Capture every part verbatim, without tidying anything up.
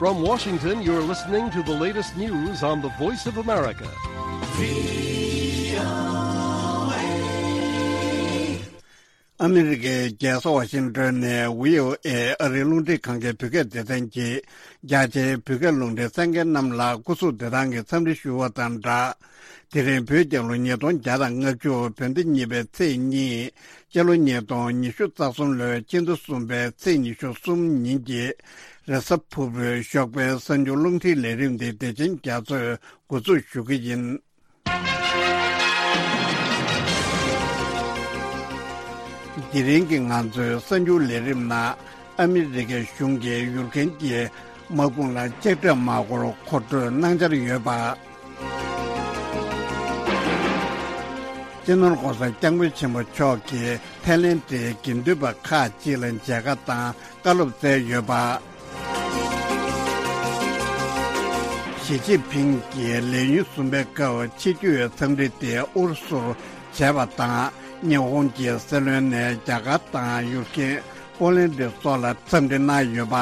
From Washington, you're listening to the latest news on the Voice of America. ཨ་མི་རི་ཀའི་རྒྱལ་ས་ཝ་ཤིང་ཏོན་ནས་ཝི་ཨོ་ཨེ་ཨ་རིའི་རླུང་འཕྲིན་ཁང་གི་བོད་སྐད་སྡེ་ཚན་གྱིས་རྒྱ་ཆེའི་བོད་སྐད་རླུང་འཕྲིན་གསན་མཁན་རྣམས་ལ་སྐུ་གཟུགས་བདེ་ཐང་གི་འཚམས་འདྲི་ཞུ་བ་དང་སྦྲགས། དེ་རིང་བོད་རྒྱལ་ལོ་ཉིས་སྟོང་བརྒྱ་དང་ལྔ་བཅུ་བོད་ཟླ་གཉིས་པའི་ཚེས་གཉིས། སྤྱི་ལོ་ཉིས་སྟོང་ཉི་ཤུ་རྩ་གསུམ་ལོའི་ཕྱི་ཟླ་གསུམ་པའི་ཚེས་ཉི་ཤུ་གསུམ་ཉིན་གྱི་རེས་གཟའ་ཕུར་བུའི་ཞོགས་པའི་གསར་འགྱུར་རླུང་འཕྲིན་ལས་རིམ་འདི་བདེ་ཆེན་རྒྱ་མཚོས་འགོ་འཛུགས་ཞུ་གི་ཡིན། དེ་རིང་གི་ང་ཚོའི་གསར་འགྱུར་ལས་རིམ་ནང་ཨ་མི་རི་ཀའི་གཞུང་གིས་ཡུཀ་རེན་གྱི་དམག་དཔུང་ལ་ལྕགས་ཁྲབ་མ་དགོས་པར་མཁོ་སྤྲོད་གནང་འཆར་ཡོད་པ། སྤྱི་ནོར་༸གོང་ས་༸སྐྱབས་མགོན་ཆེན་པོ་མཆོག་གིས་ཐའི་ལེན་ཌའི་དགེ་འདུན་པ་ཁག་ཅིག་ལ་མཇལ་ཁ་དང་བཀའ་སློབ་སྩལ་ཡོད་པ། ཞི་ཅིན་ཕིང་གིས་ལས་ཉིན་གསུམ་པའི་སྐབས་ཕྱི་སྐྱོད་འཚམས་འདྲི་དེ་ཨུ་རུ་སུར་བྱས་པ་དང་། ཉི་ཧོང་གི་སྲིད་བློན་ནས་རྒྱ་གར་དང་ཡུཀ་རེན། ཧྥོ་ལན་ཌི་སོགས་ལ་འཚམས་འདྲི་གནང་ཡོད་པ།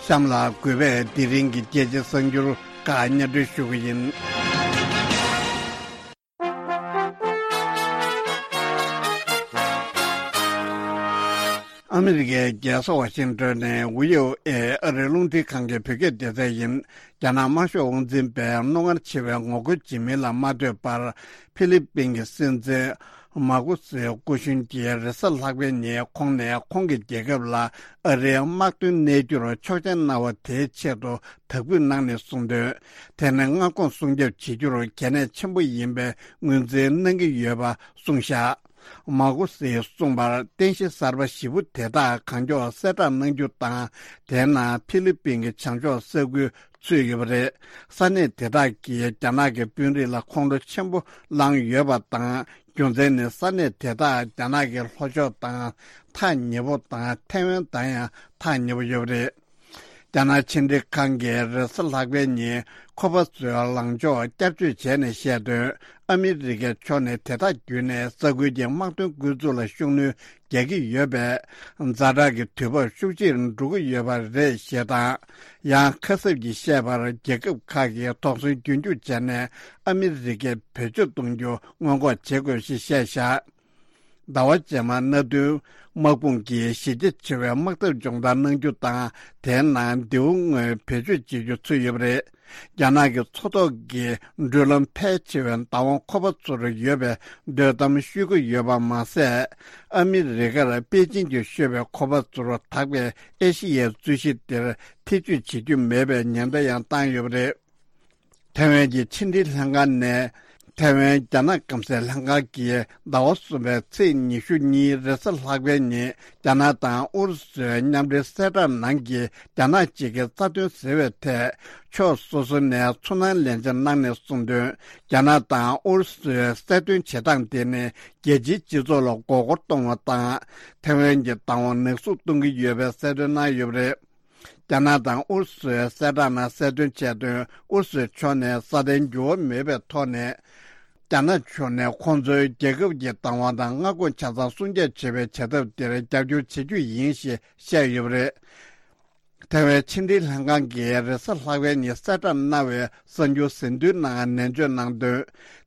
གཤམ་ལ་གུས་པས་དེ་རིང་གི་རྒྱལ་སྤྱིའི་གསར་འགྱུར་ཁག་སྙན་སྒྲོན་ཞུ་གི་ཡིན། ཨ་མི་རི་ཀའི་རྒྱལ་ས་ཝ་ཤིང་ཏོན་ནས་ཝི་ཨོ་ཨེ་ཨ་རིའི་རླུང་འཕྲིན་ཁང་གི་བོད་སྐད་སྡེ་ཚན་ཡིན། རྒྱ་ནག་དམར་ཤོག་དབང་འཛིན་པས་རྣོ་ངར་ཆེ་བའི་ངོ་རྒོལ་བྱེད་མིན་ལ་མ་ལྟོས་པར། ཧྥི་ལི་པིན་གྱི་སྲིད་འཛིན་མཱ་ཀུ་སིའི་སྐུ་གཞོན་གྱིས་རེས་གཟའ་ལྷག་པའི་ཉིན་ཁོང་ནས་ཁོང་གི་རྒྱལ་ཁབ་ལ་ཨ་རིའི་དམག་དོན་གནས་རྒྱུར་ཆོག་མཆན་གནང་བ་དེའི་ཆེད་དུ་དག་འབུད་གནང་ནས་གསུངས་དོན། དེ་ནི་མངའ་ཁོངས་སྲུང་སྐྱོབ་བྱེད་རྒྱུར་གལ་གནད་ཆེན་པོ་ཡིན་པའི་ངོས་འཛིན་གནང་གི་ཡོད་པ་གསུངས་བཞག། མཱ་ཀུ་སིས་གསུངས་པར། རྟེན་གཞི་གསར་པ་བཞི་པོ་དེ་དག་གང་མགྱོགས་གསལ་བསྒྲགས་གནང་རྒྱུ་དང་། དེའི་ནང་ཧྥི་ལི་པིན་གྱི་བྱང་ཕྱོགས་ས་ཁུལ་ཚུད་ཡོད་པ་རེད། ས་གནས་དེ་དག་གིས་རྒྱ་ནག་གི་དཔོན་རིགས་ལ་ཁོང་ཁྲོ་ཆེན་པོ་ལངས་ཡོད་པ་དང་། རྒྱུ་མཚན་ནི་ས་གནས་དེ་དག་རྒྱ་ནག་གི་ལྷོ་ཕྱོགས་དང་ཐག་ཉེ་པོ་དང་། ཐའེ་ཝན་དང་ཡང་ཐག་ཉེ་པོ་ཡོད་པ་རེད། རྒྱ་ནག་ཕྱི་འབྲེལ་ཁང་གིས་རེས་གཟའ་ལྷག་པའི་ཉིན་ཁོ་པ་ཚོའི་ལངས་ཕྱོགས་བསྐྱར་བཅོས་བྱས་ནས་བཤད་དོན། ཨ་མི་རི་ཀའི་ཕྱོགས་ནས་དེ་དག་བརྒྱུད་ནས་ས་ཁུལ་གྱི་དམག་དོན་འགོ་འཛུགས་ལ་ཤུགས་སྣོན་རྒྱག་གི་ཡོད་པས། ཛ་དྲག་གི་དུས་བབ་ཤུགས་ཆེར་འགྲོ་གི་ཡོད་པ་རེད་ཞེས་དང་། ཡང་ཁ་གསབ་ཀྱིས་བཤད་པར། རྒྱལ་ཁབ་ཁག་གིས་དོགས་ཟོན་རྒྱུན་འཁྱོངས་བྱས་ནས་ཨ་མི་རི་ཀས་བེད་སྤྱོད་གཏོང་རྒྱུ་སྔོན་འགོག་བྱེད་དགོས་ཞེས་བཤད་བཞག། ཟླ་བ་རྗེས་མར་མནའ་མཐུན་དམག་དཔུང་གིས་གཞི་རྒྱ་ཆེ་བའི་དམག་འཐབ་སྦྱོང་བརྡར་གནང་རྒྱུ་དང་། དེའི་ནང་མདེའུ་དངོས་བེད་སྤྱོད་བྱེད་རྒྱུ་ཚུད་ཡོད་པ་རེད། རྒྱ་ནག་གི་མཚོ་ཐོག་གི་འགྲུལ་ལམ་ཕལ་ཆེ་བའི་བདག་དབང་ཁོ་པ་ཚོར་ཡོད་པའི་འདོད་གཏམ་ཤོད་ཀྱི་ཡོད་པ་མ་ཟད། ཨ་མི་རི་ཀར་པེ་ཅིན་གྱིས་ཤོད་པའི་ཁོ་པ་ཚོར་དག་པའི་ཨེ་ཤི་ཡའི་རྩོད་གཞི་དེར་ཐེ་བྱུས་བྱེད་རྒྱུ་མེད་པའི་ཉེན་བརྡ་ཡང་བཏང་ཡོད་པ་རེད། ཐའེ་ཝན་གྱི་ཕྱི་འབྲེལ་ལྷན་ཁང་ནས། ཐའེ་ཝན་རྒྱ་ནག་སྐམ་སའི་ལྷན་ཁང་གིས་ཟླ་བ་གསུམ་པའི་ཚེས་ཉི་ཤུ་གཉིས་རེས་གཟའ་ལྷག་པའི་ཉིན། རྒྱ་ནག་དང་ཨུ་རུ་སུའི་མཉམ་འབྲེལ་གསལ་བསྒྲགས་ནང་གི་རྒྱ་ནག་གཅིག་གི་རྩ་དོན་ཟེར་བའི་ཐད། ཕྱོགས་སོ་སོ་ནས་ཚུར་སྣང་ལན་ཆ་གནང་ནས་གསུངས་དོན། རྒྱ་ནག་དང་ཨུ་རུ་སུའི་གསལ་སྟོན་བྱེད་སྟངས་དེ་ནི། རྒྱལ་སྤྱིའི་སྤྱི་ཚོགས་ལ་མགོ་སྐོར་གཏོང་བ་དང་། ཐའེ་ཝན་གྱི་བདག་དབང་ནག་གསུག་གཏོང་གི་ཡོད་པའི་གསལ་སྟོན་གནང་ཡོད་པ་རེད། རྒྱ་ནག་དང་ཨུ་རུ་སུའི་གསལ་བསྒྲགས་ནང་གསལ་སྟོན་བྱས་དོན། ཨུ་རུ་སུའི་ཕྱོགས་ནས་སྲ་བརྟན་འགྱུར་བ་མེད་པའི་ཐོག་ནས། རྒྱ་ནག་ཕྱོགས་ནས་ཁོང་ཚོའི་རྒྱལ་ཁབ་ཀྱི་བདག་དབང་དང་མངའ་ཁོངས་ཆ་ཚང་སྲུང་སྐྱོབ་བྱེད་པའི་བྱ་ཐབས་དེར་རྒྱབ་སྐྱོར་བྱེད་རྒྱུ་ཡིན་ཞེས་བཤད་ཡོད་པ་རེད། ཐའེ་ཝན་ཕྱི་འབྲེལ་ལྷན་ཁང་གིས་རེས་གཟའ་ལྷག་པའི་ཉིན་གསལ་བསྒྲགས་གནང་བའི་གསར་འགྱུར་ཟིན་ཐོའི་ནང་ནན་བརྗོད་གནང་དོན།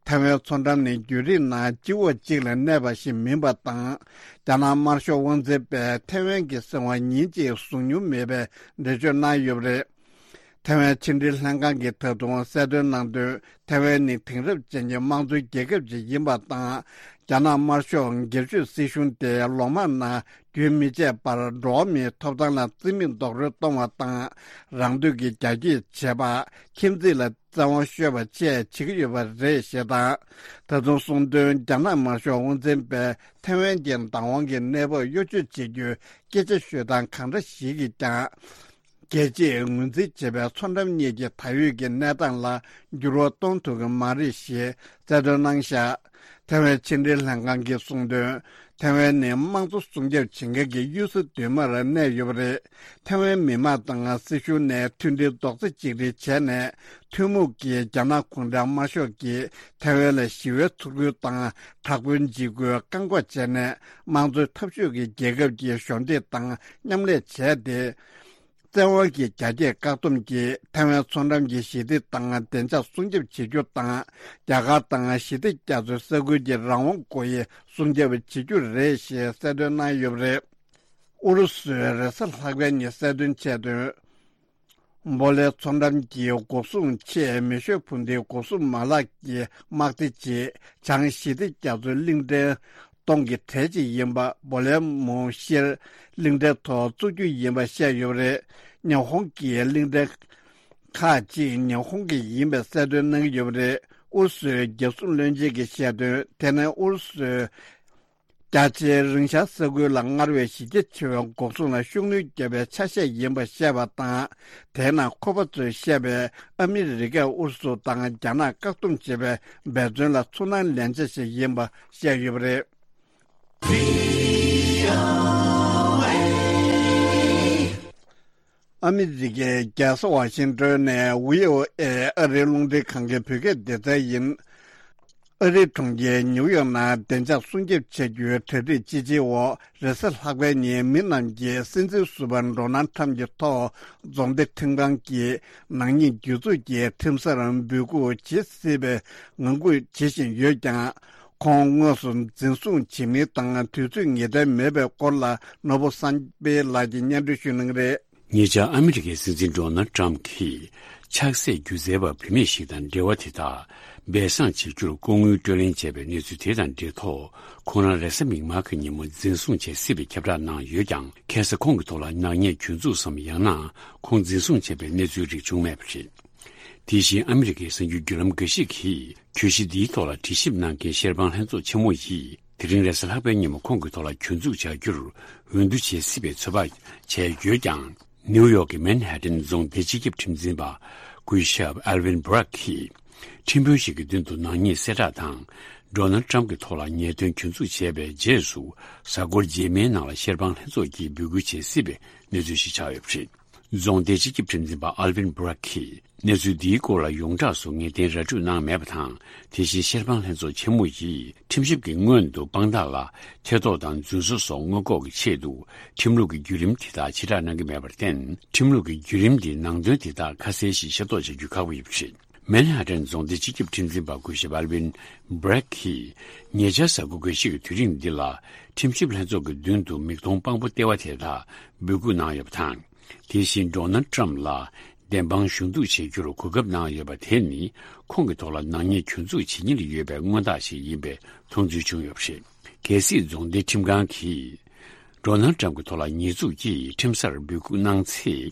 ཐའེ་ཝན་མཚོ་འགྲམ་ནི་རྒྱུན་རིང་ནང་གཅིག་འོག་གཅིག་ལ་གནས་པ་ཞིག་མིན་པ་དང་། རྒྱ་ནག་དམར་ཤོག་དབང་འཛིན་པས་ཐའེ་ཝན་གྱི་སྲིད་དབང་ཉིན་གཅིག་བཟུང་མྱོང་མེད་པའི་འགྲེལ་བརྗོད་གནང་ཡོད་པ་རེད། ཐའེ་ཝན་ཕྱི་འབྲེལ་ལྷན་ཁང་གིས་ད་དུང་གསལ་སྟོན་གནང་དོན། ཐའེ་ཝན་ནི་དེང་རབས་ཅན་གྱི་དམངས་གཙོའི་རྒྱལ་ཁབ་ཅིག་ཡིན་པ་དང་། རྒྱ་ནག་དམར་ཤོག་སྒེར་གཅོད་སྲིད་གཞུང་དེ་ལོ་མང་ནང་རྒྱུན་མི་ཆད་པར་འགྲོ་བ་མིའི་ཐོབ་ཐང་ལ་བརྩི་མེད་རྡོག་རོལ་གཏོང་བ་དང་། རང་འདོད་ཀྱིས་རྒྱ་སྐྱེད་བྱེད་པ། ཁྱིམ་མཚེས་ལ་བཙན་དབང་གཤོག་པ་བཅས་བྱེད་ཀྱི་ཡོད་པ་རེད་ཞེས་དང་། ད་དུང་གསུངས་དོན། རྒྱ་ནག་དམར་ཤོག་དབང་འཛིན་པས་ཐའེ་ཝན་གྱི་བདག་དབང་གི་གནས་བབ་གཡོ་ཇུས་བྱེད་རྒྱུའི་སྐད་ཆ་ཤོད་སྟངས་གང་འདྲ་ཞིག་གིས་ཀྱང་། རྒྱལ་སྤྱིས་ངོས་འཛིན་བྱེད་པའི་མཚོ་འགྲམ་གཉིས་ཀྱི་ད་ཡོད་ཀྱི་གནས་སྟངས་ལ་འགྱུར་བ་གཏོང་ཐུབ་ཀྱི་མ་རེད་ཞེས་གསལ་སྟོན་གནང་བཞག་ཐེ་ཝན་ཕྱི་འབྲེལ་ལྷན་ཁང་གིས་གསུངས་དོན། ཐེ་ཝན་ནི་དམངས་གཙོ་སྲུང་སྐྱོབ་བྱེད་མཁན་གྱི་གཡུལ་ས་མདུན་མར་གནས་ཡོད་པ་རེད། ཐེ་ཝན་མི་དམངས་དང་སྲིད་གཞུང་ནས་མཐུན་སྒྲིལ་རྡོག་རྩ་གཅིག་སྒྲིལ་བྱས་ནས། ཐུན་མོང་གིས་རྒྱ་ནག་གུང་ཁྲན་དམར་ཤོག་གིས་ཐེ་ཝན་ལ་ཞི་བའི་ཚུར་རྒོལ་དང་དྲག་པོའི་འཇིགས་སྐུལ་བཀག་འགོག་བྱས་ནས། དམངས་གཙོའི་འཐབ་ཕྱོགས་ཀྱི་རྒྱལ་ཁབ་ཀྱི་གཞོགས་འདེགས་དང་མཉམ་ལས་བྱས་ཏེ། བཙན་དབང་གི་རྒྱ་སྐྱེད་བཀག་སྡོམ་གྱིས་ཐེ་ཝན་མཚོ་འགྲམ་གྱི་ཞི་བདེ་དང་བདེ་འཇགས་སྲུང་སྐྱོབ་བྱེད་རྒྱུ་དང་། རྒྱ་གར་དང་ཞི་བདེ་རྒྱ་མཚོའི་ས་ཁུལ་གྱི་རང་དབང་སྒོ་དབྱེ་སྲུང་སྐྱོབ་བྱེད་རྒྱུ་རེད་ཞེས་གསལ་སྟོན་གནང་ཡོད་པ་རེད། ཨུ་རུ་སུས་རེས་གཟའ་ལྷག་པའི་ཉིན་གསལ་སྟོན་བྱས་དོན། པོ་ལའི་མཚོ་འགྲམ་གྱི་འགོག་སྲུང་ཆེད་མེ་ཤོད་འཕུར་མདེལ་འགོག་སྲུང་མ་ལག་གི་དམག་སྡེ་ཆེ་བྱང་ཞི་བདེ་རྒྱ་མཚོའི་གླིང་ཕྲན་སྟོང་གི་གྲས་གཅིག་ཡིན་པ་པོ་ལའི་མུ་ཤེར་གླིང་ཕྲན་ཐོག་བཙུགས་རྒྱུ་ཡིན་པ་བཤད་ཡོད་པ་རེད། ཉི་ཧོང་གི་གླིང་ཕྲན་ཁག་ཅིག་ཉི་ཧོང་གི་ཡིན་པའི་གསལ་སྟོན་གནང་གི་ཡོད་པ་རེད། ཨུ་རུ་སུའི་རྒྱལ་སྲུང་བློན་ཆེན་གྱིས་བཤད་དོན། དེ་ནི་ཨུ་རུ་སུའི་རྒྱ་ཆེའི་རིང་ཤར་ས་ཁུལ་ལ་སྔར་བས་གཞི་རྒྱ་ཆེ་བའི་འགོག་སྲུང་ལ་ཤུགས་སྣོན་བརྒྱབ་པའི་ཆ་ཤས་ཡིན་པ་བཤད་པ་དང་། དེས་ན་ཁོ་པ་ཚོས་བཤད་པའི་ཨ་མི་རི་ཀས་ཨུ་རུ་སུ་དང་རྒྱ་ནག་བཀག་སྡོམ་བྱེད་པའི་འབད་བརྩོན་ལ་ཚུར་སྣང་ལན་ཆ་ཞིག་ཡིན་པ་བཤད་ཡོད་པ་རེད། ཨ་མི་རི་ཀའི་རྒྱལ་ས་ཝ་ཤིང་ཏོན་ནས་བྷི་ཨོ་ཨེ་ཨ་རིའི་རླུང་འཕྲིན་ཁང་གི་བོད་སྐད་སྡེ་ཚན་ཡིན། ཨ་རིའི་གྲོང་ཁྱེར་ཉིའུ་ཡོག་ནང་བདེ་འཇགས་སྲུང་སྐྱོབ་བྱ་རྒྱུའི་གྲ་སྒྲིག་ཅི་བྱེད་འོག་རེས་གཟའ་ལྷག་པའི་ཉིན་མི་རྣམས་ཀྱིས་སྲིད་འཛིན་ཟུར་པ་ཌོ་ནལ་ཁྲམ་གྱི་ཐོག་རྫོང་སྡེ་ཁྲིམས་ཁང་གི་ནག་ཉེས་སྒྱུར་འཛུགས་ཀྱི་ཁྲིམས་སར་འབོད་འགུག་བྱེད་སྲིད་པའི་ངང་སྒུག་བྱེད་བཞིན་ཡོད་ཀྱང་། ཁོང་དངོས་སུ་འཛིན་བཟུང་བྱེད་མིན་དང་དུས་ཚོད་ངེས་གཏན་མེད་པའི་སྐོར་ལ་ནོར་བུ་བསམ་འཕེལ་ལགས་ཀྱིས་སྙན་སྒྲོན་ཞུ་གནང་གི་རེད། ཉེ་ཆར་ཨ་མི་རི་ཀའི་སྲིད་འཛིན་ཌོ་ནལ་ཊམ་གྱིས་ཆགས་སྲེད་སྒྱུ་རྩལ་པ་བུད་མེད་ཞིག་དང་འབྲེལ་བ་དེ་དག་སྦས་གསང་བྱེད་རྒྱུར་སྐུ་ངོའི་སྤྲོད་ལེན་བྱས་པའི་གནས་ཚུལ་དེ་དང་འབྲེལ་ཐོག་ཁོང་རང་རེས་གཟའ་མིག་དམར་གྱི་ཉིན་མོ་འཛིན་བཟུང་བྱེད་སྲིད་པའི་ཁྱབ་བསྒྲགས་གནང་ཡོད་ཀྱང་། ཁ་སང་ཁོང་གི་ཐོག་ལ་ནག་ཉེས་གྱོད་འཛུགས་སམ། ཡང་ན་ཁོང་འཛིན་བཟུང་བྱས་པའི་གནས་ཚུལ་རིགས་བྱུང་མེད་པ་རེད། དེ་བཞིན་ཨ་མི་རི་ཀའི་གསར་འགྱུར་བརྒྱུད་ལམ་འགའ་ཞིག་གིས་གྱོད་གཞི་འདིའི་ཐོག་ལ་དྲི་ཞིབ་གནང་མཁན་ཤེར་དཔང་ལྷན་ཚོགས་ཆེན་མོ་ཡིས། དེ་རིང་རེས་གཟའ་ལྷག་པའི་ཉིན་མོ་ཁོང་གི་ཐོག་ལ་གྱོད་འཛུགས་བྱ་རྒྱུར་འོས་བསྡུ་བྱེད་སྲིད་པའི་ཚོད་དཔག་བྱས་ཡོད་ཀྱང་། ནིའུ་ཡོག་གི་མན་ཧེ་ཏན་རྫོང་སྡེ་སྤྱི་ཁྱབ་ཁྲིམས་འཛིན་པ་སྐུ་ཞབས་ཨལ་ཝིན་སྦུ་རག་གིས། ཁྲིམས་དཔོན་ཞིག་གི་མདུན་དུ་ནག་ཉེས་གསལ་བསྒྲགས་དང་། ཌོ་ནལ་ཊམ་གྱི་ཐོག་ལ་ཉེས་དོན་གྱོད་འཛུགས་བྱས་པའི་རྗེས་སུ། གཟའ་འཁོར་རྗེས་མའི་ནང་ལ་ཤེར་དཔང་ལྷན་ཚོགས་ཀྱིས་འབོད་སྐུལ་བྱེད་སྲིད་པའི་གནས་ཚུལ་ཞིག་ཆགས་ཡོད་པ་རེད། རྫོང་སྡེ་སྤྱི་ཁྱབ་ཁྲིམས་འཛིན་པ་ཨལ་ཝིན་སྦུ་རག་གིས་གནས་ཚུལ་འདིའི་སྐོར་ལ་ཡོངས་གྲགས་སུ་ངེས་གཏན་ར་སྤྲོད་གནང་མེད་པ་དང་། དེ་བཞིན་ཤེར་དཔང་ལྷན་ཚོགས་ཆེན་མོ་ཡིས་ཁྲིམས་ཞིབ་ཀྱི་སྔོན་དུ་དཔང་རྟགས་ལ་ཐེ་གཏོགས་དང་རྫུན་བཟོ་སོགས་སྔོན་འགོག་གི་ཆེད་དུ་ཁྲིམས་ལུགས་ཀྱི་བརྒྱུད་རིམ་དེ་དག་ཕྱིར་བསྒྲགས་གནང་གི་མེད་པར་བརྟེན། ཁྲིམས་ལུགས་ཀྱི་བརྒྱུད་རིམ་འདིའི་ནང་དོན་དེ་དག་ཁ་གསལ་ཞིག་ཤེས་རྟོགས་བྱ་རྒྱུ་ཁག་པོ་ཡོད་པ་རེད། མན་ཧ་ཏན་རྫོང་སྡེ་སྤྱི་ཁྱབ་ཁྲིམས་འཛིན་པ་སྐུ་ཞབས་ཨལ་ཝིན་སྦུ་རག་གིས། ཉེ་ཆར་གཟའ་འཁོར་འགའ་ཞིག་གི་དུས་རིང་འདི་ལ། ཁྲིམས་ཞིབ་ལྷན་ཚོགས་ཀྱི་མདུན་དུ་མིག་མཐོང་དཔང་པོ་ལྟེ་བ་དེ་དག་འབོད་སྐུལ་གནང་ཡོད་པ་དང་། དེ་བཞིན་ཌོ་ནལ་ཊམ་ལ་བདེན་དཔང་གཞུང་བསྡུ་བྱེད་རྒྱུར་གོ་སྐབས་གནང་ཡོད་པ་དེ་ནི། ཁོང་གི་ཐོག་ལ་ནག་ཉེས་གྱོད་འཛུགས་བྱེད་ཉེན་ཡོད་པའི་མངོན་རྟགས་ཤིག་ཡིན་པའི་མཐོང་ཚུལ་བྱུང་ཡོད་པ་རེད། གལ་སྲིད་རྫོང་སྡེ་ཁྲིམས་ཁང་གིས། ཌོ་ནལ་ཊམ་གྱི་ཐོག་ལ་ཉེས་འཛུགས་ཀྱིས་ཁྲིམས་སར་འབོད་སྐུལ་གནང་ཚེ།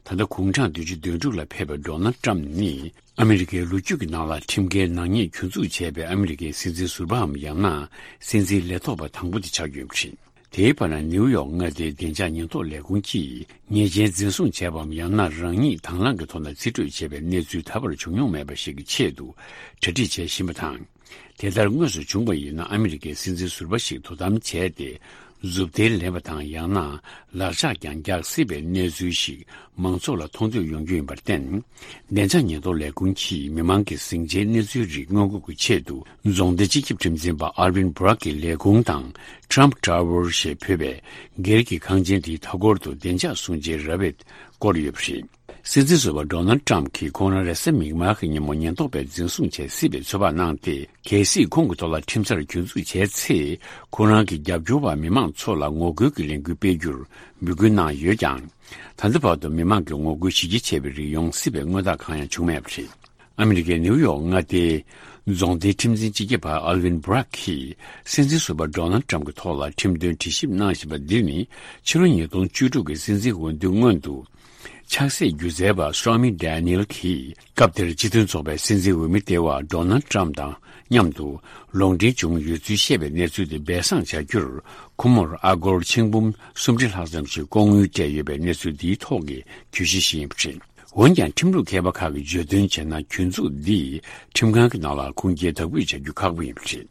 ད་ལྟ་གུང་གྲངས་བདུན་ཅུ་དོན་དྲུག་ལ་ཕེབས་པའི་ཌོ་ནལ་ཊམ་ནི། ཨ་མི་རི་ཀའི་ལོ་རྒྱུས་ཀྱི་ནང་ལ་ཁྲིམས་འགལ་ནག་ཉེས་གྱོད་འཛུགས་བྱས་པའི་ཨ་མི་རི་ཀའི་སྲིད་འཛིན་ཟུར་པའམ། ཡང་ན་སྲིད་འཛིན་ལས་ཐོག་པ་དང་པོ་དེ་ཆགས་ཡོད་པ་རེད། དེའི་བར་ན་ནིའུ་ཡོག་མངའ་སྡེའི་བདེ་འཇགས་ཉེན་རྟོག་ལས་ཁུངས་ཀྱིས། ཉེས་ཅན་འཛིན་བཟུང་བྱས་པའམ། ཡང་ན་རང་ཉིད་དྭང་བླངས་ཀྱི་ཐོག་ནས་རྩིས་སྤྲོད་བྱས་པའི་གནས་ཚུལ་ད་བར་བྱུང་མྱོང་མེད་པ་ཞིག་གི་ཆེད་དུ་གྲ་སྒྲིག་བྱེད་བཞིན་པ་དང་། དེ་ལྟར་དངོས་སུ་བྱུང་བ་ཡིན་ན། ཨ་མི་རི་ཀའི་སྲིད་འཛིན་ཟུར་པ་ཞིག་དོ་དམ་བྱས་ཏེ། མཛུབ་ཐེལ་ལེན་པ་དང་། ཡང་ན་ལག་ཆགས་ཀྱང་རྒྱག་སྲིད་པའི་གནས་ཚུལ་ཞིག་མང་ཚོགས་ལ་མཐོང་ཐོས་ཡོང་རྒྱུ་ཡིན་པར་བརྟེན། བདེ་འཇགས་ཉེན་རྟོག་ལས་ཁུངས་ཀྱིས་མི་མང་གི་ཟིང་ཆའི་གནས་ཚུལ་རིགས་སྔོན་འགོག་གི་ཆེད་དུ། རྫོང་སྡེ་སྤྱི་ཁྱབ་ཁྲིམས་འཛིན་པ་ཨར་ཝིན་སྦུ་རག་གི་ལས་ཁུངས་དང་། ཊམ་ཊ་ཝར་ཞེས་འབོད་པའི་སྒེར་གྱི་ཁང་ཆེན་དེའི་མཐའ་འཁོར་དུ་བདེ་འཇགས་སྲུང་བྱའི་ར་བས་བསྐོར་ཡོད་པ་རེད། སྲིད་འཛིན་ཟུར་པ་ཌོ་ནལ་ཊམ་གྱིས་ཁོང་རང་རེས་གཟའ་མིག་དམར་གྱི་ཉིན་མོ་ཉེན་རྟོག་པས་འཛིན་བཟུང་བྱེད་སྲིད་པའི་ཚོད་དཔག་གནང་སྟེ། གལ་སྲིད་ཁོང་གི་ཐོག་ལ་ཁྲིམས་སར་གྱོད་འཛུགས་བྱས་ཚེ། ཁོང་རང་གི་རྒྱབ་སྐྱོར་བ་མི་མང་ཚོ་ལ་ངོ་རྒོལ་གྱི་ལས་འགུལ་སྤེལ་རྒྱུར་འབོད་སྐུལ་གནང་ཡོད་ཀྱང་། ད་ལྟ་བར་དུ་མི་མང་གི་ངོ་རྒོལ་གཞི་རྒྱ་ཆེ་བའི་རིགས་ཡོང་སྲིད་པའི་མངོན་རྟགས་གང་ཡང་བྱུང་མེད་པ་རེད། ཨ་མི་རི་ཀའི་ནིའུ་ཡོག་མངའ་སྡེའི་རྫོང་སྡེའི་ཁྲིམས་འཛིན་སྤྱི་ཁྱབ་པ་ཨལ་ཝིན་སྦུ་རག་གིས། སྲིད་འཛིན་ཟུར་པ་ཌོ་ནལ་ཊམ་གྱི་ཐོག་ལ་ཁྲིམས་དོན་དྲི་ཞིབ་གནང་བཞིན་པ་འདི་ནི། ཕྱི་ལོ་ཉིས་སྟོང་བཅུ་དྲུག་གི་སྲིད་འཛིན་འོས་བསྡུའི་སྔོན་དུ། ཆགས་སྲེད་སྒྱུ་རྩལ་པ་Stormy Daniel་གྱིས་སྐབས་དེར་སྤྱི་མཐུན་ཚོགས་པའི་སྲིད་འཛིན་འོས་མི་ལྟེ་བ་Donald Trump་དང་མཉམ་དུ་ལོང་འདྲེན་བྱུང་ཡོད་ཚུལ་བཤད་པའི་གནས་ཚུལ་དེ་སྦས་གསང་བྱ་རྒྱུར། ཁོ་མོར་ཨ་སྒོར་ཆིག་འབུམ་སུམ་ཁྲི་ལྷག་ཙམ་ཞིག་སྐོང་དངུལ་སྤྲད་ཡོད་པའི་གནས་ཚུལ་འདིའི་ཐོག་གི་གྱོད་གཞི་ཞིག་ཡིན་པ་རེད། འོན་ཀྱང་ཁྲིམས་ལུགས་མཁས་པ་ཁག་གིས་བརྗོད་དོན་བྱས་ན། གྱོད་འཛུགས་འདིས་ཁྲིམས་ཁང་གི་ནང་ལ་ཁུངས་སྐྱེལ་དག་སྤོས་བྱ་རྒྱུ་ཁག་པོ་ཡིན་པ་རེད།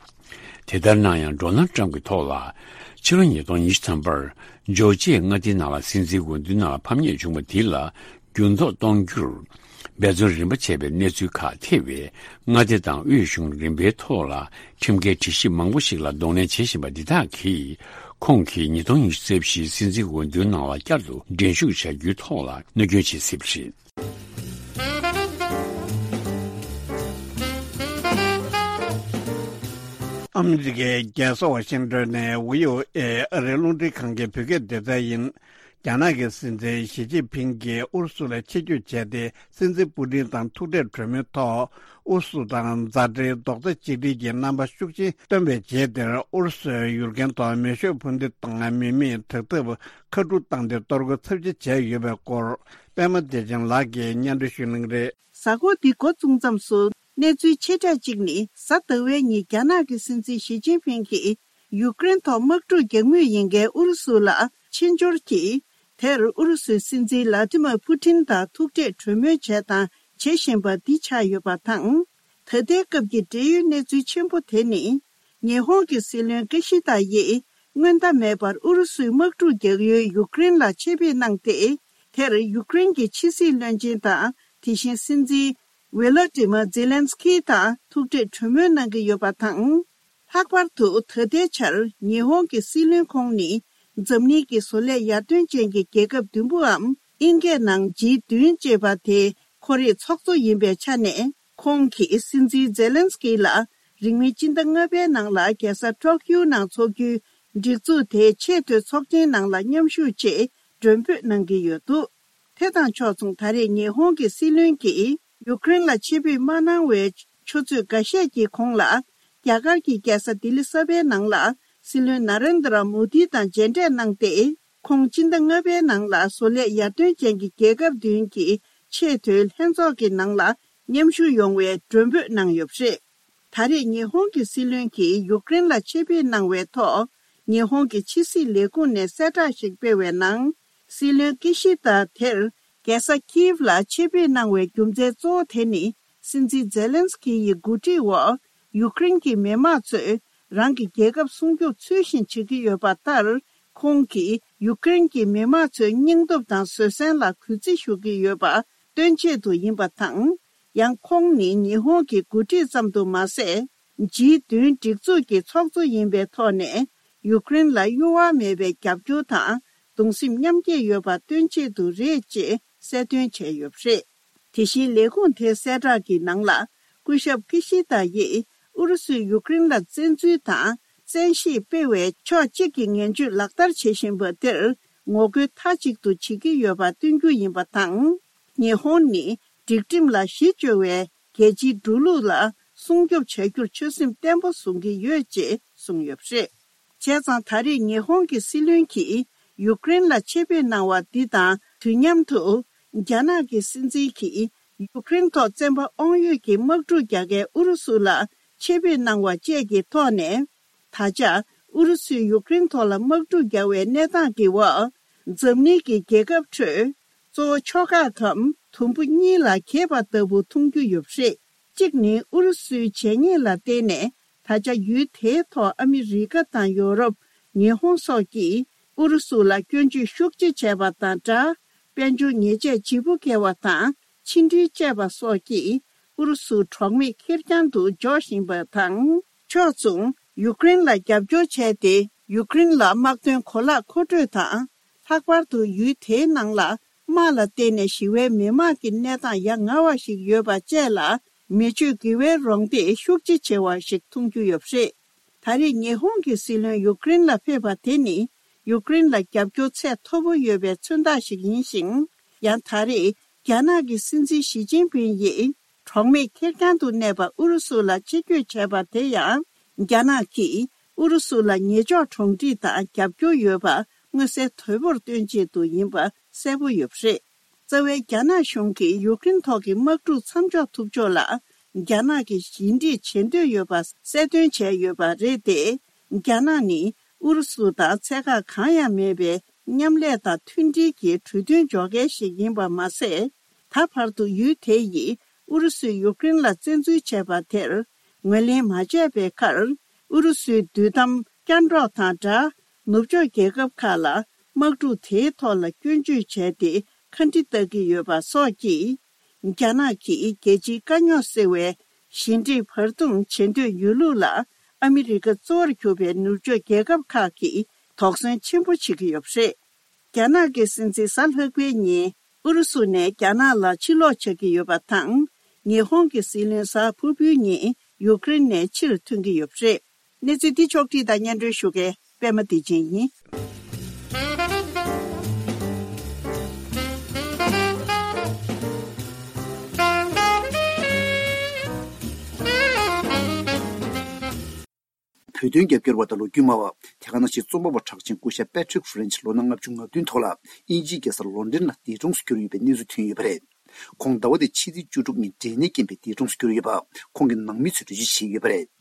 དེ་ལྟར་ན་ཡང་། Donald Trump་གི་ཐོག་ལ་ཕྱི་ལོ་ཉིས་སྟོང་ཉི་ཤུ་ཐམ་པར་ཇོར་ཇི་ཡའི་མངའ་སྡེའི་ནང་ལ་སྲིད་འཛིན་འོས་བསྡུའི་ནང་ལ་ཕམ་ཉེས་བྱུང་བ་དེ་ལ་འགྱུར་ལྡོག་གཏོང་རྒྱུར་འབད་བརྩོན་རིམ་པ་བྱས་པའི་གནས་ཚུལ་ཁག་ཐེ་བའི་མངའ་སྡེ་དང་དབུས་གཞུང་རིམ་པའི་ཐོག་ལ་ཁྲིམས་འགལ་སྒྲིག་གཞི་མང་པོ་ཞིག་ལ་གདོང་ལེན་བྱེད་བཞིན་པ་འདི་དག་གིས། ཁོང་གིས་ཉིས་སྟོང་ཉི་ཤུ་རྩ་བཞིའི་སྲིད་འཛིན་འོས་བསྡུའི་ནང་ལ་བསྐྱར་དུ་འགྲན་ཞུགས་བྱ་རྒྱུའི་ཐོག་ལ་གནོད་སྐྱོན་བྱེད་སྲིད་པ་རེད། ཨ་མི་རི་ཀའི་རྒྱལ་ས་ཝ་ཤིང་ཏོན་ནས་ཝི་ཨོ་ཨེ་ཨ་རིའི་རླུང་འཕྲིན་ཁང་གི་བོད་སྐད་སྡེ་ཚན་ཡིན། རྒྱ་ནག་གི་སྲིད་འཛིན་ཞི་ཅིན་ཕིང་གིས་ཨུ་རུ་སུ་ལ་ཆེད་བསྐྱོད་བྱས་ཏེ། སྲིད་འཛིན་པུ་ཏིན་དང་ཐུག་འཕྲད་གྲོས་མོལ་ཐོག་ཨུ་རུ་སུ་དང་མཛའ་འབྲེལ་རྡོག་རྩ་གཅིག་སྒྲིལ་གྱི་རྣམ་པ་ཤུགས་ཆེན་སྟོན་པའི་རྗེས་དེར། ཨུ་རུ་སུས་ཡུཀ་རེན་ཐོག་མེ་ཤོག་འཕུར་མདེལ་དང་མི་མེད་དྲག་འཐབ་མཁའ་འགྲུལ་བཏང་སྟེ་གཏོར་རྒོལ་ཚབས་ཆེ་བྱས་ཡོད་པའི་སྐོར། པད་མ་བདེ་ཆེན་ལགས་ཀྱིས་སྙན་སྒྲོན་ཞུ་གནང་གི་རེད། གཟའ་འཁོར་འདི་འགོ་བཙུགས་མཚམས་སུ་གནས་ཚུལ་ཆེ་གྲས་གཅིག་ནི། གཟའ་ཟླ་བའི་ཉིན་རྒྱ་ནག་གི་སྲིད་འཛིན་ཞི་ཅིན་ཕིང་གིས་ཡུཀ་རེན་ཐོག་དམག་འཁྲུག་རྒྱག་མུས་ཡིན་མཁན་ཨུ་རུ་སུ་ལ་ཕྱིར་འབྱོར་གྱིས། དེར་ཨུ་རུ་སུའི་སྲིད་འཛིན་ལ་ཏི་མར་ཕུ་ཏིན་དང་ཐུག་འཕྲད་གྲོས་མོལ་བྱས་དང་བྱེད་བཞིན་པ་འདི་ཆགས་ཡོད་པ་དང་། ད་ལྟའི་སྐབས་ཀྱི་འབྲེལ་ཡོད་གནས་ཚུལ་ཆེན་པོ་དེ་ནི། ཉི་ཧོང་གི་སྲིད་བློན་ཀི་ཤི་ད་ཡིས་སྔོན་བརྡ་མེད་པར་ཨུ་རུ་སུའི་དམག་འཁྲུག་རྒྱག་ཡུལ་ཡུཀ་རེན་ལ་ཆེད་ཕེབས་གནང་སྟེ། དེར་ཡུཀ་རེན་གྱི་ཕྱི་སྲིད་བློན་ཆེན་དང་། དེ་བཞིན་སྲིད་འཛིན་ཝི་ལོ་ཏི་མ་ཛེ་ལན་སི་ཀི་དང་ཐུག་འཕྲད་གྲོས་མོལ་གནང་གི་ཡོད་པ་དང་། ལྷག་པར་དུ་ད་ལྟའི་ཆར་ཉི་ཧོང་གི་སྲིད་བློན་ཁོང་ནི། འཛམ་གླིང་གི་བཟོ་ལས་ཡར་ཐོན་ཅན་གྱི་རྒྱལ་ཁབ་བདུན་པོའམ་ཨིན་སྐད་ནང་ཇི་བདུན་ཅེས་པ་དེ་ཁོ་རའི་ཚོགས་གཙོ་ཡིན་པའི་ཆ་ནས། ཁོང་གིས་སྲིད་འཛིན་ཛེ་ལན་སི་ཀི་ལ་རིང་མིན་སྤྱི་ཟླ་ལྔ་པའི་ནང་ལ་རྒྱལ་ས་ཏོ་ཀིའོ་ནང་འཚོགས་རྒྱུའི་སྒྲིག་འཛུགས་དེའི་ཆེས་མཐོའི་ཚོགས་ཆེན་ནང་ལ་མཉམ་ཞུགས་ཆེད་མགྲོན་འབོད་གནང་གི་ཡོད་འདུག་དེ་དང་ཕྱོགས་མཚུངས། ད་རེས་ཉི་ཧོང་གི་སྲིད་བློན་གྱིས་ཡུཀ་རེན་ལ་ཆེད་ཕེབས་མ་གནང་བའི་ཆུ་ཚོད་འགའ་ཤས་ཀྱི་གོང་ལ། རྒྱ་གར་གྱི་རྒྱལ་ས་ལྡི་ལི་གསར་པའི་ནང་ལ་སྲིད་བློན་ན་རེན་དྲ་མོ་དི་དང་མཇལ་འཕྲད་གནང་སྟེ། ཁོང་སྤྱི་ཟླ་ལྔ་པའི་ནང་ལ་བཟོ་ལས་ཡར་ཐོན་ཅན་གྱི་རྒྱལ་ཁབ་བདུན་གྱི་ཆེས་མཐོའི་ལྷན་ཚོགས་ཀྱི་ནང་ལ་མཉམ་ཞུགས་ཡོང་བའི་མགྲོན་འབོད་གནང་ཡོད་པ་རེད། ད་རེས་ཉི་ཧོང་གི་སྲིད་བློན་གྱིས་ཡུཀ་རེན་ལ་ཆེད་ཕེབས་གནང་བའི་ཐོག་ཉི་ཧོང་གི་ཕྱི་སྲིད་ལས་ཁུངས་ནས་གསལ་བསྒྲགས་ཤིག་སྤེལ་བའི་ནང་། སྲིད་བློན་ཀི་ཤི་ད་དེར་རྒྱལ་ས་ཀིའེབ་ལ་ཆེད་ཕེབས་གནང་བའི་རྒྱུ་མཚན་གཙོ་བོ་དེ་ནི། སྲིད་འཛིན་ཛེ་ལན་སི་ཀི་ཡི་འགོ་ཁྲིད་འོག་ཡུཀ་རེན་གྱི་མི་དམངས་ཚོས་རང་གི་རྒྱལ་ཁབ་སྲུང་སྐྱོབ་ཚུལ་བཞིན་བྱེད་ཀྱི་ཡོད་པ་ལྟར། ཁོང་གིས་ཡུཀ་རེན་གྱི་མི་དམངས་ཚོའི་སྙིང་སྟོབས་དང་བཟོད་བསྲན་ལ་གུས་བརྩི་ཞུ་གི་ཡོད་པ་སྟོན་ཆེད་དུ་ཡིན་པ་དང་། ཡང་ཁོང་ནི་ཉི་ཧོང་གི་འགོ་ཁྲིད་ཙམ་དུ་མ་ཟད། ཇི་བདུན་སྒྲིག་འཛུགས་ཀྱི་ཚོགས་གཙོ་ཡིན་པའི་ཐོག་ནས། ཡུཀ་རེན་ལ་གཡོ་བ་མེད་པའི་རྒྱབ་སྐྱོར་དང་གདུང་སེམས་མཉམ་སྐྱེད་ཡོད་པ་སྟོན་ཆེད་དུ་རེད་ཅེས་གསལ་སྟོན་བྱས་ཡོད་པ་རེད། དེ་བཞིན་ལས་ཁུངས་དེའི་གསལ་བསྒྲགས་ཀྱི་ནང་ལ། སྐུ་ཞབས་ཀི་ཤི་ད་ཡིས་ཨུ་རུ་སུས་ཡུཀ་རེན་ལ་བཙན་འཛུལ་དང་བཙན་ཤེད་སྤེལ་བའི་ཕྱོགས་གཅིག་གི་ངན་ཇུས་ལག་བསྟར་བྱེད་བཞིན་པ་དེར་ངོ་རྒོལ་མཐའ་གཅིག་ཏུ་བྱེད་ཀྱི་ཡོད་པ་སྟོན་རྒྱུ་ཡིན་པ་དང་། ཉི་ཧོང་ནི་སྒྲིག་ཁྲིམས་ལ་གཞི་བཅོལ་བའི་རྒྱལ་སྤྱིའི་འགྲོ་ལུགས་ལ་སྲུང་སྐྱོབ་བྱ་རྒྱུར་ཆོད་སེམས་བརྟན་པོ་བཟུང་གི་ཡོད་ཅེས་གསུངས་ཡོད་པ་རེད། བྱས་ཙང་ད་རེས་ཉི་ཧོང་གི་སྲིད་བློན་གྱིས་ཡུཀ་རེན་ལ་ཆེད་ཕེབས་གནང་བ་འདི་དང་དུས་མཉམ་དུ། རྒྱ་ནག་གི་སྲིད་འཛིན་གྱིས་ཡུཀ་རེན་ཐོག་བཙན་པ་དབང་ཡོད་ཀྱི་དམག་འཁྲུག་རྒྱག་མཁན་ཨུ་རུ་སུ་ལ་ཆེད་ཕེབས་གནང་བ་བཅས་ཀྱི་ཐོག་ནས། ད་ཆ་ཨུ་རུ་སུས་ཡུཀ་རེན་ཐོག་ལ་དམག་འཁྲུག་རྒྱག་པའི་གནས་སྟངས་ཀྱི་འོག་འཛམ་གླིང་གི་རྒྱལ་ཁབ་ཁྲོད། གཙོ་བོ་ཕྱོགས་ཁག་གམ་དུམ་བུ་གཉིས་ལ་གྱེས་པ་ལྟ་བུ་མཐོང་རྒྱུ་ཡོད་པ་རེད། གཅིག་ནི་ཨུ་རུ་སུའི་བྱས་ཉེས་ལ་བརྟེན་ནས་ད་ཆ་ཡུལ་དེའི་ཐོག་ཨ་མི་རི་ཀ་དང་ཡོ་རོབ། ཉི་ཧོང་སོགས་ཀྱིས་ཨུ་རུ་སུ་ལ་སྐྱོན་བརྗོད་ཤུགས་ཆེ་བྱས་པ་དང་སྦྲགས། དཔལ་འབྱོར་ཉེས་ཆད་ལྗིད་པོ་བཀལ་བ་དང་ཕྱི་འབྲེལ་བཅད་པ་སོགས་ཀྱིས་ཨུ་རུ་སུ་གྲོགས་མེད་ཁེར་རྐྱང་དུ་འཇོག་བཞིན་པ་དང་། ཕྱོགས་མཚུངས། ཡུཀ་རེན་ལ་རྒྱབ་སྐྱོར་བྱས་ཏེ། ཡུཀ་རེན་ལ་དམག་དོན་གོ་ལག་མཁོ་སྤྲོད་དང་། ལྷག་པར་དུ་ཡུལ་དེའི་ནང་ལ་དམག་ལ་བརྟེན་ནས་ཞི་བའི་མི་དམངས་ཀྱི་གནས་སྟངས་ཡ་ང་བ་ཞིག་ཡོད་པ་བཅས་ལ་མི་ཆོས་དགེ་བའི་རོགས་འདེགས་ཤུགས་ཆེ་བྱེད་པ་ཞིག་མཐོང་རྒྱུ་ཡོད་པ་རེད། ད་རེས་ཉི་ཧོང་གི་སྲིད་བློན་ཡུཀ་རེན་ལ་ཕེབས་པ་དེ་ནི་ཡུཀ་རེན་ལ་རྒྱབ་སྐྱོར་ཚད་མཐོ་པོ་ཡོད་པའི་མཚོན་རྟགས་ཤིག་ཡིན་ཞིང་། ཡང་ད་རེས་རྒྱ་ནག་གི་སྲིད་འཛིན་ཞི་ཅིན་ཕིང་ཡིས་གྲོགས་མེད་ཁེར་རྐྱང་དུ་གནས་པ་ཨུ་རུ་སུ་ལ་ཆེད་བསྐྱོད་བྱས་པ་དེ་ཡང་རྒྱ་ནག་གིས་ཨུ་རུ་སུ་ལ་ཉེ་ཕྱོགས་གྲོང་སྡེ་དང་རྒྱབ་སྐྱོར་ཡོད་པ་མངོན་གསལ་དོད་པོར་སྟོན་ཆེད་དུ་ཡིན་པ་གསལ་པོ་ཡོད་པ་རེད། རྩ་བའི་རྒྱ་ནག་གཞུང་གིས་ཡུཀ་རེན་ཐོག་གི་དམག་འཁྲུག་མཚམས་འཇོག་ཐུབ་ཕྱོགས་ལ་རྒྱ་ནག་གིས་ཞི་འགྲིག་བྱེད་འདོད་ཡོད་པ་གསལ་སྟོན་བྱས་ཡོད་པ་རེད་དེ། རྒྱ་ནག་ནི་ཨུ་རུ་སུ་དང་ཚད་བཀག་གང་ཡང་མེད་པའི་མཉམ་ལས་དང་མཐུན་སྒྲིལ་གྱི་གྲོས་མཐུན་འཇོག་མཁན་ཞིག་ཡིན་པ་མ་ཟད། ད་བར་དུ་ཡུལ་དེ་ཡིས་ཨུ་རུ་སུས་ཡུཀ་རེན་ལ་བཙན་འཛུལ་བྱས་པ་དེར་ངོས་ལེན་མ་བྱས་པའི་ཁར། ཨུ་རུ་སུའི་དུས་དམ་བསྐྱར་འགྲོགས་དང་སྦྲགས། ནུབ་ཕྱོགས་རྒྱལ་ཁབ་ཁག་ལ་དམག་འཁྲུག་དེའི་ཐོག་ལ་སྐྱོན་བརྗོད་བྱས་ཏེ་ཁ་འདྲི་བཏགས་ཀྱི་ཡོད་པ་སོགས་ཀྱིས། རྒྱ་ནག་གིས་རྒྱལ་སྤྱིའི་དཀའ་རྙོག་སེལ་བའི་ཞི་འགྲིག་བར་འདུམ་བྱེད་འདོད་ཡོད་ལུགས་ལ། ཨ་མི་རི་ཀ་གཙོ་བོར་གྱུར་པའི་ནུབ་ཕྱོགས་རྒྱལ་ཁབ་ཁག་གིས་དོགས་ཟོན་ཆེན་པོ་བྱེད་ཀྱི་ཡོད་པ་རེད། རྒྱ་ནག་གི་སྲིད་འཛིན་གཟའ་ལྷག་པའི་ཉིན་ཨུ་རུ་སུ་ནས་རྒྱ་ནག་ལ་ཕྱིར་ལོག་བྱ་གི་ཡོད་པ་དང་། ཉི་ཧོང་གི་སྲིད་བློན་གཟའ་ཕུར་བུའི་ཉིན་ཡུཀ་རེན་ནས་ཕྱིར་ཐོན་གྱི་ཡོད་པ་རེད། གནས་ཚུལ་འདི་ཕྱོགས་བསྒྲིགས་དང་སྙན་སྒྲོན་ཞུ་མཁན་པད་མ་བདེ་ཆེན་ཡིན། བོད་དོན་རྒྱབ་སྐྱོར་བ་དང་ལོ་རྒྱུས་སྨྲ་བ། དེ་ག་ནང་བཞིན་རྩོམ་པ་པོ་གྲགས་ཅན་སྐུ་ཞབས་པེ་ཊྲིག་ཧྥི་རན་ཆི་ལོ་ན་ལྔ་བཅུ་ང་བདུན་ཐོག་ལ་དབྱིན་ཇིའི་རྒྱལ་ས་ལོན་ཌོན་ལ་འདས་གྲོངས་སུ་གྱུར་ཡོད་པའི་གནས་ཚུལ་ཐོན་ཡོད་པ་རེད། ཁོང་ཟླ་བ་འདིའི་ཕྱི་ཚེས་བཅུ་དྲུག་ཉིན་འབྲས་ནད་རྐྱེན་པས་འདས་གྲོངས་སུ་གྱུར་ཡོད་པ་ཁོང་གི་ནང་མི་ཚོས་འགྲེལ་བརྗོད་བྱས་ཡོད་པ་རེད།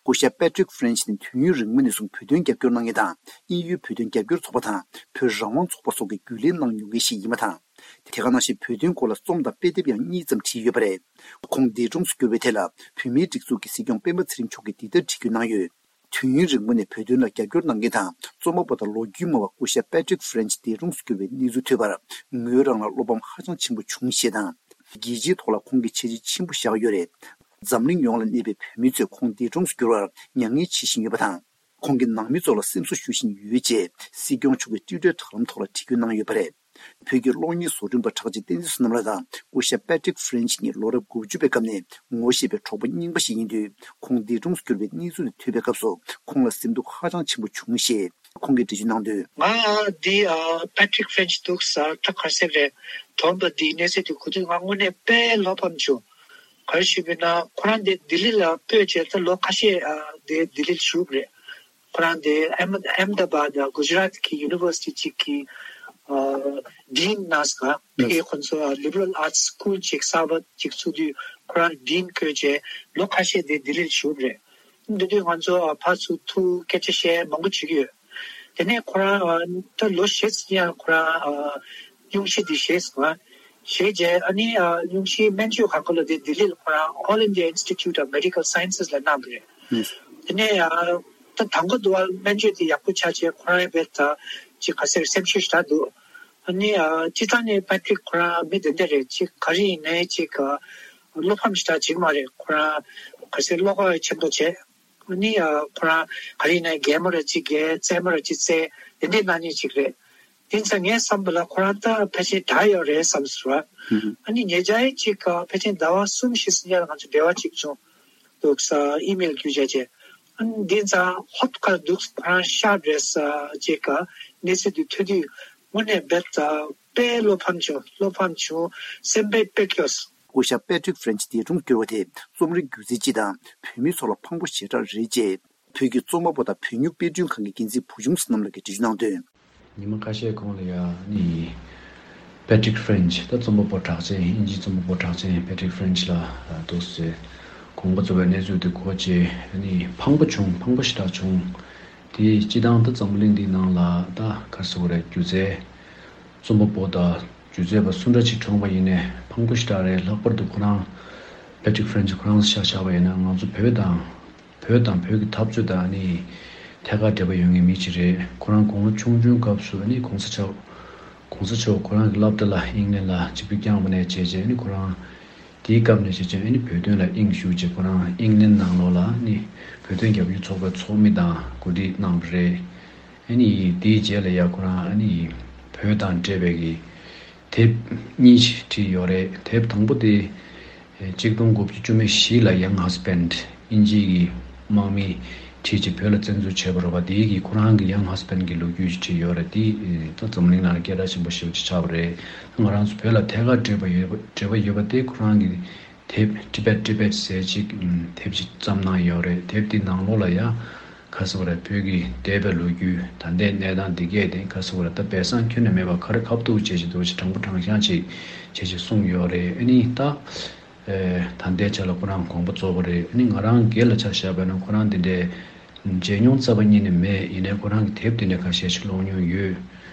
སྐུ་ཞབས་པེ་ཊྲིག་ཧྥི་རན་ཆི་ནི་དུས་ཡུན་རིང་པོ་ནས་བཟུང་བོད་དོན་རྒྱབ་སྐྱོར་གནང་མཁན་དང་། དབྱིན་ཡུལ་བོད་དོན་རྒྱབ་སྐྱོར་ཚོགས་པ་དང་བོད་རང་དབང་ཚོགས་པ་སོགས་ཀྱི་རྒྱུན་ལས་གནང་མྱོང་མཁན་ཞིག་ཡིན་པ་དང་། དེ་ག་ནང་བཞིན་བོད་དོན་སྐོར་ལ་རྩོམ་དང་དཔེ་དེབ་ཡང་གཉིས་ཙམ་བྲིས་ཡོད་པ་རེད། ཁོང་འདས་གྲོངས་སུ་གྱུར་བའི་ཐད་ལ་བོད་མིའི་སྒྲིག་འཛུགས་ཀྱི་སྲིད་སྐྱོང་སྤེན་པ་ཚེ་རིང་མཆོག་གིས་འདི་ལྟར་བྲིས་བཀོད་གནང་ཡོད། དུས་ཡུན་རིང་པོ་ནས་བོད་དོན་ལ་རྒྱབ་སྐྱོར་གནང་མཁན་དང་རྩོམ་པ་པོ་དང་ལོ་རྒྱུས་སྨྲ་བ་སྐུ་ཞབས་པེ་ཊྲིག་ཧྥི་རན་ཆི་འདས་གྲོངས་སུ་གྱུར་བའི་གནས་ཚུལ་ཐོས་པར་ངོས་རང་ལ་བློ་ཕམ་ཧ་ཅང་ཆེན་པོ་བྱུང་ཞེས་དང་། རྒྱལ་སྤྱིའི་ཐོག་ལ་ཁོང་གི་བྱས་རྗེས་ཆེན་པོ་བཞག་ཡོད་རེད། འཛམ་གླིང་ཡོངས་ལ་གནས་པའི་བོད་མི་ཚོས་ཁོང་འདས་གྲོངས་སུ་གྱུར་བར་མྱ་ངན་བྱེད་བཞིན་ཡོད་པ་དང་། ཁོང་གི་ནང་མི་ཚོ་ལ་སེམས་གསོ་ཞུ་བཞིན་ཡོད་ཅེས་སྲིད་སྐྱོང་མཆོག་གིས་ཊུའི་ཊར་དྲ་ལམ་ཐོག་ལ་བྲིས་བཀོད་གནང་ཡོད་པ་རེད། བོད་ཀྱི་གློག་བརྙན་བཟོ་སྐྲུན་པ་གྲགས་ཅན་བསྟན་འཛིན་བསོད་ནམས་ལགས་དང་སྐུ་ཞབས་པེ་ཊྲིག་ཧྥི་རན་ཆི་གཉིས་ལོ་རབས་དགུ་བཅུ་པའི་སྐབས་ནས་ངོ་ཤེས་པའི་གྲོགས་པོ་རྙིང་པ་ཞིག་ཡིན་དུས། ཁོང་འདས་གྲོངས་སུ་གྱུར་བའི་གནས་ཚུལ་དེ་ཐོས་པའི་སྐབས་སུ་ཁོང་ལ་སེམས་སྡུག་ཧ་ཅང་ཆེན་པོ་བྱུང་ཞེས་ཁོང་གིས་འགྲེལ་བརྗོད་གནང་དོན། ང་འདི་ཨ་པེ་ཊྲིག་ཧྥི་རན་ཆི་འདུག་ས་ད་ག་ཟེར་རེད། དོན་པ་འདི་གནས་ཚུལ་འདི་གོ་དུས་ང་དངོས་གནས་དཔེ་བློ་ཕམ་བྱུང་། ག་རེ་ཞུས་པ་ཡིན་ན་ཁོ་རང་འདི་ལྡི་ལི་ལ་སྤོས་བྱས་ད་ལོ་ཁ་ཤས་ཨ་འདི་ལྡི་ལི་ལ་བཞུགས་རེད། ཁོ་རང་དེ་ཨེམ་ཨེམ་ད་བྷ་དི་གུ་ཇི་རཱཏ་གི་ཡུ་ནི་ཝར་སི་ཊི་གཅིག་གི་ཨ་ཌིན་གནང་སོང་། ཕ་གིའི་ཁོང་ཚོ་ལི་བྷ་རལ་ཨར་ཊི་སི་ཀུལ་གཅིག་གསར་པ་གཅིག་བཙུགས་དུས་ཁོ་རང་ཌིན་བསྐོས་བྱས་ལོ་ཁ་ཤས་དེ་ལྡི་ལིར་བཞུགས་རེད། འདི་དུས་ང་ཚོ་ཨ་ཕར་ཚུར་ཐུག་སྐད་ཆ་བཤད་མང་པོ་བྱེད་ཀྱི་ཡོད། དེ་ནས་ཁོ་རང་ཨ་ད་ལོ་བཞི་ཙམ་ཡང་ཁོ་རང་ཨ་སྙུང་གཞི་འདི་བཞེས་སོང་། བྱས་རྗེས་ཨ་ནི་ཨ་སྙུང་གཞིའི་སྨན་བཅོས་གང་ག་ལ་དེ་ལྡི་ལི་ལ་ཁོ་རང་All India Institute of Medical Sciences ལ་གནང་བ་རེད། དེ་ནས་ཨ་ད་དང་པོ་དུ་བ་སྨན་བཅོས་དེ་ཡག་པོ་ཆགས་རྗེས་ཁོ་རང་ཡང་བས་ད་ཅིག་ག་ཟེར་སེམས་ཤུགས་ཞེ་དྲག་འདུག་ཨ་ནི་ཨ་སྤྱིར་བཏང་ནས་པེ་ཊྲིག་ཁོ་རང་མི་དེ་འདྲ་རེད། ཅིག་ག་རེ་ཡིན་ནའི་ཅིག་ཨ་བློ་ཕམ་ཞེ་དྲག་བྱེད་ཀྱི་མ་རེད། ཁོ་རང་ག་ཟེར་བློ་ཁོག་ཆེན་པོ་བྱས། ཨ་ནི་ཨ་ཁོ་རང་ག་རེ་ཡིན་ནའི་རྒན་མོ་ར་ཅིག་རྒན་རྩེད་མོ་ར་ཅིག་རྩེད་དེ་འདྲའི་གནང་མཁན་ཅིག་རེད། དེ་ཚོ་ངས་བསམ་པ་ལ་ཁོ་རང་ད་ཕལ་ཆེར་དྲག་ཡོད་རེད་བསམ་སོང་། ཨ་ནི་ཉེ་ཆར་ཅིག་ཕལ་ཆེར་ཟླ་བ་གསུམ་བཞི་ཙམ་ཡར་ང་ཚོ་འབྲེལ་བ་ཅིག་བྱུང་འདུག་ས་ཨི་མེལ་བརྒྱུད་བྱས་རྗེས། ཨ་ནི་འདི་ཙང་ཧོབ་ཁ་འདུག་ཁོ་རང་ཤར་རེད་ས་ཅིག་གནས་ཚུལ་འདི་ཐོས་དུས་དངོས་གནས་རྦད་དེ་དཔེ་བློ་ཕམ་བྱུང་བློ་ཕམ་བྱུང་སེམས་པའི་དཔེ་སྐྱོ། སྐུ་ཞབས་པེ་ཊྲིག་ཧྥི་རན་ཆི་འདས་གྲོངས་གྱུར་བ་དེ་རྩོམ་རིག་སྒྱུ་རྩལ་སྤྱི་དང་བོད་མི་ཚོ་ལ་ཕངས་པོ་ཞེ་དྲག་རེད་ཅེས། བོད་ཀྱི་རྩོམ་པ་པོ་དང་བོད་སྨྱུག་དཔེ་སྐྲུན་ཁང་གི་འགན་འཛིན་བུ་ཆུང་བསོད་ནམས་ལགས་ཀྱིས་འགྲེལ་བརྗོད་གནང་དོན། ཉི་མ་ཁ་ཤས་གོང་ལ་ཡ་ནི་པེ་ཊྲིག་ཧྥི་རན་ཆི་ད་རྩོམ་པ་པོ་གྲགས་ཅན་དབྱིན་ཇིའི་རྩོམ་པ་པོ་གྲགས་ཅན་པེ་ཊྲིག་ཧྥི་རན་ཆི་ལགས་འདུག་སེ་དགོངས་པ་རྫོགས་པའི་གནས་ཚུལ་དེ་གོ་རྗེས་ནི་ཕངས་པོ་བྱུང་ཕངས་པོ་ཞེ་དྲག་བྱུང་། དེ་སྤྱི་བཏང་ད་འཛམ་བུ་གླིང་འདིའི་ནང་ལ་ད་ག་རེ་ཟེར་དགོས་རེད། སྒྱུ་རྩལ་རྩོམ་པ་པོ་དང་སྒྱུ་རྩལ་པ་སུ་འདྲ་ཅིག་གྲོངས་པ་ཡིན་ནའི་ཕངས་པོ་ཞེ་དྲག་རེད། ལྷག་པར་དུ་ཁོ་རང་པེ་ཊྲིག་ཧྥི་རན་ཆི་ཁོ་རང་ཆ་བཞག་པ་ཡིན་ན་ང་ཚོ་བོད་དང་། བོད་དང་བོད་ཀྱི་འཐབ་རྩོད་དང་ནི་ཐད་ཀར་འབྲེལ་བ་ཡོད་མཁན་མི་ཅིག་རེད། ཁོ་རང་དགུང་ལོ་ཆུང་ཆུང་སྐབས་སུ་ནི་གོང་ས་མཆོག་གོང་ས་མཆོག་ཁོ་རང་གི་སློབ་གྲྭ་ལ་ཨིང་ལན་ལ་ཆིབས་བསྒྱུར་བསྐྱངས་པ་ནས་བྱས་རྗེས་ནི་ཁོ་རང་དེའི་སྐབས་ནས་བྱས་རྗེས་ནི་བོད་དོན་ལ་དབྱིངས་ཞུགས་རྗེས་ཁོ་རང་ཨིང་ལན་ནང་ལོགས་ལ་ནི་བོད་དོན་རྒྱབ་སྐྱོར་ཚོགས་པའི་ཚོགས་མི་དང་གོ་སྒྲིག་གནང་བ་རེད། ཨ་ནི་དེའི་རྗེས་ལ་ཡ་ཁོ་རང་ཨ་ནི་བོད་དང་འབྲེལ་བའི་གི་དེབ་གཉིས་བྲིས་ཡོད་རེད། དེབ་དང་པོ་དེ་གཅིག་སྟོང་དགུ་བརྒྱ་བཅུ་མེད་བཞི་ལ་Young Husband དབྱིན་ཇིའི་གི་དམག་མི་བྲིས་རྗེས་བོད་ལ་བཙན་འཛུལ་བྱས་པ་རེད་པ། དེའི་གི་ཁོ་རང་གི་Young Husband གི་ལོ་རྒྱུས་ཤིག་བྲིས་ཡོད་རེད། དེ་ད་འཛམ་གླིང་ནང་ལ་སྐད་གྲགས་ཆེན་པོ་ཞེ་པོ་ཅིག་ཆགས་པ་རེད། ང་རང་ཚོ་བོད་ལ་ཐད་ཀར་འབྲེལ་བ་ཡོད་པ་འབྲེལ་བ་ཡོད་པ་དེ་ཁོ་རང་གི་དེབ་Tibet Tibet ཟེར་ཅིག་དེབ་ཅིག་བརྩམས་གནང་ཡོད་རེད། དེབ་དེ་ནང་ལོགས་ལ་ཡ། ཁ་སོ་ར་བོད་ཀྱི་འདས་པའི་ལོ་རྒྱུས་ད་ལྟའི་གནས་སྟངས་འདི་གས་དེ་ཁ་སོ་ར་ད་སྦས་གསང་ཁྱོན་ནས་མེད་པ་ག་རེ་ཁ་ཐུག་བྱས་ཅིག་འདུག་ཅིག་དྲང་པོ་དྲང་བཞག་ཅིག་བྱས་ཅིག་གསུངས་ཡོད་རེད། ཨ་ནི་ད་ད་ལྟའི་ཆ་ལ་ཁོ་རང་དགོངས་པ་རྫོགས་པ་རེད། ཨ་ནི་ང་རང་སྒེར་ལ་ཆ་བཞག་པ་ན་ཁོ་རང་འདི་འདྲའི་མཇལ་མྱོང་རྩ་བ་ཉིད་ནས་མེད། ཡིན་ནའི་ཁོ་རང་གི་དེབ་འདི་འདྲ་ཁ་ཤས་ཤིག་ཀློག་མྱོང་ཡོད།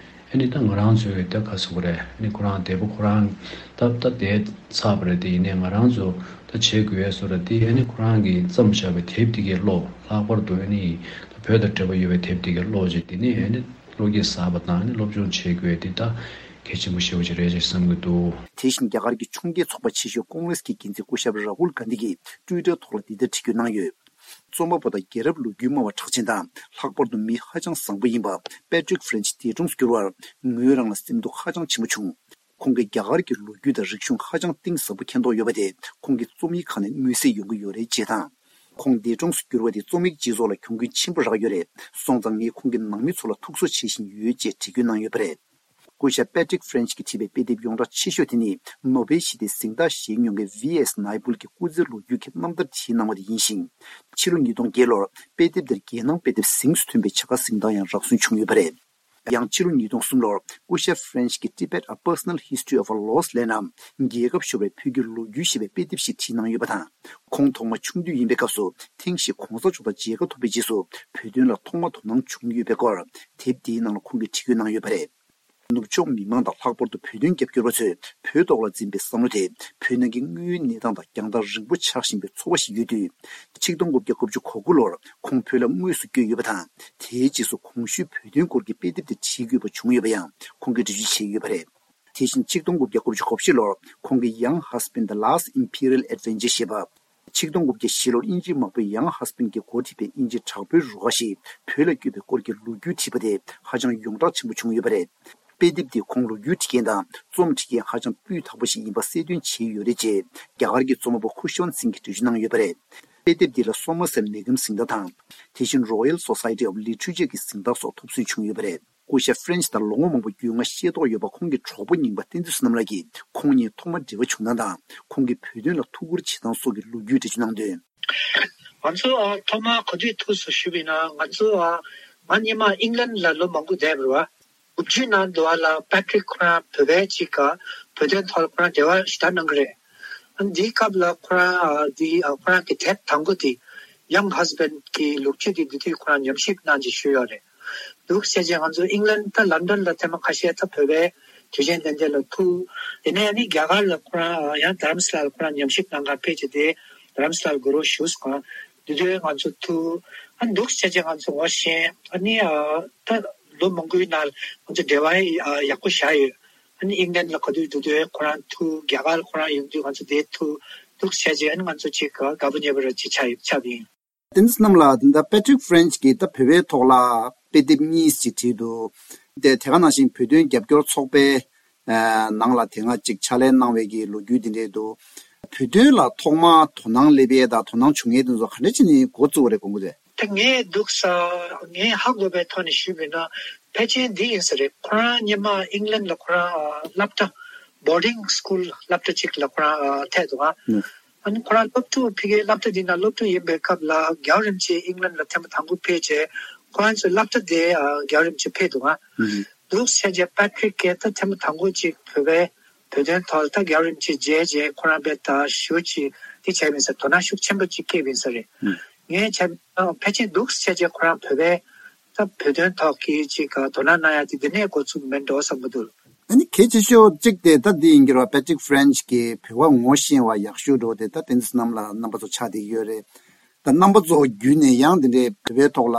ཨ་ནི་ད་ང་རང་ཚོའི་ད་ག་ཟེར་དགོས་རེད། ཨ་ནི་ཁོ་རང་དེ་པོ་ཁོ་རང་ད་ད་དེ་ཚར་བ་རེད། དེ་ཡིན་ནའི་ང་རང་ཚོ་ད་བྱེད་དགོས་ཡས་བཟོ་འདྲ་དེ་ཨ་ནི་ཁོ་རང་གིས་བརྩམས་བཞག་པའི་དེབ་དེ་གས་ཀློག་ལྷག་པར་དུ་ཨ་ནི་ད་བོད་དང་འབྲེལ་བ་ཡོད་པའི་དེབ་དེ་གས་ཀློག་བྱས། དེ་ནས་ཨ་ནི་བློ་སྐྱེད་ཟ་བ་དང་ཨ་ནི་སློབ་སྦྱོང་བྱེད་དགོས་དེ་ད་གལ་ཆེན་པོ་ཞེ་པོ་ཅིག་རེད་ཅེས་བསམ་གྱི་འདུག་དེ་བཞིན་རྒྱ་གར་གྱི་ཕྱོགས་འགལ་ཚོགས་པ་ཆེ་ཤོས་ཀོང་རེས་ཀྱི་འགན་འཛིན་སྐུ་ཞབས་ར་ཧུལ་གྷན་དྷི་གིས་ཊུའི་ཊར་ཐོག་ལ་འདི་ལྟར་བྲིས་བཀོད་གནང་ཡོད། རྩོམ་པ་པོ་དང་རྒྱལ་རབས་ལོ་རྒྱུས་སྨྲ་བ་གྲགས་ཅན་དང་ལྷག་པར་དུ་མི་ཧ་ཅང་བཟང་པོ་ཡིན་པ་པེ་ཏྲིག་ཧྥི་རེན་ཆི་འདས་གྲོངས་སུ་གྱུར་བར་ངོས་རང་ལ་སེམས་སྡུག་ཧ་ཅང་ཆེན་པོ་བྱུང་། ཁོང་གིས་རྒྱ་གར་གྱི་ལོ་རྒྱུས་དང་རིག་གཞུང་ཧ་ཅང་གཏིང་ཟབ་པོ་མཁྱེན་རྟོགས་ཡོད་པ་དེ་ཁོང་གི་རྩོམ་ཡིག་ཁག་ནས་མངོན་གསལ་ཡོང་གི་ཡོད་རེད་ཅེས་དང་། ཁོང་འདས་གྲོངས་སུ་གྱུར་བ་དེ་རྩོམ་ཡིག་སྤྱི་ཚོགས་ལ་གྱོང་གུན་ཆེན་པོ་རག་ཡོད་རེད། སོང་ཙང་ངས་ཁོང་གི་ནང་མི་ཚོ་ལ་ཐུགས་གསོ་བྱེད་བཞིན་ཡོད་ཅེས་བྲིས་བཀོད་གནང་ཡོད་པ་རེད། སྐུ་ཞབས་པེ་ཏྲིག་ཧྥི་རེན་ཆི་གིས་བྲིས་པའི་དཔེ་དེབ་ཡོངས་གྲགས་ཆེ་ཤོས་དེ་ནི་ནོ་བེལ་ཞི་བདེའི་གཟེངས་རྟགས་བཞེས་མྱོང་མཁན་ཝི་ཨེས་ནཱི་པུལ་གྱི་སྐུ་ཚེའི་ལོ་རྒྱུས་ཀྱི་རྣམ་ཐར་བྲིས་གནང་བ་དེ་ཡིན་ཞིང་། ཕྱི་ལོ་ཉིས་སྟོང་བརྒྱད་ལོར་དཔེ་དེབ་དེར་རྒྱལ་ནང་དཔེ་དེབ་གཟེངས་སུ་ཐོན་པའི་བྱ་དགའ་གཟེངས་རྟགས་ཡང་རག་སོན་བྱུང་ཡོད་པ་རེད། ཡང་ཕྱི་ལོ་ཉིས་སྟོང་གསུམ་ལོར་སྐུ་ཞབས་ཧྥི་རེན་ཆི་གིས་Tibet: A Personal History of a Lost Land ནམ་རྒྱལ་ཁབ་ཤོར་བའི་བོད་ཀྱི་ལོ་རྒྱུས་ཞེས་པའི་དཔེ་དེབ་ཞིག་བྲིས་གནང་ཡོད་པ་དང་། ཁོང་ཐོག་མ་ཆུང་དུས་ཡིན་པའི་སྐབས་སུ་ཐེངས་ཤིག་གོང་ས་མཆོག་དང་མཇལ་ཁ་ཐོབ་པའི་རྗེས་སུ་བོད་དོན་ལ་ཐོག་མ་དོ་སྣང་བྱུང་ཡོད་པའི་སྐོར་དེབ་འདིའི་ནང་ལ་ཁོང་གིས་བྲིས་བཀོད་གནང་ཡོད་པ་རེད། ནུབ་ཕྱོགས་མི་མང་དང་ལྷག་པར་དུ་བོད་དོན་རྒྱབ་སྐྱོར་བ་ཚོས་བོད་ཐོག་ལ་འཛིན་པའི་བསམ་བློ་དེ་བོད་ནང་གི་དངོས་ཡོད་གནས་སྟངས་དང་རྒྱང་ཐག་རིང་པོ་ཆགས་བཞིན་པའི་ཚོར་བ་ཞིག་ཡོད་དུས། ཆིག་སྟོང་དགུ་བརྒྱ་དགུ་བཅུ་གོ་དགུ་ལོར་ཁོང་བོད་ལ་དངོས་སུ་བསྐྱོད་ཡོད་པ་དང་། དེའི་རྗེས་སུ་གོང་ཞུས་བོད་དོན་སྐོར་གྱི་དཔེ་དེབ་དེ་བྲིས་དགོས་པ་བྱུང་ཡོད་པ་ཡང་ཁོང་གིས་འགྲེལ་བརྗོད་བྱས་ཡོད་པ་རེད། དེ་བཞིན་ཆིག་སྟོང་དགུ་བརྒྱ་དགུ་བཅུ་གོ་བཞི་ལོར་ཁོང་གི་Young Husband: The Last Imperial Adventure ཞེས་པ། ཆིག་སྟོང་དགུ་བརྒྱ་བཞི་ལོར་དབྱིན་ཇིའི་དམག་དཔོན་Young Husband གྱིས་འགོ་ཁྲིད་པའི་དབྱིན་ཇིའི་དྲག་པོའི་རུ་ཁག་ཞིག་བོད་ལ་བསྐྱོད་པའི་སྐོར་གྱི་ལོ་རྒྱུས་བྲིས་པ་དེ་ཧ་ཅང་ཡོངས་གྲགས་ཆེན་པོ་བྱུང་ཡོད་པ་རེད། དཔེ་དེབ་འདིས་ཁོང་ལོ་རྒྱུས་འབྲི་མཁན་དང་རྩོམ་འབྲི་མཁན་ཧ་ཅང་སྤུས་དག་པོ་ཞིག་ཡིན་པ་གསལ་སྟོན་བྱས་ཡོད་རེད་ཅེས་རྒྱ་གར་གྱི་རྩོམ་པ་པོ་ཁུ་ཤོན་སིང་གིས་འགྲེལ་བརྗོད་གནང་ཡོད་པ་རེད། དཔེ་དེབ་འདི་ལ་སོ་མ་སེར་མེ་ཁམས་གཟེངས་རྟགས་དང་། དེ་བཞིན་Royal Society of Literature གྱི་གཟེངས་རྟགས་སོགས་ཐོབ་སོན་བྱུང་ཡོད་པ་རེད། སྐུ་ཞབས་ཧྥི་རེན་ཆི་དང་ལོ་ངོ་མང་པོ་རྒྱུས་མངའ་ཤེས་རྟོགས་ཡོད་པ་ཁོང་གི་གྲོགས་པོ་རྙིང་པ་བསྟན་འཛིན་བསོད་ནམས་ལགས་ཀྱིས་ཁོང་གཉིས་ཐོག་མར་འབྲེལ་བ་བྱུང་སྟངས་དང་ཁོང་གིས་བོད་དོན་ལ་ཐུགས་ཁུར་བྱེད་སྟངས་སོགས་ཀྱི་ལོ་རྒྱུས་འགྲེལ་བརྗོད་གནང་དོན། ང་ཚོ་ཨ་ཐོག་མར་ག་དུས་ཐུག་སོང་ཞུས་པ་ཡིན་ན། ང་ཚོ་ཨ་ང་སྔོན་མ་ཨིང་ལན་ལ་ལོ་མང་པོ་བསྡད་པ་རེད་བ། དགུ་བཅུའི་ནང་དུ་བ་ལ་པེ་ཏྲིག་ཁོ་རང་བོད་པའི་ཅིག་ག་བོད་དོན་ཐོག་ལ་ཁོ་རང་འབྲེལ་བ་ཞེ་དྲག་གནང་གི་རེད། ཨ་འདིའི་སྐབས་ལ་ཁོ་རང་ཨ་འདི་ཨ་ཁོ་རང་གི་དེབ་དང་པོ་དེ་Young Husband གི་ལོ་རྒྱུས་དེ་འདི་དུས་ཁོ་རང་ཉམས་ཞིབ་གནང་ཅིག་ཞུས་ཡོད་རེད། འདུག་བྱས་རྗེས་ང་ཚོ་ཨིང་ལན་ད་ལན་ཌན་ལ་ཐེངས་མ་ཁ་ཤས་ད་བོད་པའི་དུས་ཆེན་དེ་འདྲ་ལ་ཐུག་ཡིན་ནའི་ཨ་ནི་རྒྱ་གར་ལ་ཁོ་རང་ཡང་རྡ་རམ་ས་ལ་ལ་ཁོ་རང་ཉམས་ཞིབ་གནང་གར་ཕེབས་བྱས་ཏེ་རྡ་རམ་ས་ལ་ལ་དགུ་རོགས་བཞུགས་སོང་། འདི་དུས་ང་ཚོ་ཐུག་ཨ་འདུག་བྱས་རྗེས་ང་ཚོ་ངོ་ཤེས་ཨ་ནི་ད་ལོ་མང་པོའི་ནང་ང་ཚོ་འབྲེལ་བ་ཡག་པོ་བཞག་ཡོད། ཨ་ནི་ཨིང་ལན་ལ་ག་དུས་འདུག་དུས་ཁོ་རང་ཐུག་རྒྱ་གར་ཁོ་རང་ཡོང་དུས་ང་ཚོ་དེ་ཐུག་འདུག་བྱས་རྗེས་ཨ་ནི་ང་ཚོ་ཅིག་དགའ་པོ་ཉེ་བོ་ར་ཅིག་ཆགས་ཡོད་ཆགས་པ་ཡིན། བསྟན་འཛིན་བསོད་ནམས་ལགས། དེ་འདྲ་པེ་ཏྲིག་ཧྥི་རེན་ཆི་གིས་ད་བོད་པའི་ཐོག་ལ་དཔེ་དེབ་གཉིས་ཤིག་བྲིས་འདུག་དེ་དེ་ག་ནང་བཞིན་བོད་དོན་རྒྱབ་སྐྱོར་ཚོགས་པའི་ནང་ལ་དེ་སྔ་ཅིག་ཕྱག་ལས་གནང་བའི་གི་ལོ་རྒྱུས་དེ་འདྲ་འདུག་བོད་དོན་ལ་ཐོག་མར་དོ་སྣང་སླེབས་ཡས་དང་དོ་སྣང་བྱུང་ཡས་དེ་ཚོ་ག་འདྲ་བྱས་ནས་འགོ་བཙུགས་པ་རེད་དགོངས་ཀྱི་རེད། ད་ངས་འདུག་ས་ངས་ཧ་གོ་བའི་ཐོག་ནས་ཞུས་པ་ཡིན་ན་ཕལ་ཆེར་འདི་ཡིན་ས་རེད། ཁོ་རང་སྔོན་མ་ཨིང་ལན་ལ་ཁོ་རང་སློབ་གྲྭ་boarding school སློབ་གྲྭ་ཅིག་ལ་ཁོ་རང་ཐད་འདུག་ཨ། ཨ་ནི་ཁོ་རང་སློབ་ཕྲུག་ཕ་གིའི་སློབ་གྲྭ་འདི་ན་སློབ་ཕྲུག་ཡིན་པའི་སྐབས་ལ་རྒྱལ་བ་རིན་པོ་ཆེ་ཨིང་ལན་ལ་ཐེངས་མ་དང་པོ་ཕེབས་རྗེས་ཁོ་རང་ཚོའི་སློབ་གྲྭ་དེ་རྒྱལ་བ་རིན་པོ་ཆེ་ཕེབས་འདུག་ཨ། འདུག་བྱས་རྗེས་པེ་ཏྲིག་གིས་ད་ཐེངས་མ་དང་པོ་ཅིག་བོད་པའི་བོད་དོན་ཐོག་ལ་ད་རྒྱལ་བ་རིན་པོ་ཆེ་མཇལ་རྗེས་ཁོ་རང་དཔེ་ད་ཞེ་པོ་ཅིག་འདི་བྱས་པ་ཡིན་ས་རེད། དོ་སྣང་ཤུགས་ཆེན་པོ་ཅིག་སྐྱེས་པ་ཡིན་ས་རེད། ངས་བྱས་ན་ཕལ་ཆེར་འདུག་བྱས་རྗེས་ཁོ་རང་བོད་པའི་ད་བོད་དོན་ཐོག་གི་ཅིག་དོ་སྣང་གནང་ཡ་དེ་འདི་ནས་འགོ་ཚུགས་མིན་འགྲོ་བསམ་གྱི་འདུག་ཨ་ནི་གལ་ཆེ་ཤོས་གཅིག་དེ་ད་འདི་ཡིན་གྱི་རེད་བ། པེ་ཏྲིག་ཧྥི་རེན་ཆི་གིས་བོད་པ་ངོ་ཤེས་པ་ཡག་ཤོས་འགྲོ་དེ་ད་བསྟན་འཛིན་བསོད་ནམས་ལགས་རྣམ་པ་ཚོ་ཆགས་བསྡད་ཀྱི་ཡོད་རེད། ད་རྣམ་པ་ཚོ་བརྒྱུད་ནས་ཡང་འདི་འདྲའི་བོད་པའི་ཐོག་ལ་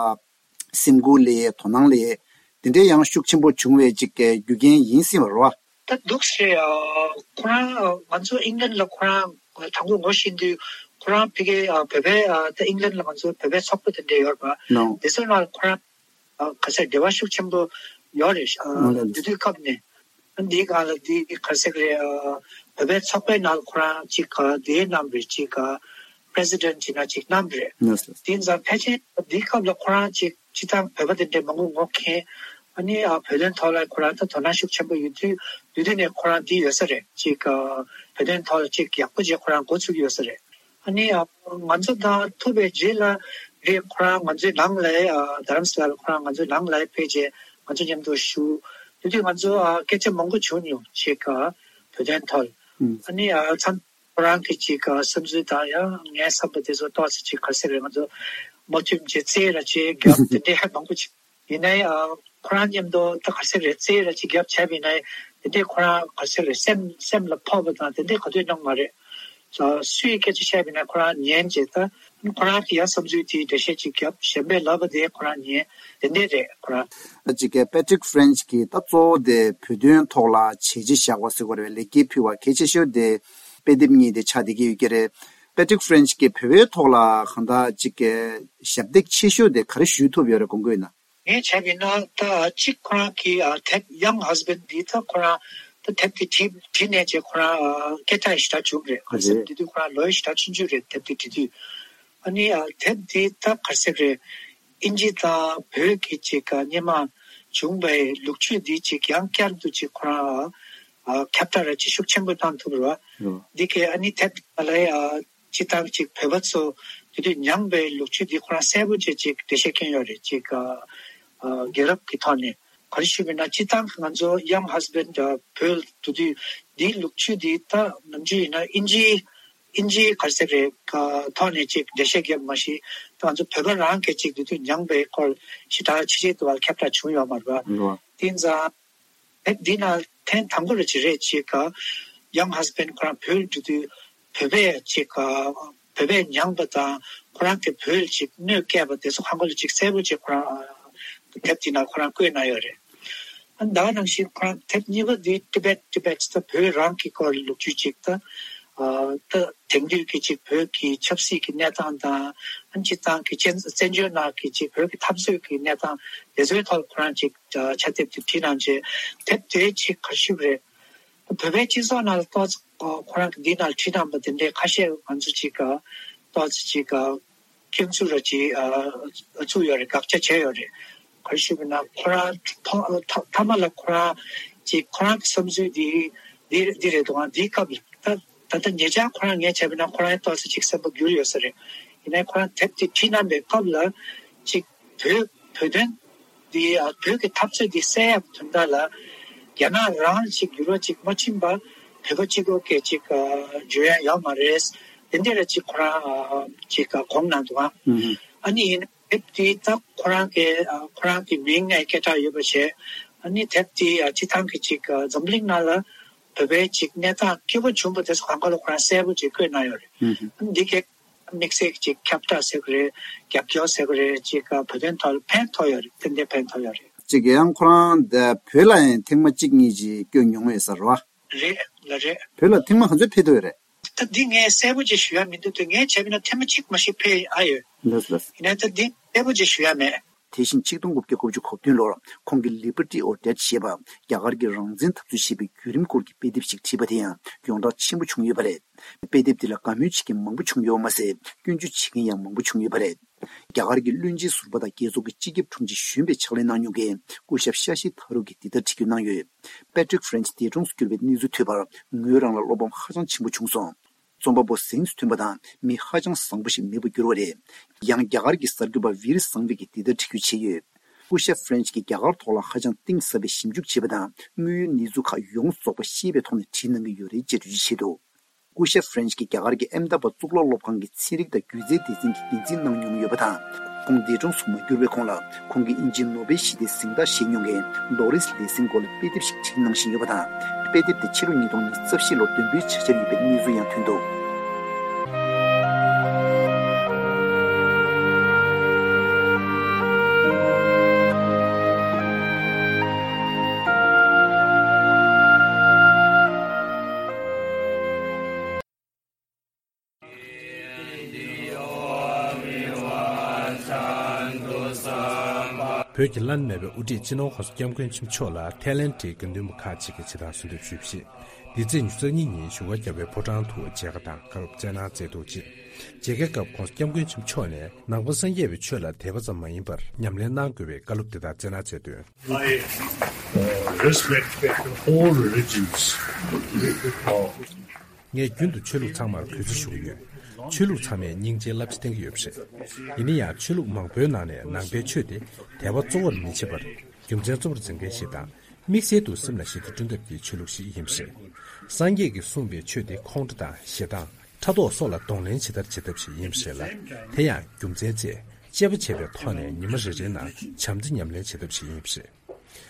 སེམས་ཁུར་སླེབས་ཡས་དོ་སྣང་སླེབས་ཡས་འདི་འདྲའི་ཡང་ཤུགས་ཆེན་པོ་བྱུང་བའི་གཅིག་གི་རྒྱུ་རྐྱེན་ཡིན་སྲིད་པ་རེད་བ། ད་འདུག་སེ་ཨ་ཁོ་རང་ཨ་ང་ཚོ་ཨིང་ལན་ལ་ཁོ་རང་དང་པོ་ངོ་ཤེས་དུས་ཁོ་རང་ཕ་གི་ཨ་བོད་པའི་ཨ་ད་ཨིང་ལན་ལ་ང་ཚོ་བོད་པའི་ཚོགས་པ་དེ་འདྲ་ཡོད་རེད་པ། ནོ། དེ་ཚོའི་ནང་ལ་ཁོ་རང་ཨ་ག་ཚད་འབྲེལ་བ་ཤུགས་ཆེན་པོ་ཡོད་རེད། ཨ་ཨང་ལགས། དེ་དུས་སྐབས་ནས་ཨ་འདིའི་སྒང་ལ་འདི་ག་ཚད་རེད། ཨ་བོད་པའི་ཚོགས་པའི་ནང་ལ་ཁོ་རང་ཅིག་ཨ་དེའི་རྣམ་རེད། ཅིག་ཨ་པི་རེ་སི་ཌེན་ཊི་ཡིན་ན་ཅིག་རྣམ་རེད། ནོ་སི། དེ་ཡིན་ཙང་ཕལ་ཆེར་འདིའི་སྐབས་ལ་ཁོ་རང་ཅིག་སྤྱིར་བཏང་བོད་པ་དེ་འདྲའི་མང་པོ་ངོ་མཁྱེན། ཨ་ནི་ཨ་བོད་དོན་ཐོག་ལ་ཁོ་རང་ད་དོ་སྣང་ཤུགས་ཆེན་པོ་ཡོད་དུས་དུས་དུས་ནས་ཁོ་རང་འདི་ཡོད་ས་རེད། ཅིག་ཨ་བོད་དོན་ཐོག་ལ་ཅིག་ཡག་པོ་ཅིག་ཁོ་རང་འགོ་ཚུགས་ཡོད་ས་རེད། ཨ་ནི་ཨ་ང་ཚོ་དང་ཐུག་པའི་རྗེས་ལ་ རེད། ཁོ་རང་ང་ཚོའི་ནང་ལ་ཨ་རྡ་རམ་ས་ལ་ལ་ཁོ་རང་ང་ཚོའི་ནང་ལ་ཕེབས་རྗེས་ང་ཚོ་མཉམ་དུ་བཞུགས། དེ་དུས་ང་ཚོ་ཨ་སྐད་ཆ་མང་པོ་བྱུང་མྱོང་ཅིག་ཨ་བོད་དོན་ཐོག་ལ། ཨུམ། ཨ་ནི་ཨ་མཚམས་ཁོ་རང་གི་ཅིག་ཨ་བསམ་ཚུལ་དང་ཡང་ངའི་བསམ་པ་དེ་ཚོ་ཏོག་ཙམ་ཅིག་ག་རེ་ཟེར་རེད། ང་ཚོ་མ་མཐུན་བྱས་རྩོད་ར་བྱས་རྒྱབ་དེ་འདྲའི་ཧ་མང་པོ་ཅིག་ཡིན་ནའི་ཨ་ཁོ་རང་མཉམ་དུ་ད་ག་རེ་ཟེར་རེད། རྩོད་ར་ཅིག་རྒྱབ་བྱས་པ་ཡིན་ནའི་དེ་འདྲའི་ཁོ་རང་ག་རེ་ཟེར་རེད། སེམས་སེམས་ལ་ཕོག་པ་དང་དེ་འདྲའི་ག་དུས་གནང་མ་རེད། ཨ་སུའི་སྐད་ཆ་བཤད་པ་ཡིན་ན་ཁོ་རང་ཉན་བྱས། ད་ཁོ་རང་གི་ཡང་བསམ་ཚུལ་དེ་འགྲེལ་བཤད་ཅིག་རྒྱབ། གཞན་པའི་ལབ་པ་དེ་ཁོ་རང་ཉན། དེ་འདྲ་རེད་ཁོ་རང་། ཅིག་གི་Patrick French གིས་ད་གཙོ་བོ་དེ་བོད་དོན་ཐོག་ལ་བྱས་རྗེས་བཞག་པ་ཟེར་དགོས་རེད་པས། ལེགས་སྐྱེས་ཕུལ་བ་གལ་ཆེ་ཤོས་དེ་དཔེ་དེབ་གཉིས་དེ་ཆགས་བསྡད་ཀྱི་ཡོད་ཀྱི་རེད། Patrick French གིས་བོད་པའི་ཐོག་ལ་གང་ལྟར་ཅིག་གི་ཞབས་འདེགས་ཆེ་ཤོས་དེ་ག་རེ་ཞུ་ཐུབ་ཡོད་རེད། དགོངས་དག་ཡིན་ན། ངས་བྱས་པ་ཡིན་ན་ད་གཅིག་ཁོ་རང་གི་ཨ་དེབ་Young Husband འདི་ད་ཁོ་རང་ད་དེབ་དེ་བྲིས་བྲིས་ནས་བྱས་ཁོ་རང་ཨ་སྐད་གྲགས་ཞེ་དྲག་བྱུང་རེད། ག་རེ་ཟེར་རེད། དེ་དུས་ཁོ་རང་ལོ་ཡང་ཞེ་དྲག་ཆུང་ཆུང་རེད། དེབ་དེ་བྲིས་དུས། ཨ་ནི་ཨ་དེབ་འདི་ད་ག་རེ་ཟེར་རེད། ཨིན་ཇི་དང་བོད་ཀྱི་ཅིག་ཨ་སྔོན་མ་བྱུང་བའི་ལོ་རྒྱུས་འདི་ཅིག་ཡང་བསྐྱར་དུ་ཅིག་ཁོ་རང་ཨ་ཁྱབ་བསྒྲགས་ར་ཅིག་ཤུགས་ཆེན་པོ་བཏང་ཐུབ་རེད་པ། འདི་གའི་ཨ་ནི་དེབ་ལ་ཡ་སྤྱིར་བཏང་ཅིག་བོད་པ་ཚོ་དེ་དུས་མྱངས་པའི་ལོ་རྒྱུས་འདི་ཁོ་རང་གསལ་པོ་བྱས་ཅིག་འགྲེལ་བཤད་བསྐྱོན་ཡོད་རེད། ཅིག་ཨ་ཨ་རྒྱལ་རབས་ཀྱི་ཐོག་ནས་ག་རེ་ཞུས་པ་ཡིན་ན་སྤྱིར་བཏང་གི་ང་ཚོ་Young Husband ཨ་བོད་དེ་དུས་འདིའི་ལོ་རྒྱུས་འདི་ད་ནམ་རྒྱུན་ཡིན་ན་ཨིན་ཇིའི་ཨིན་ཇིའི་ག་རེ་ཟེར་རེད་ཨ་ཐོག་ནས་ཅིག་འགྲེལ་བཤད་བརྒྱབ་མ་གཞི་ད་ང་ཚོ་བོད་པ་རང་གིས་ཅིག་དེ་དུས་མྱངས་པའི་སྐོར་ཞེ་དྲག་ཕྱི་རྒྱལ་དུ་བ་ཁྱབ་བསྒྲགས་བྱུང་ཡོད་མ་རེད་པ། དེ་ཙང་། དེབ་འདི་ནང་ཐེངས་དང་པོ་རེད་ཅིག་རེད། ཅིག་ག་Young Husband ཁོ་རང་བོད་འགྲོ་དུས་བོད་པས་ཅིག་ག་བོད་པས་མྱངས་པ་དང་ཁོ་རང་གིས་བོད་ལ་ཅིག་གནོད་བསྐྱལ་བ་དེ་ཚོ་གང་ག་ལ་ཅིག་གསལ་པོ་ཅིག་ཁོ་རང་དེབ་འདི་ནང་ཁོ་རང་བཀོད་གནང་ཡོད་རེད། ཨ་ད་ག་ནང་བཞིན་ཁོ་རང་དེབ་གཉིས་པ་འདི་Tibet Tibet ད་བོད་རང་གི་སྐོར་ལོ་རྒྱུས་ཅིག་ད་ཨ་ད་དེང་དུས་ཀྱི་ཅིག་བོད་ཀྱི་ཆབ་སྲིད་ཀྱི་གནས་སྟངས་དང་ཨ་སྤྱིར་བཏང་གི་བཙན་བཙན་བྱོལ་ནང་གི་ཅིག་བོད་ཀྱི་འཐབ་རྩོད་ཀྱི་གནས་སྟངས་དེ་ཚོའི་ཐོག་ཁོ་རང་ཅིག་ཕྱག་དེབ་དེ་བྲིས་གནང་རྗེས་དེབ་དེའི་ཆེད་ག་རེ་ཞུས་པ་རེད། བོད་པའི་སྤྱི་ཚོགས་ནང་ལ་ཏོག་ཙམ་ཁོ་རང་གི་འདི་ནང་བྲིས་གནང་པ་དེ་འདྲའི་ཁ་ཤས་ང་ཚོ་ཅིག་ཏོག་ཙམ་ཅིག་སྐྱོན་འཛུགས་ར་ཅིག་བཙུགས་ཡོད་རེད། དགག་བྱ་བྱས་ཡོད་རེད། ག་རེ་ཞུས་པ་ན་ཁོ་རང་ཐོག་མཐའ་མ་ལ་ཁོ་རང་ཅིག་ཁོ་རང་གི་བསམ་ཚུལ་འདི་འདི་འདི་རེད་འདུག་ཨང་། འདིའི་སྐབས་ལ་ད་ད་ལྟ་ཉེ་ཆར་ཁོ་རང་ངས་བྱས་པ་ན་ཁོ་རང་ཏོག་ཙམ་ཅིག་སེམས་པ་འགྱུར་ཡོད་ས་རེད། ཡིན་ནའི་ཁོ་རང་དེབ་དེ་བྲིས་གནང་པའི་སྐབས་ལ་ཅིག་བོད་བོད་དོན་འདི་ཨ་བོད་ཀྱི་འཐབ་རྩོད་འདི་སེལ་ཡག་དོན་དག་ལ་རྒྱ་ནག་རང་ཅིག་འགྱུར་བ་ཅིག་མ་ཕྱིན་པར་བོད་པ་གཅིག་པོ་གིས་ཅིག་ཨ་བརྗོད་ཡ་ཡོད་མ་རེད། དེ་འདྲ་ར་ཅིག་ཁོ་རང་ཨ་ཅིག་ཨ་དགོངས་གནང་འདུག་ཨ། ཨ་ནི་ཡིན་དེབ་འདི་ད་ཁོ་རང་གི་ཨ་ཁོ་རང་གི་མིང་ངས་སྐད་གྲགས་ཡོད་པ་བྱས། ཨ་ནི་དེབ་འདི་ཨ་སྤྱིར་བཏང་གི་ཅིག་ཨ་འཛམ་གླིང་ནང་ལ་བོད་པའི་ཅིག་གནས་སྟངས་སྐྱིད་པོ་བྱུང་པ་དེ་ཚོ་གང་ག་ལ་ཁོ་རང་གསལ་པོ་ཅིག་བཀོད་གནང་ཡོད་རེད། ཨ་ནི་འདི་གའི་དམིགས་བསལ་གྱི་ཅིག་ཁྱབ་བསྒྲགས་ཟེར་གི་རེད། རྒྱབ་སྐྱོར་ཟེར་གི་རེད། ཅིག་བོད་དོན་ཐོག་ལ་ཕན་ཐོགས་ཡོད་རེད། ཏན་ཏན་ཕན་ཐོགས་ཡོད་རེད། ཅིག་ཡང་ཁོ་རང་འདི་བོད་ལ་ཡང་ཐེངས་མ་གཅིག་གཉིས་ཅིག་བསྐྱོད་མྱོང་ཡོད་ས་རེད་བ། རེད་ལ་རེད། བོད་ལ་ཐེངས་མ་ག་ཚོད་ཕེབས་ཐུབ་ཡོད་རེད། ད་འདི་ངས་གསལ་པོ་ཅིག་ཞུ་ཡ་མི་འདུག་དུས་ངས་བྱས་པ་ན་ཐེངས་མ་གཅིག་མ་ཞིག་ཕེབས་ཨ་ཡོད། ལགས་ལགས། ཡིན་ན་ད་འདི་གསལ་པོ་ཅིག་ཞུ་ཡ་མེད། དེ་བཞིན་ཆིག་སྟོང་དགུ་བརྒྱ་དགུ་བཅུ་གོ་བདུན་ལོར་ཁོང་གིས་Liberty or Death ཞེས་པ་རྒྱ་གར་གྱི་རང་བཙན་འཐབ་རྩོད་ཞེས་པའི་བརྒྱུད་རིམ་སྐོར་གྱི་དཔེ་དེབ་ཞིག་བྲིས་པ་དེ་ཡང་ཡོངས་གྲགས་ཆེན་པོ་བྱུང་ཡོད་པ་རེད། དཔེ་དེབ་དེ་ལ་དགའ་མོས་བྱེད་མཁན་མང་པོ་བྱུང་ཡོད་མ་ཟད་སྐྱོན་བརྗོད་བྱེད་མཁན་ཡང་མང་པོ་བྱུང་ཡོད་པ་རེད། རྒྱ་གར་གྱི་བློན་ཆེན་ཟུར་པ་དང་རྒྱལ་ཚོགས་ཀྱི་སྤྱི་ཁྱབ་དྲུང་ཆེ་གཞོན་པའི་ཕྱག་ལས་གནང་མྱོང་མཁན་སྐུ་ཞབས་ཤ་ཤི་ཐ་རུ་གིས་འདི་ལྟར་འགྲེལ་བརྗོད་གནང་ཡོད། Patrick French འདས་གྲོངས་སུ་གྱུར་པའི་གནས་ཚུལ་ཐོས་པར་ངོས་རང་ལ་བློ་ཕམ་ཧ་ཅང་ཆེན་པོ་བྱུང་སོང་། རྩོམ་པ་པོ་གཟེངས་སུ་ཐོན་པ་དང་མི་ཧ་ཅང་བཟང་པོ་ཞིག་མེད་པར་གྱུར་བ་རེད། ཡང་རྒྱ་གར་གྱི་གསར་འགོད་པ་ཝིར་སང་བྷི་གིས་འདི་ལྟར་འགྲེལ་བརྗོད་བྱས་ཡོད། སྐུ་ཞབས་ཧྥ་རན་ཆི་གིས་རྒྱ་གར་ཐོག་ལ་ཧ་ཅང་གཏིང་ཟབ་པའི་ཞིབ་འཇུག་བྱས་པ་དང་དངོས་ཡོད་གནས་ཚུལ་ཁག་ཡོངས་རྫོགས་པ་ཤེས་པའི་ཐོག་ནས་བྲིས་གནང་གི་ཡོད་རེད་ཅེས་འགྲེལ་བརྗོད་བྱས་འདུག་སྐུ་ཞབས་ཧྥ་རན་ཆི་གིས་རྒྱ་གར་གྱི་ཨེམ་དཱ་བཱད་གཙུག་ལག་སློབ་ཁང་གི་ཚན་རིག་དང་སྒྱུ་རྩལ་སྡེ་ཚན་གྱི་འགན་འཛིན་གནང་མྱོང་ཡོད་པ་དང་། ཁོང་འདས་གྲོངས་སུ་མ་གྱུར་བའི་གོང་ལ། ཁོང་གིས་དབྱིན་ཇིའི་ནོ་བེལ་ཞི་བདེའི་གཟེངས་རྟགས་བཞེས་མྱོང་མཁན་ལོ་རིས་ལེ་སིང་སྐོར་ལ་དཔེ་དེབ་ཞིག་བྲིས་གནང་བཞིན་ཡོད་པ་དང་། དཔེ་དེབ་དེ་ཕྱི་ལོ་ཉིས་སྟོང་ཉི་ཤུ་རྩ་བཞི་ལོར་འདོན་སྤེལ་བྱ་འཆར་ཡོད་པའི་གནས་ཚུལ་ཡང་ཐོན་འདུག་བོད་ཀྱི་བླ་ན་མེད་པའི་དབུ་ཁྲིད་སྤྱི་ནོར་༸གོང་ས་༸སྐྱབས་མགོན་ཆེན་པོ་མཆོག་ལ་ཐའི་ལེན་ཌི་དགེ་འདུན་པ་ཁག་ཅིག་གིས་ཇི་ལྟར་གསོལ་འདེབས་ཞུས་པ་རེད། འདི་ཚེས་ཉི་ཤུ་རྩ་གཉིས་ཉིན་བཞུགས་སྒར་རྒྱལ་བའི་ཕོ་བྲང་དུ་མཇལ་ཁ་དང་བཀའ་སློབ་སྩལ་གནང་མཛད་འདུག་ཅིང་། མཇལ་ཁའི་སྐབས་༸གོང་ས་༸སྐྱབས་མགོན་ཆེན་པོ་མཆོག་ནས་ནང་པ་སངས་རྒྱས་པའི་ཆོས་ལ་དད་པ་ཙམ་མ་ཡིན་པར་ཉམས་ལེན་གནང་དགོས་པའི་བཀའ་སློབ་དེ་དག་སྩལ་གནང་མཛད་དོན། I uh, respect all religions. ངས་རྒྱུན་དུ་ཆོས་ལུགས་ཚང་མར་གུས་བརྩི་ཞུ་གི་ཡོད། ཆོས་ལུགས་ཚང་མས་སྙིང་རྗེའི་བསླབ་བྱ་བསྟན་གྱི་ཡོད་པ་རེད། ཡིན་ན་ཡང་ཆོས་ལུགས་མང་པོའི་ནང་ནས་ནང་པའི་ཆོས་དེ་དད་པ་གཙོ་བོར་མི་བྱེད་པར། རྒྱུ་མཚན་གཙོ་བོར་འཛིན་མཁན་ཞིག་དང་། དམིགས་བསལ་དུ་སེམས་ལ་ཞི་བདེ་བསྐྲུན་ཐབས་ཀྱི་ཆོས་ལུགས་ཤིག་ཡིན་པ་རེད། སངས་རྒྱས་ཀྱིས་གསུངས་པའི་ཆོས་དེ་ཁོང་ཁྲོ་དང་ཞེ་སྡང་། ཕྲག་དོག་སོགས་ལ་གདོང་ལེན་བྱེད་ཐབས་བྱེད་ཐབས་ཤིག་ཡིན་པ་རེད་ལ། དེ་ཡང་རྒྱུ་མཚན་བཅས་དཔྱད་པ་བྱས་པའི་ཐོག་ནས་ཉི་མ་རེ་རེའི་ནང་བྱམས་བརྩེ་ཉམས་ལེན་བྱེད་ཐབས་ཤིག་ཡིན་པ་རེད།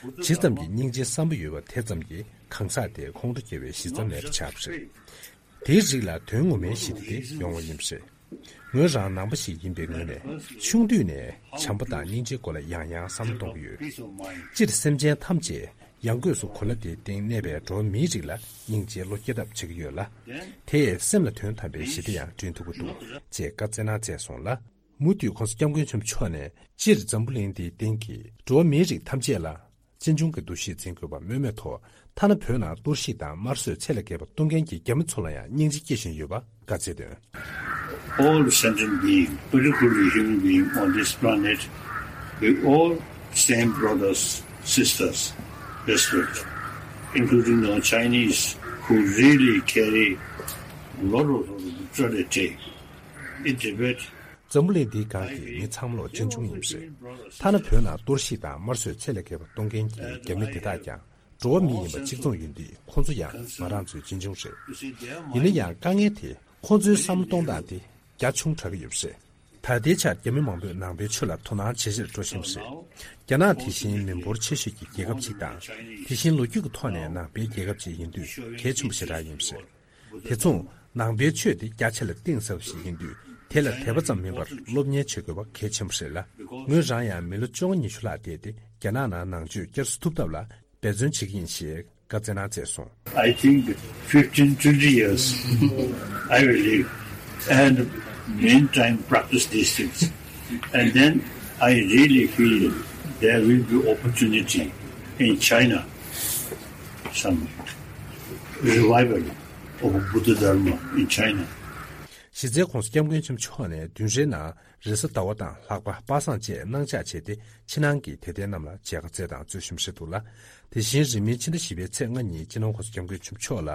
ཇི་ཙམ་གྱིས་སྙིང་རྗེའི་བསམ་པ་ཡོད་པ་དེ་ཙམ་གྱིས་གང་ཟག་དེ་ཁོང་ཁྲོ་སྐྱེ་བའི་གཞི་རྩ་མེད་པ་ཆགས་པ་རེད། དེའི་རིགས་ལ་དོན་ངོ་མའི་ཞི་བདེ་དེ་ཡོང་བ་ཡིན་པ་རེད། ངོས་རང་ནང་པ་ཞིག་ཡིན་པའི་ངོས་ནས་ཆུང་དུས་ནས་བྱམས་པ་དང་སྙིང་རྗེའི་སྐོར་ལ་ཡང་ཡང་བསམ་བློ་གཏོང་གི་ཡོད། སྤྱིར་སེམས་ཅན་ཐམས་ཅད་ཡང་སྒོས་སུ་གོ་ལ་འདིའི་སྟེང་གནས་པའི་འགྲོ་བ་མིའི་རིགས་ལ་སྙིང་རྗེའི་བློ་སྐྱེ་ཐབས་བྱེད་ཀྱི་ཡོད་ལ། དེས་སེམས་ལ་དོན་དམ་པའི་ཞི་བདེ་ཡང་བསྐྲུན་ཐུབ་ཀྱི་འདུག་ཅེས་བཀའ་སྩལ་གནང་མཛད་སོང་ལ། མུ་མཐུད་༸གོང་ས་༸སྐྱབས་མགོན་ཆེན་པོ་མཆོག་ནས་སྤྱིར་འཛམ་བུ་གླིང་འདིའི་སྟེང་གི་འགྲོ་བ་མིའི་རིགས་ཐམས་ཅད་ལ་གཅེས་འཇོང་གི་འདུ་ཤེས་འཛིན་དགོས་པ་སྨོས་མེད་ཐོག་ཐ་ན་བོད་ནང་གཏོར་བཤིག་དང་དམར་གསོད་ཚད་ལས་བརྒལ་བ་གཏོང་མཁན་གྱི་རྒྱ་མི་ཚོ་ལ་ཡང་སྙིང་རྗེ་སྐྱེ་བཞིན་ཡོད་པ་བཀའ་སྩལ་དོན། All sentient being, particularly human being on this planet, we all same brothers, sisters, respect, including our Chinese, who really carry a lot of brutality in Tibet. འཛམ་བུ་གླིང་འདིའི་སྒང་གི་མི་ཚང་མ་ལོ་གཅེས་འཇོང་ཡིན་པ་རེད། ཐ་ན་བོད་ནང་གཏོར་བཤིག་དང་དམར་གསོད་ཚད་ལས་བརྒལ་བ་གཏོང་མཁན་གྱི་རྒྱ་མི་དེ་དག་ཀྱང་འགྲོ་བ་མི་ཡིན་པ་གཅིག་མཚུངས་ཡིན་དུས་ཁོང་ཚོ་ཡང་ང་རང་ཚོའི་གཅེས་འཇོང་རེད། ཡིན་ན་ཡང་དཀའ་ངལ་དེ་ཁོང་ཚོའི་བསམ་བློ་གཏོང་སྟངས་དེ་རྒྱ་ཆུང་དྲགས་ཀྱི་ཡོད་པ་རེད། ད་ལྟའི་ཆར་རྒྱ་མི་མང་པོས་ནང་པའི་ཆོས་ལ་དོ་སྣང་ཇེ་ཆེར་འགྲོ་བཞིན་པ་རེད། རྒྱ་ནག་དེ་བཞིན་མི་འབོར་ཆེ་ཤོས་ཀྱི་རྒྱལ་ཁབ་ཅིག་དང་། དེ་བཞིན་ལོ་རྒྱུས་ཀྱི་ཐོག་ནས་ནང་པའི་རྒྱལ་ཁབ་ཅིག་ཡིན་དུས་གལ་ཆེན་པོ་ཞེ་དྲག་ཡིན་པ་རེད། དེ་མཚུངས་ནང་པའི་ཆོས་དེ་རྒྱ་ཆེ་ལ་གཏིང་ཟབ་ཞིག་ཡིན་དུས་དེ་ལ་དད་པ་ཙམ་མིན་པར་སློབ་གཉེར་བྱེད་དགོས་པ་གལ་ཆེན་པོ་རེད་ལ། ངོས་རང་ཡང་མི་ལོ་བཅོ་ལྔ་ཉི་ཤུ་ལྷག་བསྡད་དེ་རྒྱ་ནག་ནང་ནང་ཆོས་བསྐྱར་གསོ་ཐུབ་ཐབས་ལ་འབད་བརྩོན་བྱེད་ཀྱི་ཡིན་ཞེས་བཀའ་སྩལ་གནང་མཛད་སོང་། I think fifteen, twenty years, I will live, and meantime practice these things. And then I really feel there will be opportunity in China, some revival of Buddha Dharma in China. གཞི་རྩའི་༸གོང་ས་༸སྐྱབས་མགོན་ཆེན་པོ་མཆོག་ནས་བདུན་རེའི་ནང་རེས་གཟའ་ཟླ་བ་དང་ལྷག་པ་པ་སངས་བཅས་གནང་འཆར་བྱས་ཏེ་ཕྱི་ནང་གི་དད་ལྡན་རྣམས་ལ་མཇལ་ཁ་སྩལ་དང་སྩོལ་བཞིན་པ་རེད་འདུག་ལ། དེ་བཞིན་རིང་མིན་ཕྱི་ཟླ་བཞི་པའི་ཚེས་ལྔ་ཉིན་སྤྱི་ནོར་༸གོང་ས་༸སྐྱབས་མགོན་ཆེན་པོ་མཆོག་ལ་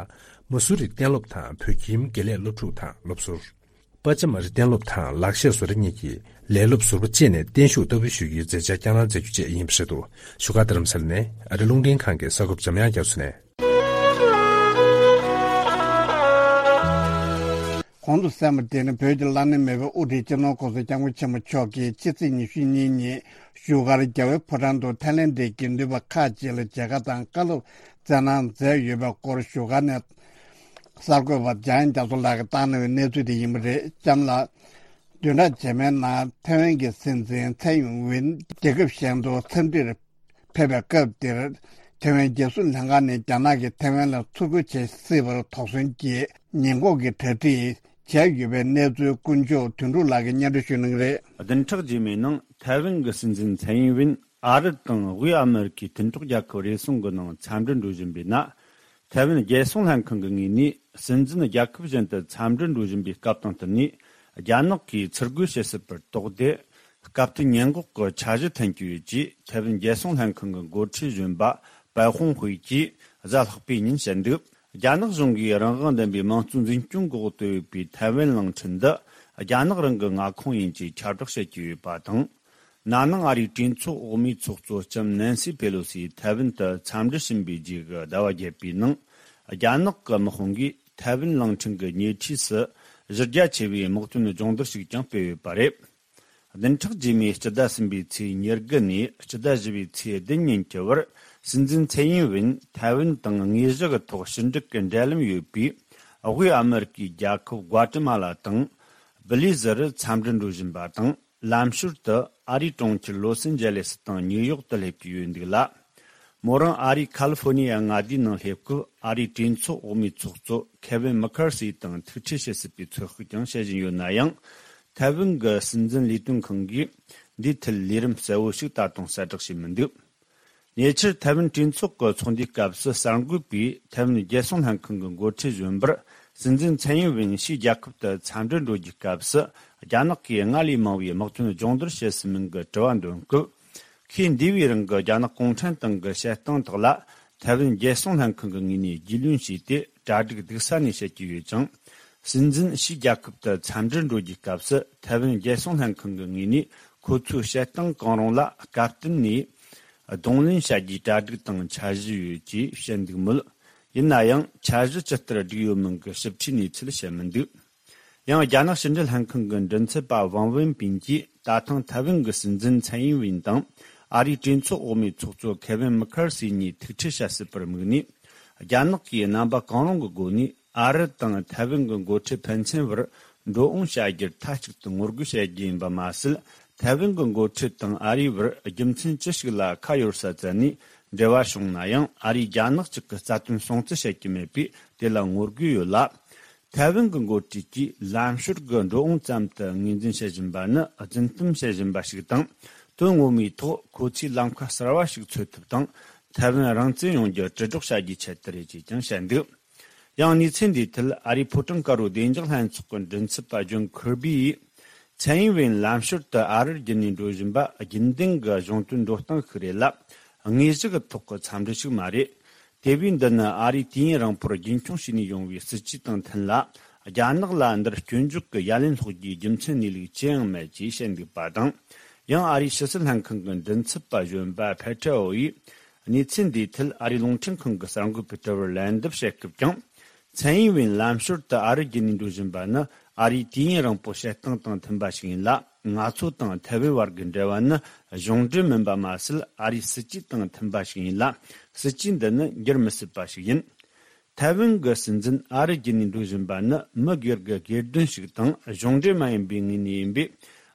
མ་སུ་རི་གཏན་སློབ་དང་བོད་ཁྱིམ་དགེ་ལས་སློབ་ཕྲུག་དང་སློབ་ཟུར། པ་ཅ་མ་རི་གཏན་སློབ་དང་ལག་ཤེས་བཟོ་གྲྭ་གཉིས་ཀྱི་ལས་སློབ་ཟུར་པ་བཅས་ནས་བརྟན་བཞུགས་བསྟར་འབུལ་ཞུ་རྒྱུའི་མཛད་འཆར་བསྐྱངས་གནང་མཛད་རྒྱུ་བཅས་ཡིན་པ་རེད་འདུག་བཞུགས་སྒར་རྡ་རམ་ས་ལ་ནས་ཨ་རི་རླུང་འཕྲིན་ཁང་གི་གསར་འགོད་པ་འཇམ་དབྱངས་རྒྱ་མཚོ་ནས། གོང་དུ་གསན་པ་དེ་ནི་བོད་ཀྱི་བླ་ན་མེད་པའི་དབུ་ཁྲིད་སྤྱི་ནོར་༸གོང་ས་༸སྐྱབས་མགོན་ཆེན་པོ་མཆོག་གིས་ཕྱི་ཚེས་ཉི་ཤུ་གཉིས་ཉིན་བཞུགས་སྒར་རྒྱལ་བའི་ཕོ་བྲང་དུ་ཐའི་ལེན་ཌའི་དགེ་འདུན་པ་ཁག་ཅིག་ལ་མཇལ་ཁ་དང་བཀའ་སློབ་སྩལ་གནང་མཛད་ཡོད་པའི་སྐོར་བཞུགས་སྒར་ནས་གསར་འགོད་པ་འཇམ་དབྱངས་རྒྱ་མཚོ་ལགས་ཀྱིས་བཏང་གནང་བའི་གནས་ཚུལ་དེ་ཡིན་པ་རེད། ལྕམ་ལགས། བདུན་ཕྲག་རྗེས་མའི་ནང་ཐའེ་ཝན་གྱི་སྲིད་འཛིན་ཚའེ་ཡིན་ཝིན་རྒྱལ་ཁབ་གཞན་དུ་འཚམས་འདྲིར་ཕེབས་པའི་སྐབས་དེར་ཐའེ་ཝན་རྒྱལ་སྲུང་ལྷན་ཁང་ནས་རྒྱ་ནག་གིས་ཐའེ་ཝན་ལ་འཚུབ་རྒོལ་བྱེད་སྲིད་པར་དོགས་ཟོན་གྱིས་ཉེན་འགོག་གི་གྲ་སྒྲིག་བྱས་ཡོད་པའི་གནས་ཚུལ་དཀོན་མཆོག་དོན་གྲུབ་ལགས་ཀྱིས་སྙན་སྒྲོན་ཞུ་གནང་གི་རེད། བདུན་ཕྲག་རྗེས་མའི་ནང་ཐའེ་ཝན་གྱི་སྲིད་འཛིན་ཚའེ་ཡིན་ཝིན་ཨ་རི་དང་དབུས་ཨ་མེ་རི་ཁའི་མཐུན་གྲོགས་རྒྱལ་ཁབ་རེ་ཟུང་གི་ནང་འཚམས་འདྲིར་འགྲོ་བཞིན་པའི་ནང་། ཐའེ་ཝན་རྒྱལ་སྲུང་ལྷན་ཁང་གི་ངོས་ནས་སྲིད་འཛིན་རྒྱལ་ཁབ་གཞན་དུ་འཚམས་འདྲིར་འགྲོ་བཞིན་པའི་སྐབས་དང་བསྟུན་ནས་རྒྱ་ནག་གིས་འཚུབ་རྒོལ་བྱེད་སྲིད་པར་དོགས་ཏེ། སྐབས་དེར་ཉེན་འགོག་གི་འཆར་གཞི་འཐེན་གྱི་ཡོད་ཅེས་ཐའེ་ཝན་རྒྱལ་སྲུང་ལྷན་ཁང་གི་འགོ་ཁྲིད་གཞོན་པ་པའེ་ཧུང་ཧུའེ་གྱིས་གཟའ་ལྷག་པའི་ཉིན་བཤད་འདུག་རྒྱ་ནག་གཞུང་གིས་རང་དབང་ལྡན་པའི་དམངས་གཙོའི་འཛིན་སྐྱོང་འོག་ཏུ་ཡོད་པའི་ཐའེ་ཝན་གླིང་ཕྲན་འདི་རྒྱ་ནག་རང་གི་མངའ་ཁོངས་ཡིན་ཅེས་ཁྱབ་བསྒྲགས་བྱེད་ཀྱི་ཡོད་པ་དང་། ན་ནིང་ཨ་རིའི་གྲོས་ཚོགས་འོག་མའི་ཚོགས་གཙོ་ལྕམ་ནན་སི་པེ་ལོ་སི་ཐའེ་ཝན་དུ་འཚམས་འདྲི་ཕྱིན་པའི་རྗེས་ཀྱི་ཟླ་བ་བརྒྱད་པའི་ནང་། རྒྱ་ནག་གི་དམག་དཔུང་གིས་ཐའེ་ཝན་གླིང་ཕྲན་གྱི་ཉེ་འཁྲིས་སུ་གཞི་རྒྱ་ཆེ་བའི་དམག་དོན་སྦྱོང་བརྡར་ཞིག་ཀྱང་སྤེལ་ཡོད་པ་རེད། བདུན་ཕྲག་རྗེས་མའི་སྤྱི་ཟླ་གསུམ་པའི་ཚེས་ཉེར་དགུ་ནས་སྤྱི་ཟླ་བཞི་པའི་ཚེས་བདུན་ཉིན་གྱི་བར་སྲིད་འཛིན་ཚའེ་ཡིན་ཝིན་ཐའེ་ཝན་དང་དངོས་གཞི་གི་ཐོག་ཕྱི་འབྲེལ་གྱི་འབྲེལ་ལམ་ཡོད་པའི་དབུས་ཨ་མེ་རི་ཀའི་རྒྱལ་ཁབ་གུ་ཏི་མ་ལ་དང་བི་ལི་ཟི་རུ་འཚམས་འདྲིར་འགྲོ་བཞིན་པ་དང་། ལམ་ཞོར་དུ་ཨ་རིའི་གྲོང་ཁྱེར་ལོ་སན་ཇེ་ལེ་སི་དང་ཉིའུ་ཡོག་ཏུ་སླེབས་ཀྱི་ཡོད་འདུག་ལ། མོ་རང་ཨ་རིའི་ཁ་ལི་ཧྥོ་ནི་ཡ་མངའ་སྡེའི་ནང་སླེབས་སྐབས་ཨ་རིའི་གྲོས་ཚོགས་འོག་མའི་ཚོགས་གཙོ་ཁེ་ཝིན་མི་ཁར་སི་དང་ཐུག་འཕྲད་བྱེད་སྲིད་པའི་ཚོད་དཔག་ཀྱང་བྱེད་བཞིན་ཡོད་ན་ཡང་། ཐའེ་ཝན་གྱི་སྲིད་འཛིན་ལས་དོན་ཁང་གིས་འདིའི་ཐད་ལས་རིམ་གསལ་བོ་ཞིག་ད་དུང་གསལ་བསྒྲགས་བྱས་མི་འདུག་ཉེ་ཆར་ཐའེ་ཝན་གྲོས་ཚོགས་ཀྱི་ཚོགས་འདུའི་སྐབས་སུ་གསར་འགོད་པས་ཐའེ་ཝན་རྒྱལ་སྲུང་ལྷན་ཁང་གི་འགོ་ཁྲིད་གཞོན་པར་སྲིད་འཛིན་ཚའེ་ཡིན་ཝིན་ཕྱིའི་རྒྱལ་ཁབ་ཏུ་འཚམས་འདྲིར་འགྲོ་རྒྱུའི་སྐབས་སུ་རྒྱ་ནག་གིས་སྔར་ལས་མང་བའི་དམག་དོན་སྦྱོང་བརྡར་བྱེད་སྲིད་མིན་གྱི་དྲི་བ་འདོན་སྐབས། ཁོས་འདས་པའི་རིང་གི་རྒྱ་ནག་གུང་ཁྲན་ཏང་གི་བཤད་སྟངས་དག་ལ་ཐའེ་ཝན་རྒྱལ་སྲུང་ལྷན་ཁང་གི་ངོས་ནས་རྒྱུས་ལོན་བྱས་ཏེ་གྲ་སྒྲིག་སྡུག་ས་ནས་བྱེད་ཀྱི་ཡོད་ཅིང་། སྲིད་འཛིན་ཕྱིའི་རྒྱལ་ཁབ་ཏུ་འཚམས་འདྲིར་འགྲོ་རྒྱུའི་སྐབས་སུ་ཐའེ་ཝན་རྒྱལ་སྲུང་ལྷན་ཁང་གི་ངོས་ནས་ཁོ་ཚོའི་བཤད་སྟངས་གང་རུང་ལ་བཀའ་བསྟན་ནས་གདོང་ལེན་བྱ་རྒྱུའི་གྲ་སྒྲིག་དང་འཆར་གཞི་ཡོད་ཅེས་བཤད་འདུག་མོད། ཡིན་ན་ཡང་འཆར་གཞི་ཇི་ལྟར་བསྒྲིགས་ཡོད་མིན་གྱི་ཞིབ་ཕྲའི་གནས་ཚུལ་བཤད་མི་འདུག་ཡང་རྒྱ་ནག་ཕྱི་འབྲེལ་ལྷན་ཁང་གི་མགྲིན་ཚབ་པ་ཝང་ཝེན་པིན་གྱིས་ད་ཐེངས་ཐའེ་ཝན་གྱི་སྲིད་འཛིན་ཚའེ་ཡིན་ཝིན་དང་ཨ་རིའི་གྲོས་ཚོགས་འོག་མའི་ཚོགས་གཙོ་ཁེ་ཝིན་མི་ཁར་སི་གཉིས་ཐུག་འཕྲད་བྱ་སྲིད་པར་དམིགས་ནས། རྒྱ་ནག་གིས་རྣམ་པ་གང་རུང་གི་སྒོ་ནས་ཨ་རི་དང་ཐའེ་ཝན་གྱི་འགོ་ཁྲིད་ཕན་ཚུན་བར་འགྲོ་འོང་བྱ་རྒྱུར་མཐའ་གཅིག་ཏུ་ངོ་རྒོལ་བྱ་རྒྱུ་ཡིན་པ་མ་ཟད། ཐའེ་ཝན་གྱི་འགོ་ཁྲིད་དང་ཨ་རིའི་བར་རྒྱུ་མཚན་ཅི་ཞིག་ལ་ཁ་གཡར་ས་བཙལ་ནས་འབྲེལ་བ་བྱུང་ན་ཡང་ཨ་རིས་རྒྱ་ནག་གཅིག་གི་རྩ་དོན་སྲུང་བརྩི་བྱེད་ཀྱི་མེད་པས་དེ་ལ་ངོ་རྒོལ་ཡོད་ལ། ཐའེ་ཝན་གྱི་འགོ་ཁྲིད་ཀྱིས་ལམ་ཤོར་གྱི་འགྲོ་འོང་ཙམ་དུ་ངོས་འཛིན་བྱེད་བཞིན་པ་ནི་རྫུན་གཏམ་བྱེད་བཞིན་པ་ཞིག་དང་། དོན་ངོ་མའི་ཐོག་ཁོ་ཚོས་ལམ་ཁ་གསར་བ་ཞིག་འཚོལ་ཐབས་དང་། ཐའེ་ཝན་རང་བཙན་ཡོང་རྒྱུ་དྲིལ་སྒྲོག་བྱ་རྒྱུའི་ཆེད་དུ་རེད་ཅེས་ཀྱང་བཤད་འདུག་ཡང་གནས་ཚུལ་འདིའི་ཐད་ཨ་རིའི་ཕོ་བྲང་དཀར་པོའི་བདེ་འཇགས་ལྷན་ཚོགས་ཀྱི་མགྲིན་ཚབ་པ་ཇོན་ཁིར་བི་ཡིས། ཚའེ་ཡིན་ཝིན་ལམ་ཤོར་དུ་ཨ་རིར་རྒྱུན་ནས་འགྲོ་བཞིན་པ་རྒྱུན་ལྡན་གྱི་གཞུང་དོན་འགྲོ་སྟངས་ཤིག་རེད་ལ། དངོས་གཞི་གི་ཐོག་གི་འཚམས་འདྲི་ཞིག་མ་རེད། དེ་བས་འདི་ནི་ཨ་རིས་དུས་ཡུན་རིང་པོར་རྒྱུན་འཁྱོངས་བྱས་ནས་ཡོང་བའི་སྲིད་ཇུས་དང་མཐུན་ལ། རྒྱ་ནག་ལ་འདིར་སྐྱོན་འཇོག་གི་ཡ་ལན་སློག་རྒྱུའི་རྒྱུ་མཚན་གནས་ལུགས་ཅི་ཡང་མེད་ཅེས་བཤད་འདུག་པ་དང་། ཡང་ཨ་རིའི་ཕྱི་སྲིད་ལྷན་ཁང་གི་མགྲིན་ཚབ་པ་གཞོན་པ་ཕེ་ཁྲའོ་ཡིས། གནས་ཚུལ་འདིའི་ཐད་ཨ་རིའི་རླུང་འཕྲིན་ཁང་གི་གསར་འགོད་པའི་དྲི་བར་ལན་འདེབས་བྱེད་སྐབས་ཀྱང་། ཚའེ་ཡིན་ཝིན་ལམ་ཞོར་དུ་ཨ་རིར་རྒྱུན་ནས་འགྲོ་བཞིན་པ་ནི་ཨ་རིའི་དུས་ཡུན་རིང་པོའི་བཤད་སྟངས་དང་མཐུན་པ་ཞིག་ཡིན་ལ། ང་ཚོ་དང་ཐའེ་ཝན་བར་གྱི་འབྲེལ་བ་ནི་གཞུང་འབྲེལ་མིན་པ་མ་ཟད། ཨ་རིའི་སྲིད་ཇུས་དང་མཐུན་པ་ཞིག་ཡིན་ལ། སྲིད་ཇུས་འདི་ནི་འགྱུར་མི་སྲིད་པ་ཞིག་ཡིན། ཐའེ་ཝན་གྱི་སྲིད་འཛིན་ཨ་རིར་རྒྱུན་ནས་འགྲོ་བཞིན་པ་ནི་མི་སྒེར་གྱི་སྒེར་དོན་ཞིག་དང་གཞུང་འབྲེལ་མ་ཡིན་པའི་ངོས་ནས་ཡིན་པས།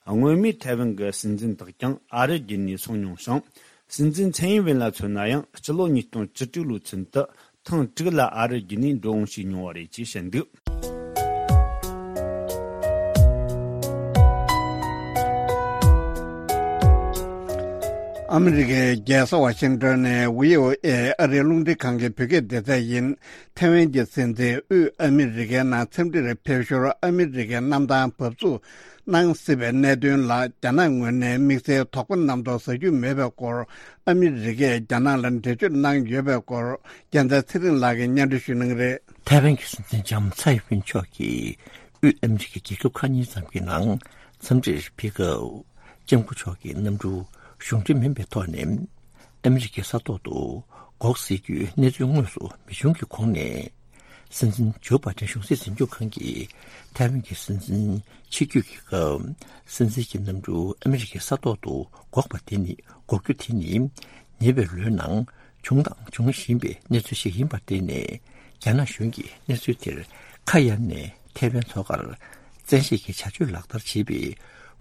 སྔོན་མའི་ཐའེ་ཝན་གྱི་སྲིད་འཛིན་དག་ཀྱང་ཨ་རིར་རྒྱུན་ནས་སོང་མྱོང་ཞིང་། སྲིད་འཛིན་ཚའེ་ཡིན་ཝེན་ལ་མཚོན་ན་ཡང་སྤྱི་ལོ་ཉིས་སྟོང་བཅུ་དྲུག་ལོའི་ཚུན་དུ་ཐེངས་དྲུག་ལ་ཨ་རིར་རྒྱུན་ནས་འགྲོ་འོང་བྱས་མྱོང་བ་རེད་ཅེས་བཤད་འདུག་ཨ་མི་རི་ཀའི་རྒྱལ་ས་ཝ་ཤིང་ཏོན་ནས་བྷི་ཨོ་ཨེ་ཨ་རིའི་རླུང་འཕྲིན་ཁང་གི་བོད་སྐད་སྡེ་ཚན་ཡིན། ཐའེ་ཝན་གྱི་སྲིད་འཛིན་དབུས་ཨ་མི་རི་ཀའི་ནང་འཚམས་འདྲིར་ཕེབས་ཞོར་ཨ་མི་རི་ཀའི་གནམ་ཐང་བབས་ཚུགས་གནང་སྲིད་པའི་གནད་དོན་ལ་རྒྱ་ནག་ངོས་ནས་དམིགས་བསལ་དོགས་པ་རྣམ་རྟོག་ཟ་རྒྱུ་མེད་པའི་སྐོར། ཨ་མི་རི་ཀས་རྒྱ་ནག་ལ་འགྲེལ་བརྗོད་གནང་ཡོད་པའི་སྐོར། རྒྱལ་མཚན་ཚེ་རིང་ལགས་ཀྱིས་སྙན་སྒྲོན་ཞུ་གནང་གི་རེད། ཐའེ་ཝན་གྱི་སྲིད་འཛིན་ལྕམ་ཚའེ་ཡིན་ཝིན་མཆོག་གིས་དབུས་ཨ་མི་རི་ཀའི་རྒྱལ་ཁབ་ཁག་གཉིས་ཙམ་གྱི་ནང་འཚམས་འདྲིར་ཕེབས་སྐབས། ལྕམ་སྐུ་མཆོག་གི་གནམ་གྲུ་གཞུང་འབྲེལ་མིན་པའི་ཐོག་ནས་ཨ་མི་རི་ཀའི་ས་ཐོག་ཏུ་འགོག་སྲིད་རྒྱུའི་གནས་ཚུལ་དངོས་སུ་མེད་བྱུང་གི་གོང་ནས། སྲིད་འཛིན་ཇོ་བྷའི་ཏན་གཞུང་སྲིད་འཛིན་སྐྱོང་ཁང་གིས་ཐའེ་ཝན་གྱི་སྲིད་འཛིན་ཆིབས་བསྒྱུར་གྱི་སྐབས། སྲིད་འཛིན་གྱི་གནམ་གྲུ་ཨ་མི་རི་ཀའི་ས་ཐོག་ཏུ་འགོག་པ་དེ་ནི། འགོག་རྒྱུ་དེ་ནི་ཉེ་བའི་ལོའི་ནང་བྱུང་དང་འབྱུང་བཞིན་པའི་གནས་ཚུལ་ཞིག་ཡིན་པར་བརྟེན་ནས། རྒྱ་ནག་གཞུང་གིས་གནས་ཚུལ་དེར་ཁ་གཡར་ནས་ཐའེ་ཝན་མཚོ་ཁར་བཙན་ཤེད་ཀྱི་བྱ་སྤྱོད་ལག་བསྟར་བྱེད་པའི་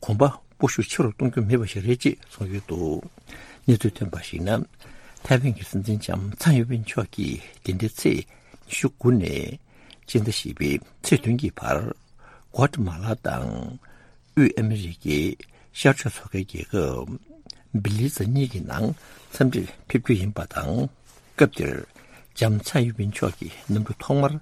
གོམ་པ་སྤོ་ཤུགས་ཆེ་རུ་གཏོང་རྒྱུ་མེད་པ་ཞིག་རེད་ཅེས་གསུངས་ཡོད་འདུག་གནས་ཚུལ་ཐོན་པར་གཞིགས་ན། ཐའེ་ཝན་གྱི་སྲིད་འཛིན་ལྕམ་ཚའེ་ཡིན་ཝིན་མཆོག་གིས་འདི་ཟླའི་ཚེས་ཉི་ཤུ་དགུ་ནས་སྤྱི་ཟླ་བཞི་པའི་ཚེས་བདུན་གྱི་བར། ཀོ་ཏ་མ་ལ་དང་། དབུས་ཨ་མི་རི་ཀའི་ཤར་ཕྱོགས་མཚོ་ཁའི་རྒྱལ་ཁབ་བྷི་ལི་ཛ་གཉིས་ཀྱི་ནང་འཚམས་འདྲིར་ཕེབས་རྒྱུ་ཡིན་པ་དང་། སྐབས་དེར་ལྕམ་ཚའེ་ཡིན་ཝིན་མཆོག་གི་གནམ་གྲུ་ཐོག་མར་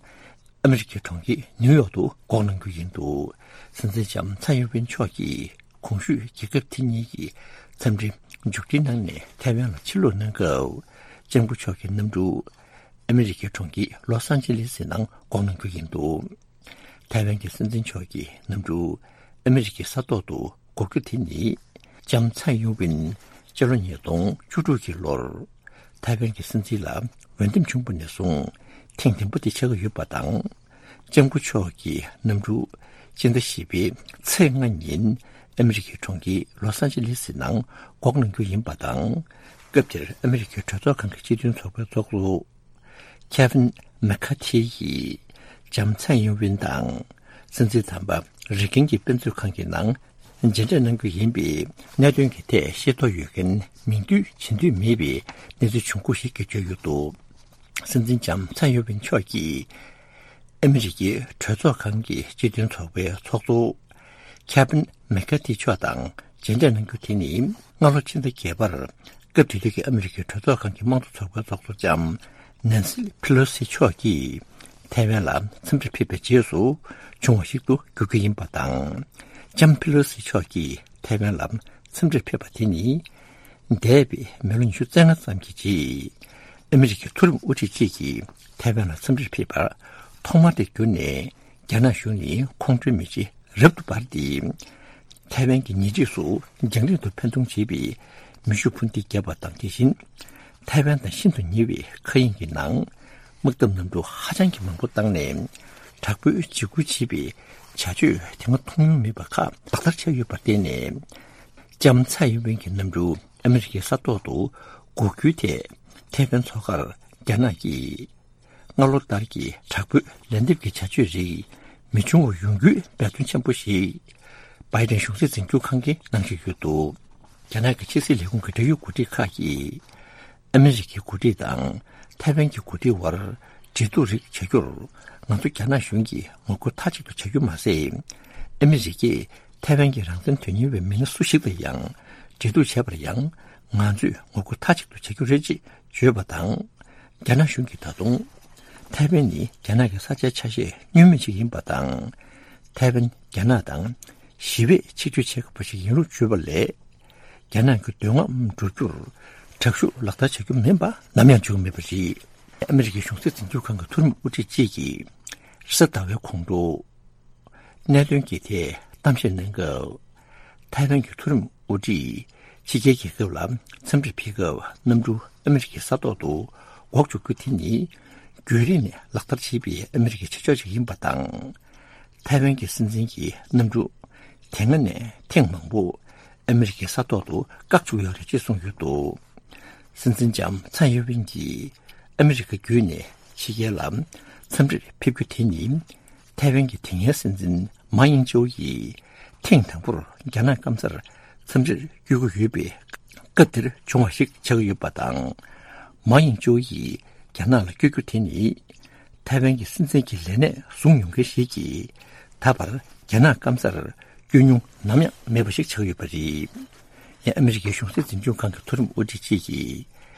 ཨ་མི་རི་ཀའི་གྲོང་ཁྱེར་ནིའུ་ཡོག་ཏུ་འགོག་གནང་རྒྱུ་ཡིན་འདུག་སྲིད་འཛིན་ལྕམ་ཚའེ་ཡིན་ཝིན་མཆོག་གིས་གོང་ཞུས་རྒྱལ་ཁབ་དེ་གཉིས་ཀྱི་འཚམས་འདྲིར་མཇུག་སྒྲིལ་གནང་ནས་ཐའེ་ཝན་ལ་ཕྱིར་ལོག་གནང་སྐབས། ལྕམ་སྐུ་མཆོག་གི་གནམ་གྲུ་ཨ་མི་རི་ཀའི་གྲོང་ཁྱེར་ལོ་སན་ཅི་ལེ་སི་ནང་འགོག་གནང་རྒྱུ་ཡིན་འདུག་ཐའེ་ཝན་གྱི་སྲིད་འཛིན་མཆོག་གི་གནམ་གྲུ་ཨ་མི་རི་ཀའི་ས་ཐོག་ཏུ་འགོག་རྒྱུ་དེ་ནི། ལྕམ་ཚའེ་ཡིན་ཝིན་སྤྱི་ལོ་ཉིས་སྟོང་བཅུ་དྲུག་གི་ལོར་ཐའེ་ཝན་གྱི་སྲིད་འཛིན་ལ་འོས་འདེམས་བྱུང་བ་ནས་བཟུང་ཐེངས་བདུན་པ་དེ་ཆགས་ཀྱི་ཡོད་པ་དང་། ལྕམ་སྐུ་མཆོག་གི་གནམ་གྲུ་སྤྱི་ཟླ་བཞི་པའི་ཚེས་ལྔ་ཉིན་ཨ་མི་རི་ཀའི་གྲོང་ཁྱེར་ལོ་སན་ཅི་ལེ་སི་ནང་འགོག་གནང་རྒྱུ་ཡིན་པ་དང་། སྐབས་དེར་ཨ་མི་རི་ཀའི་གྲོས་ཚོགས་ཁང་གི་སྤྱི་མཐུན་ཚོགས་པའི་ཚོགས་གཙོ་ཁེ་ཝིན་མེ་ཁ་ཐི་ཡིས་ལྕམ་ཚའེ་ཡིན་ཝིན་དང་སྲིད་འཛིན་དམ་པ་རི་ཀན་གྱི་དཔེ་མཛོད་ཁང་གི་ནང་མཇལ་འཕྲད་གནང་རྒྱུ་ཡིན་པའི་གནད་དོན་གྱི་ཐད་ཤེས་རྟོགས་ཡོད་མཁན་མིང་བསྡུས་བྱེད་འདོད་མེད་པའི་གནས་ཚུལ་བྱུང་ཁུངས་ཤིག་གིས་བརྗོད་ཡོད་འདུག་སྲིད་འཛིན་ལྕམ་ཚའེ་ཡིན་ཝིན་མཆོག་གིས་ཨ་མི་རི་ཀའི་གྲོས་ཚོགས་ཁང་གི་སྤྱི་མཐུན་ཚོགས་པའི་ཚོགས་གཙོ་ཁེ་ཝིན་མེ་ཁ་ཐི་མཆོག་དང་མཇལ་འཕྲད་གནང་རྒྱུ་དེ་ནི་སྔ་ལོ་ཕྱི་ཟླ་བརྒྱད་པར་སྐབས་དེ་དུས་ཀྱི་ཨ་མི་རི་ཀའི་གྲོས་ཚོགས་ཁང་གི་དམངས་གཙོ་ཚོགས་པའི་ཚོགས་གཙོ་ལྕམ་ནན་སི་ཕི་ལོ་སི་མཆོག་གིས་ཐའེ་ཝན་ལ་འཚམས་འདྲིར་ཕེབས་པའི་རྗེས་སུ་བྱུང་བ་ཞིག་ཏུ་འགྱུར་རྒྱུ་ཡིན་པ་དང་། ལྕམ་ཕི་ལོ་སི་མཆོག་གིས་ཐའེ་ཝན་ལ་འཚམས་འདྲིར་ཕེབས་པ་དེ་ནི། འདས་པའི་མི་ལོ་ཉི་ཤུ་རྩ་ལྔ་ཙམ་གྱི་རྗེས། ཨ་མི་རི་ཀའི་མཐོ་རིམ་དབུ་ཁྲིད་ཅིག་གིས་ཐའེ་ཝན་ལ་འཚམས་འདྲིར་ཕེབས་པར་ཐོག་མ་དེ་གྱུར་ནས་ རྒྱ་ནག་གཞུང་ནས་ཁོང་ཁྲོའི་མེ་ལྕེ་རབ་ཏུ་འབར་ཏེ། ཐའེ་ཝན་གྱི་ཉེ་འཁྲིས་སུ་རྒྱང་རིང་དུ་འཕེན་གཏོང་བྱེད་པའི་མེ་ཤུགས་འཕུར་མདེལ་བརྒྱབ་པ་དང་དེ་བཞིན། ཐའེ་ཝན་དང་ཤིན་ཏུ་ཉེ་བའི་མཁའ་དབྱིངས་ཀྱི་ནང་། དམག་འཐབ་གནམ་གྲུ་ཧ་ཅང་གི་མང་པོ་བཏང་ནས། དྲག་པོའི་འཇིགས་སྐུལ་བྱེད་པའི་བྱ་སྤྱོད་དེ་སྔ་མཐོང་མྱོང་མེད་པ་ཁག་ལག་བསྟར་བྱས་ཡོད་པར་བརྟེན་ནས། ལྕམ་ཚའེ་ཡིན་ཝེན་གྱི་གནམ་གྲུ་ཨ་མི་རི་ཀའི་ས་ཐོག་ཏུ་འགོག་རྒྱུའི་ཐད་ཐའེ་ཝན་མཚོ་ཁར་རྒྱ་ནག་གིས། སྔ་ལོ་ལྟར་གྱི་དྲག་པོའི་ལན་འདེབས་ཀྱི་བྱ་སྤྱོད་རིགས་མི་འབྱུང་བ་ཡོང་རྒྱུའི་འབད་བརྩོན་ཆེན་པོ་ཞིག་བྷའི་ཌེན་གཞུང་སྲིད་འཛིན་སྐྱོང་ཁང་གིས་གནང་བཞིན་ཡོད་འདུག་རྒྱ་ནག་གི་ཕྱི་སྲིད་ལས་ཁུངས་ཀྱི་འབྲེལ་ཡོད་འགོ་ཁྲིད་ཁག་གིས། ཨ་མི་རི་ཀའི་འགོ་ཁྲིད་དང་ཐའེ་ཝན་གྱི་འགོ་ཁྲིད་དབར་འབྲེལ་གཏུག་རིགས་བྱ་རྒྱུར། ང་ཚོ་རྒྱ་ནག་གཞུང་གིས་ངོ་རྒོལ་མཐའ་གཅིག་ཏུ་བྱ་རྒྱུ་མ་ཟད། ཨ་མི་རི་ཀས་ཐའེ་ཝན་གྱི་རང་བཙན་དོན་གཉེར་བའི་མི་སྣ་སུ་ཞིག་དང་ཡང་འབྲེལ་གཏུག་བྱས་པར་ཡང་། ང་ཚོས་ངོ་རྒོལ་མཐའ་གཅིག་ཏུ་བྱ་རྒྱུ་རེད་ཅེས་བརྗོད་པ་དང་། རྒྱ་ནག་གཞུང་གིས་ད་དུང་། ཐའེ་ཝན་ནི་རྒྱ་ནག་གི་ས་ཆའི་ཆ་ཤས་བསྙོན་མེད་ཅིག་ཡིན་པ་དང་། ཐའེ་ཝན་རྒྱ་ནག་དང་ཞི་བས་ཆིག་སྒྲིལ་བྱེད་དགོས་པ་ཞིག་ཡིན་ལུགས་བརྗོད་པ་ལས། རྒྱ་ནག་གི་འདོད་རྔམ་འགྲུབ་རྒྱུར་དྲག་ཤུགས་ལག་བསྟར་བྱ་རྒྱུ་མིན་པ་ནམ་ཡང་བརྗོད་མེད་པ་རེད། ཨ་མི་རི་ཀའི་གཞུང་སྲིད་འཛིན་སྐྱོང་ཁང་གི་མཐོ་རིམ་དབུ་ཁྲིད་ཅིག་གིས་རེས་གཟའ་ཟླ་བའི་གོང་དུ། གནད་དོན་གྱི་ཐད་གཏམ་བཤད་གནང་སྐབས། ཐའེ་ཝན་གྱི་མཐོ་རིམ་དབུ་ཁྲིད་ཕྱི་རྒྱལ་རྒྱལ་ཁབ་ལ་འཚམས་འདྲིར་ཕེབས་སྐབས་གནམ་གྲུ་ཨ་མི་རི་ཀའི་ས་ཐོག་ཏུ་འགོག་འཇུག་རྒྱུ་དེ་ནི། རྒྱུན་རིང་ནས་ལག་བསྟར་བྱེད་པའི་ཨ་མི་རི་ཀའི་བྱ་སྤྱོད་ཅིག་ཡིན་པ་དང་། ཐའེ་ཝན་གྱི་སྲིད་འཛིན་གྱི་གནམ་གྲུ་དེ་སྔ་ནས་ཐེངས་མང་པོ་ཨ་མི་རི་ཀའི་ས་ཐོག་ཏུ་བཀག་བཅུག་ཡོད་རེད་ཅེས་གསུངས་ཡོད་འདུག་སྲིད་འཛིན་ལྕམ་ཚའེ་ཡིན་ཝེན་གྱིས་ཨ་མི་རི་ཀ་བརྒྱུད་ནས་ཕྱི་རྒྱལ་ལ་འཚམས་འདྲིར་ཕེབས་རྒྱུ་དེ་ནི། ཐའེ་ཝན་གྱི་དེ་སྔའི་སྲིད་འཛིན་མཱ་ཡིང་ཅོའུ་ཡིས་ཐེངས་དང་པོར་རྒྱ་ནག་སྐམ་སར་འཚམས་འདྲིར་བསྐྱོད་ཀྱི་ཡོད་པའི་སྐབས་དེར་བྱུང་བ་ཞིག་ཆགས་ཀྱི་ཡོད་པ་དང་། མཱ་ཡིང་ཅོའུ་ཡིས་རྒྱ་ནག་ལ་བསྐྱོད་རྒྱུ་དེ་ནི། ཐའེ་ཝན་གྱི་སྲིད་འཛིན་གྱི་ལས་གནས་བཟུང་མྱོང་མཁན་ཞིག་གིས་ད་བར་རྒྱ་ནག་སྐམ་སར་བསྐྱོད་མྱོང་ནམ་ཡང་མེད་པ་ཞིག་ཆགས་ཡོད་པ་རེད། ཡང་ཨ་མི་རི་ཀའི་གཞུང་སྲིད་འཛིན་སྐྱོང་ཁང་གི་མཐོ་རིམ་དབུ་ཁྲིད་ཅིག་གིས།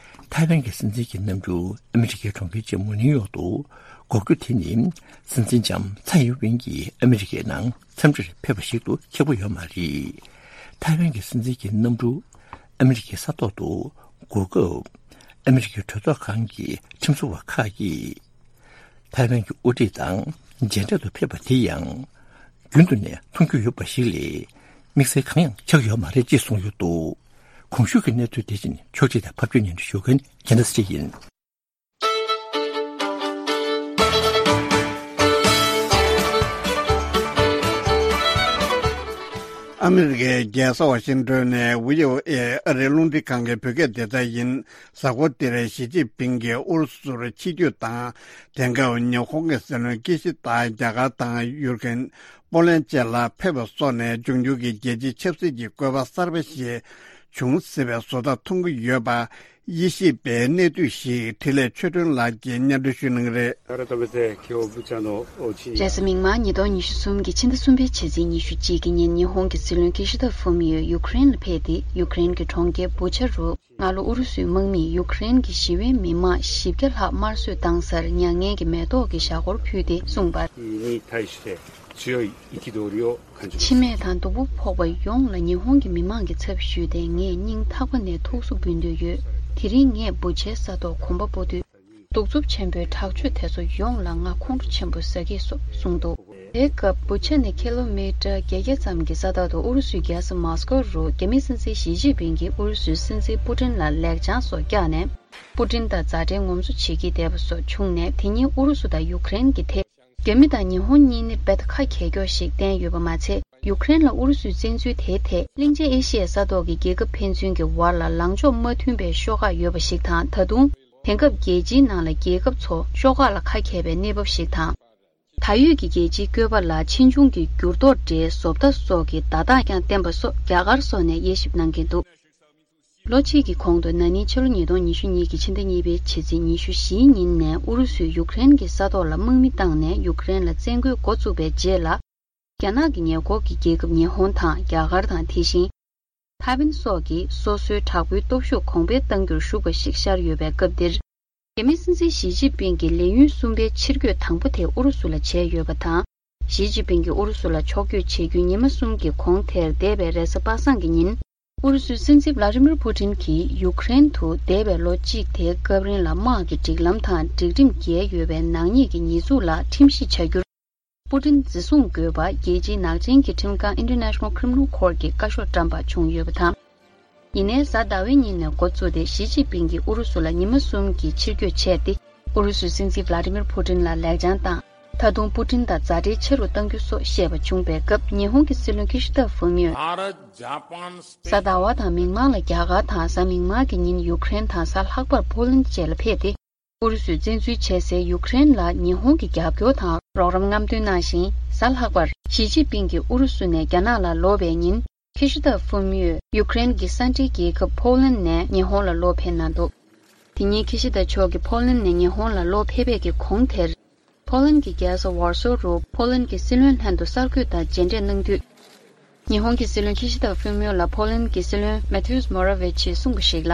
ཐའེ་ཝན་གྱི་སྲིད་འཛིན་གྱི་གནམ་གྲུ་ཨ་མི་རི་ཀའི་གྲོང་ཁྱེར་ཆེན་མོ་ནིའུ་ཡོག་ཏུ་འགོག་རྒྱུ་དེ་ནི། སྲིད་འཛིན་ལྕམ་ཚའེ་ཡིན་ཝེན་གྱིས་ཨ་མི་རི་ཀའི་ནང་འཚམས་འདྲིར་ཕེབས་པ་ཞིག་ཏུ་འཁྱོལ་གྱི་ཡོད་མ་རེད། ཐའེ་ཝན་གྱི་སྲིད་འཛིན་གྱི་གནམ་གྲུ་ཨ་མི་རི་ཀའི་ས་ཐོག་ཏུ་འགོག་སྐབས། ཨ་མི་རི་ཀའི་གྲོས་ཚོགས་ཁང་གི་ཁྲིམས་བཟོ་བ་ཁག་གིས། ཐའེ་ཝན་གྱི་དབུ་ཁྲིད་དང་མཇལ་འཕྲད་དུ་ཕེབས་པ་དེ་ཡང་། རྒྱུན་དུ་ནས་མཐོང་རྒྱུ་ཡོད་པ་ཞིག་ལས། དམིགས་བསལ་གང་ཡང་ཆགས་ཡོད་མ་རེད་ཅེས་གསུངས་ཡོད་འདུག་གོང་ཞུས་ཀྱི་གནས་ཚུལ་དེ་བཞིན་ཕྱོགས་སྒྲིག་དང་ཕབ་སྒྱུར་སྙན་སྒྲོན་ཞུ་མཁན་རྒྱལ་མཚན་ཚེ་རིང་ཡིན། ཨ་མི་རི་ཀའི་རྒྱལ་ས་ཝ་ཤིང་ཏོན་ནས་བྷི་ཨོ་ཨེ་ཨ་རིའི་རླུང་འཕྲིན་ཁང་གི་བོད་སྐད་སྡེ་ཚན་ཡིན། གཟའ་འཁོར་འདིར་ཞི་ཅིན་ཕིང་གིས་ཨུ་རུ་སུར་ཕྱི་སྐྱོད་དང་། དེང་སྐབས་ཉི་ཧོང་གི་སྲིད་བློན་ཀི་ཤི་ད་རྒྱ་གར་དང་ཡུཀ་རེན། པོ་ལན་བཅས་ལ་ཕེབས་པ་སོགས་ནས་འབྱུང་འགྱུར་གྱི་རྒྱལ་སྤྱིའི་ཆབ་སྲིད་ཀྱི་བཀོད་པ་གསར་པ་ཞིག་བྱུང་སྲིད་པའི་བཟོ་ལྟ་མཐོང་གི་ཡོད་པ། དབྱེ་ཞིབ་པས་གནས་སྡུད་ཞིག་འཕྲིན་ལས་ཆོས་སྒྲོན་ལགས་ཀྱིས་སྙན་སྒྲོན་ཞུ་གནང་གི་རེད། 改めて今日ブチャの地に རེས་གཟའ་མིག་དམར་ཉིས་སྟོང་ཉི་ཤུ་གསུམ་གྱི་ཕྱི་ཟླ་གསུམ་པའི་ཕྱི་ཚེས་ཉི་ཤུ་གཅིག་གི་ཉིན་ཉི་ཧོང་གི་སྲིད་བློན་ཀི་ཤི་ད་ཧྥུ་མི་ཡོ་ཡུཀ་རེན་ལ་ཕེབས་ཏེ་ཡུཀ་རེན་གྱི་གྲོང་ཁྱེར་བུ་ཆ་རུ། སྔ་ལོ་ཨུ་རུ་སུའི་དམག་མིས་ཡུཀ་རེན་གྱི་ཞི་བའི་མི་མང་བཞི་བརྒྱ་ལྷག་དམར་གསོད་བཏང་སར་མྱ་ངན་གྱི་མེ་ཏོག་གི་ཞྭ་སྒོར་ཕུལ་ཏེ་གསུངས་པར། に対して強い憤りを感じます。 འཆི་རྨས་དང་སྡུག་པོ་ཕོག་པ་ཡོངས་ལ་ཉི་ཧོང་གི་མི་མང་གི་ཚབ་ཞུས་ཏེ་ངས་སྙིང་ཐག་པ་ནས་ཐུགས་གསོ་འབུལ་འདོད་ཡོད། དེ་རིང་ངས་བུ་ཆའི་ས་ཐོག་གོམ་པ་སྤོ་དུས། གདུག་རྩུབ་ཆེན་པོའི་དྲག་སྤྱོད་དེ་ཚོ་ཡོངས་ལ་ང་ཁོང་ཁྲོ་ཆེན་པོ་ཟ་གི་སོ་གསུངས་འདུག་དེའི་སྐབས་བུ་ཆ་ནས་ཁི་ལོ་མི་ཊར་བརྒྱད་བརྒྱ་ཙམ་གྱི་ས་ཐག་ཏུ་ཨུ་རུ་སུའི་རྒྱལ་ས་མོ་སི་ཀོ་རུ་རྒྱ་མིའི་སྲིད་འཛིན་ཞི་ཅིན་ཕིང་གིས་ཨུ་རུ་སུའི་སྲིད་འཛིན་པུ་ཏིན་ལ་ལེགས་བྱང་སོགས་བཀྱགས་ནས། པུ་ཏིན་དང་མཛའ་འབྲེལ་ངོམ་སོ་བྱེད་ཀྱིན་བསྡད་པ་སོགས་བྱུང་ནས། དེ་ཉིན་ཨུ་རུ་སུ་དང་ཡུཀ་རེན་གྱི་ཐད། རྒྱ་མི་དང་ཉི་ཧོང་གཉིས་ནི་རྦད་དེ་ཁ་གྱེས་ཀྱོག་ཞིག་བསྟན་ཡོད་པ་མ་ཚད། ཡུཀ་རེན་ལ་ཨུ་རུ་སུའི་བཙན་འཛུལ་དེའི་ཐད། གླིང་ཆེན་ཨེ་ཤི་ཡའི་ས་ཐོག་གི་རྒྱལ་ཁབ་ཕན་ཚུན་གྱི་བར་ལ་ལངས་ཕྱོགས་མ་མཐུན་པའི་ཤོག་ཁག་ཡོད་པ་ཞིག་དང་། ད་དུང་། དེང་སྐབས་རྒྱལ་སྤྱིའི་ནང་ལ་རྒྱལ་ཁབ་ཚོ་ཤོག་ཁག་ལ་ཁ་གྱེས་པའི་གནས་བབ་ཞིག་དང་། ད་ཡོད་ཀྱི་རྒྱལ་སྤྱིའི་བཀོད་པ་ལ་ཕྱིས་འབྱུང་གི་འགྱུར་ལྡོག་འདྲའི་བཟོ་ལྟ་སོགས་ཀྱི་བརྡ་རྟགས་ཀྱང་བསྟན་པ་སོགས་རྒྱ་གར་སོགས་ནས་དབྱེ་ཞིབ་གནང་གིན་འདུག་ལོ་གཅིག་གི་གོང་དུ་ན་ནིང་ཕྱི་ལོ་ཉིས་སྟོང་ཉི་ཤུ་གཉིས་ཀྱི་ཕྱི་ཟླ་གཉིས་པའི་ཕྱི་ཚེས་ཉི་ཤུ་བཞིའི་ཉིན་ནས་ཨུ་རུ་སུས་ཡུཀ་རེན་གྱི་ས་ཐོག་ལ་དམག་མི་བཏང་ནས་ཡུཀ་རེན་ལ་བཙན་རྒོལ་འགོ་བཙུགས་པའི་རྗེས་ལ། རྒྱ་ནག་གི་ཉེ་འཁོར་གྱི་རྒྱལ་ཁབ་ཉི་ཧོང་དང་རྒྱ་གར་དང་དེ་བཞིན། ཐའེ་ཝན་སོགས་ཀྱིས་སོ་སོའི་དྲག་པོའི་སྟོབས་ཤུགས་གོང་འཕེལ་གཏང་རྒྱུར་ཞུགས་པ་ཞིག་ཤར་ཡོད་པའི་སྐབས་འདིར། རྒྱ་མིའི་སྲིད་འཛིན་ཞི་ཅིན་ཕིང་གིས་ལས་ཡུན་གསུམ་པའི་ཕྱིར་སྐྱོད་དང་པོ་དེ་ཨུ་རུ་སུ་ལ་བྱས་ཡོད་པ་དང་། ཞི་ཅིན་ཕིང་གིས་ཨུ་རུ་སུ་ལ་ཕྱོགས་བསྐྱོད་བྱེད་རྒྱུའི་ཉི་མ་གསུམ་གྱི་གོང་དེར་འདས་པའི་རེས་གཟའ་པ་སངས་ཀྱི་ཉིན། ཨུ་རུ་སུའི་སྲིད་འཛིན་ཝླ་ཏི་མིར་པུ་ཏིན་གྱིས་ཡུཀ་རེན་དུ་འདས་པའི་ལོ་གཅིག་དེའི་སྐབས་རིང་ལ་དམག་གི་སྒྲིག་ལམ་དང་སྒྲིག་ཁྲིམས་འགལ་ཡོད་པའི་ནག་ཉེས་ཀྱི་ཉེས་འཛུགས་ལ་ཁྲིམས་གཞི་བྱ་རྒྱུར། པུ་ཏིན་འཛིན་བཟུང་དགོས་པ་རྒྱལ་སྤྱིའི་ནག་ཅན་གྱི་ཁྲིམས་ཁང་International Criminal Court གྱིས་བཀའ་ཤོག་བཀྲམ་པ་བྱུང་ཡོད་པ་དང་། ཡིན་ནའི་གཟའ་ཟླ་བའི་ཉིན་ནས་འགོ་བཙུགས་ཏེ་ཞི་ཅིན་ཕིང་གིས་ཨུ་རུ་སུ་ལ་ཉི་མ་གསུམ་གྱི་ཕྱིར་སྐྱོད་བྱས་ཏེ། ཨུ་རུ་སུའི་སྲིད་འཛིན་ཝླ་ཏི་མིར་ཕུ་ཏིན་ལ་ལེགས་བྱང་དང་། ད་དུང་པུ་ཏིན་དང་མཛའ་འབྲེལ་ཆེ་རུ་གཏང་རྒྱུ་སོགས་བཤད་པ་བྱུང་པའི་སྐབས། ཉི་ཧོང་གི་སྲིད་བློན་ཁི་ཤི་ད་ཧྥུ་མིའོས། གཟའ་ཟླ་བ་དང་མིག་དམར་ལ་རྒྱ་གར་དང་། གཟའ་མིག་དམར་གྱི་ཉིན་ཡུཀ་རེན་དང་། གཟའ་ལྷག་པར་ཕོ་ལན་བཅས་ལ་ཕེབས་ཏེ། ཨུ་རུ་སུས་བཙན་འཛུལ་བྱས་སའི་ཡུཀ་རེན་ལ་ཉི་ཧོང་གི་རྒྱབ་སྐྱོར་དང་རོགས་རམ་རྔམ་སྟོན་གནང་ཞིང་། གཟའ་ལྷག་པར་ཞི་ཅིན་ཕིང་གིས་ཨུ་རུ་སུ་ནས་རྒྱ་ནག་ལ་ལོག་པའི་ཉིན། ཁི་ཤི་ད་ཧྥུ་མིའོས་ཡུཀ་རེན་གྱི་ས་འབྲེལ་རྒྱལ་ཁབ་ཕོ་ལན་ནས་ཉི་ཧོང་ལ་ལོག་ཕེབས་གནང་འདུག་དེ་ཉིན་ཁི་ཤི་ད་མཆོག་གིས་ཕོ་ལན་ནས་ཉི་ཧོང་ལ་ལོག་ཕེབས་པའི་གི་གོང་དེར། ཕོ་ལན་གྱི་རྒྱལ་ས་ཝར་སོ་རུ་ཕོ་ལན་གྱི་སྲིད་བློན་ལྷན་དུ་གསར་འགོད་དང་མཇལ་འཕྲད་གནང་དུས། ཉི་ཧོང་གི་སྲིད་བློན་ཁི་ཤི་ད་ཧྥུ་མིའོ་ལ་ཕོ་ལན་གྱི་སྲིད་བློན་མེ་ཐིའུས་མོ་ར་ཝེ་ཆིས་གསུངས་པ་ཞིག་ལ།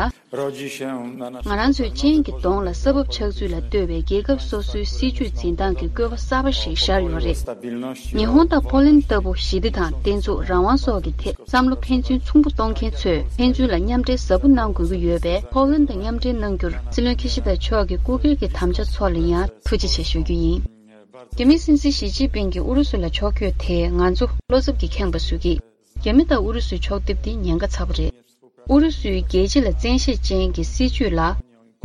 ང་རང་ཚོའི་ཅན་གྱི་གདོང་ལ་ས་བབ་ཆགས་ཚུལ་ལ་ལྟོས་པའི་རྒྱལ་ཁབ་སོ་སོའི་སྲིད་ཇུས་འཛིན་སྟངས་ཀྱི་བཀོད་པ་གསར་པ་ཞིག་ཤར་ཡོད་རེད། ཉི་ཧོང་དང་ཕོ་ལན་ལྟ་བུ་ཞི་བདེ་དང་བརྟན་ཚུགས་རང་དབང་སོགས་ཀྱི་ཐད་བསམ་བློ་ཕན་ཚུན་མཚུངས་པོ་གཏོང་མཁན་ཚོས་ཕན་ཚུན་ལ་མཉམ་འབྲེལ་ཟབ་པོ་གནང་དགོས་ཀྱི་ཡོད་པས། ཕོ་ལན་དང་མཉམ་འབྲེལ་གནང་རྒྱུར་སྲིད་བློན་ཁི་ཤི་ད་མཆོག་གི་སྐུ་སྒེར་གྱི་དམ་བཅའ་ཚོ་ལ་ཡང་ཐུགས་རྗེ་ཆེ་ཞུ་རྒྱུ་ཡིན། རྒྱ་མིའི་སྲིད་འཛིན་ཞི་ཅིན་ཕིང་གིས་ཨུ་རུ་སུ་ལ་ཕྱོགས་བསྐྱོད་དེས་ང་ཚོ་བློ་འཚབ་ཀྱིས་ཁེངས་པ་བཟོ་གི། རྒྱ་མི་དང་ཨུ་རུ་སུའི་ཕྱོགས་འདེབས་འདི་ཉེན་ཁ་ཚ་པོ་རེད། ཨུ་རུ་སུའི་རྒྱལ་སྤྱི་ལ་བཙན་ཤེད་ཅན་གྱི་སྲིད་བྱུས་ལ་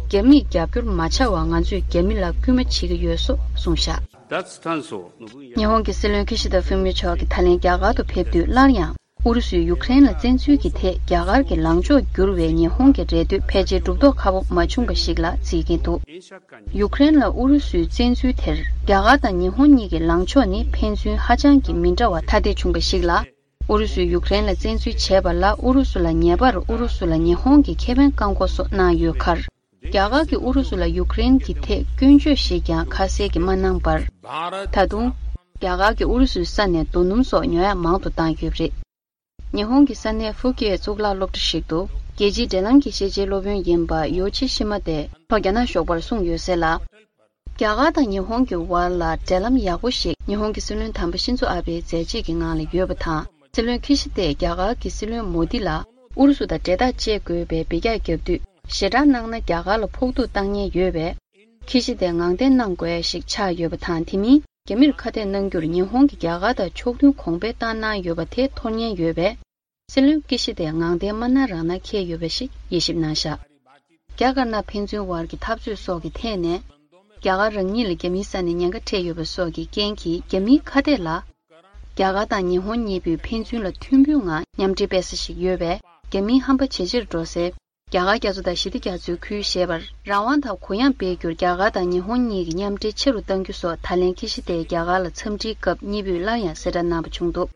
རྒྱ་མིས་རྒྱབ་སྐྱོར་མ་བྱ་བར་ང་ཚོས་རྒྱ་མི་ལ་སྐུལ་མ་བྱེད་ཀྱི་ཡོད་སོགས་གསུངས་བཞག་ཉི་ཧོང་གི་སྲིད་བློན་ཁི་ཤི་ད་ཧྥུ་མིའོ་མཆོག་གིས་ད་ལན་རྒྱ་གར་དུ་ཕེབས་དུས་སླར་ཡང་ཨུ་རུ་སུས་ཡུཀ་རེན་ལ་བཙན་འཛུལ་གྱི་ཐད་རྒྱ་གར་གྱི་ལངས་ཕྱོགས་བསྒྱུར་བའི་ཉི་ཧོང་གི་རེ་འདོད་ཕལ་ཆེར་གྲུབ་མདོག་ཁ་པོ་མ་བྱུང་བ་ཞིག་ལ་བརྩིས་ཀྱིན་འདུག་ཡུཀ་རེན་ལ་ཨུ་རུ་སུའི་བཙན་འཛུལ་དེར་རྒྱ་གར་དང་ཉི་ཧོང་གཉིས་ཀྱི་ལངས་ཕྱོགས་ནི་ཕན་ཚུན་ཧ་ཅང་གི་མི་འདྲ་བ་ཐ་དད་བྱུང་བ་ཞིག་ལ། ཨུ་རུ་སུས་ཡུཀ་རེན་ལ་བཙན་འཛུལ་བྱས་པ་ལ་ཨུ་རུ་སུ་ལ་ཉེ་བར་ཨུ་རུ་སུ་ལ་ཉི་ཧོང་གིས་ཁེ་ཕན་བཀག་འགོག་སོགས་གནང་ཡོད་ཁར། རྒྱ་གར་གྱིས་ཨུ་རུ་སུ་ལ་ཡུཀ་རེན་གྱི་ཐད་སྐྱོན་བརྗོད་ཞིག་ཀྱང་ཁ་གསལ་གྱིས་མ་གནང་བར། ད་དུང་། རྒྱ་གར་གྱིས་ཨུ་རུ་སུའི་ས་ནས་རྡོ་སྣུམ་སོགས་ཉོ་ཡག་མང་དུ་བཏང་ཡོད་པ་རེད། ཉི་ཧོང་གི་ས་གནས་ཧྥུ་ཀེ་གཙུག་ལག་སློབ་གྲྭ་ཞིག་ཏུ་རྒྱལ་སྤྱིའི་འབྲེལ་ལམ་གྱི་ཤེས་བྱའི་སློབ་དཔོན་ཡིན་པ་ཡོ་ཆི་ཤི་མ་དེ་ལྷོ་རྒྱ་ནག་ཞོགས་པར་གསུངས་ཡོད་ཟེར་ལ། རྒྱ་གར་དང་ཉི་ཧོང་གི་བར་ལ་འབྲེལ་ལམ་ཡག་པོ་ཞིག་ཉི་ཧོང་གི་སྲིད་བློན་དམ་པ་ཤིན་ཛོ་ཨ་བེའི་མཛད་རྗེས་ཀྱི་ངང་ལ་ཡོད་པ་དང་། སྲིད་བློན་ཁི་ཤི་དས་རྒྱ་གར་གྱི་སྲིད་བློན་མོ་དི་ལ་ཨུ་རུ་སུ་དང་འབྲེལ་ཐག་བཅད་དགོས་པའི་འབོད་སྐྱག་བརྒྱབ་དུས། ཞེ་དྲག་གནང་ན་རྒྱ་གར་ལ་ཕོག་ཐུག་བཏང་ཉེན་ཡོད་པས། ཁི་ཤི་དས་ངང་བརྟན་གནང་དགོས་ཡ་ཞིག་ཆགས་ཡོད་པ་དང་། དེ་མིན་རྒྱ་མིར་ཁ་གཏད་གནང་རྒྱུར་ཉི་ཧོང་གིས་རྒྱ་གར་དང་ཕྱོགས་མཐུན་གོང་འཕེལ་བཏང་གནང་ཡོད་པ་དེ་འཐོར་ཉེན་ཡོད་པས། སྲིད་བློན་ཀི་ཤི་དེ་ངང་བརྟན་མ་གནང་རང་གནང་འཁེལ་ཡོད་པ་ཞིག་དབྱེ་ཞིབ་གནང་བཞག་རྒྱ་དཀར་ནག་ཕན་ཚུན་བར་གྱི་འཐབ་རྩོད་སོགས་ཀྱི་ཐད་ནས། རྒྱ་གར་རང་ཉིད་ལ་རྒྱ་མིའི་ས་ནས་ཉེན་ཁ་འཕྲད་ཡོད་པ་སོགས་ཀྱི་རྐྱེན་གྱིས་རྒྱ་མིའི་ཁ་གཏད་ལ། རྒྱ་གར་དང་ཉི་ཧོང་གཉིས་པོས་ཕན་ཚུན་ལ་མཐུན་པོའི་ངང་མཉམ་འབྲེལ་སྤེལ་ས་ཞིག་ཡོད་པས། རྒྱ་མིའི་ཧམ་པ་ཇེ་ཆེར་འགྲོ་སའི། རྒྱ་གར་རྒྱ་མཚོ་དང་ཞི་བདེ་རྒྱ་མཚོའི་ཁུལ་ཞེས་པར་རང་དབང་དང་གུ་ཡངས་སྤེལ་རྒྱུར་རྒྱ་གར་དང་ཉི་ཧོང་གཉིས་ཀྱི་མཉམ་འབྲེལ་ཆེ་རུ་གཏང་རྒྱུ་སོགས་ད་ལན་ཁི་ཤི་དེས་རྒྱ་གར་ལ་འཚམས་འདྲིའི་སྐབས་གཉིས་པོས་སླར་ཡང་གསལ་བསྒྲགས་གནང་བ་བྱུང་འདུག་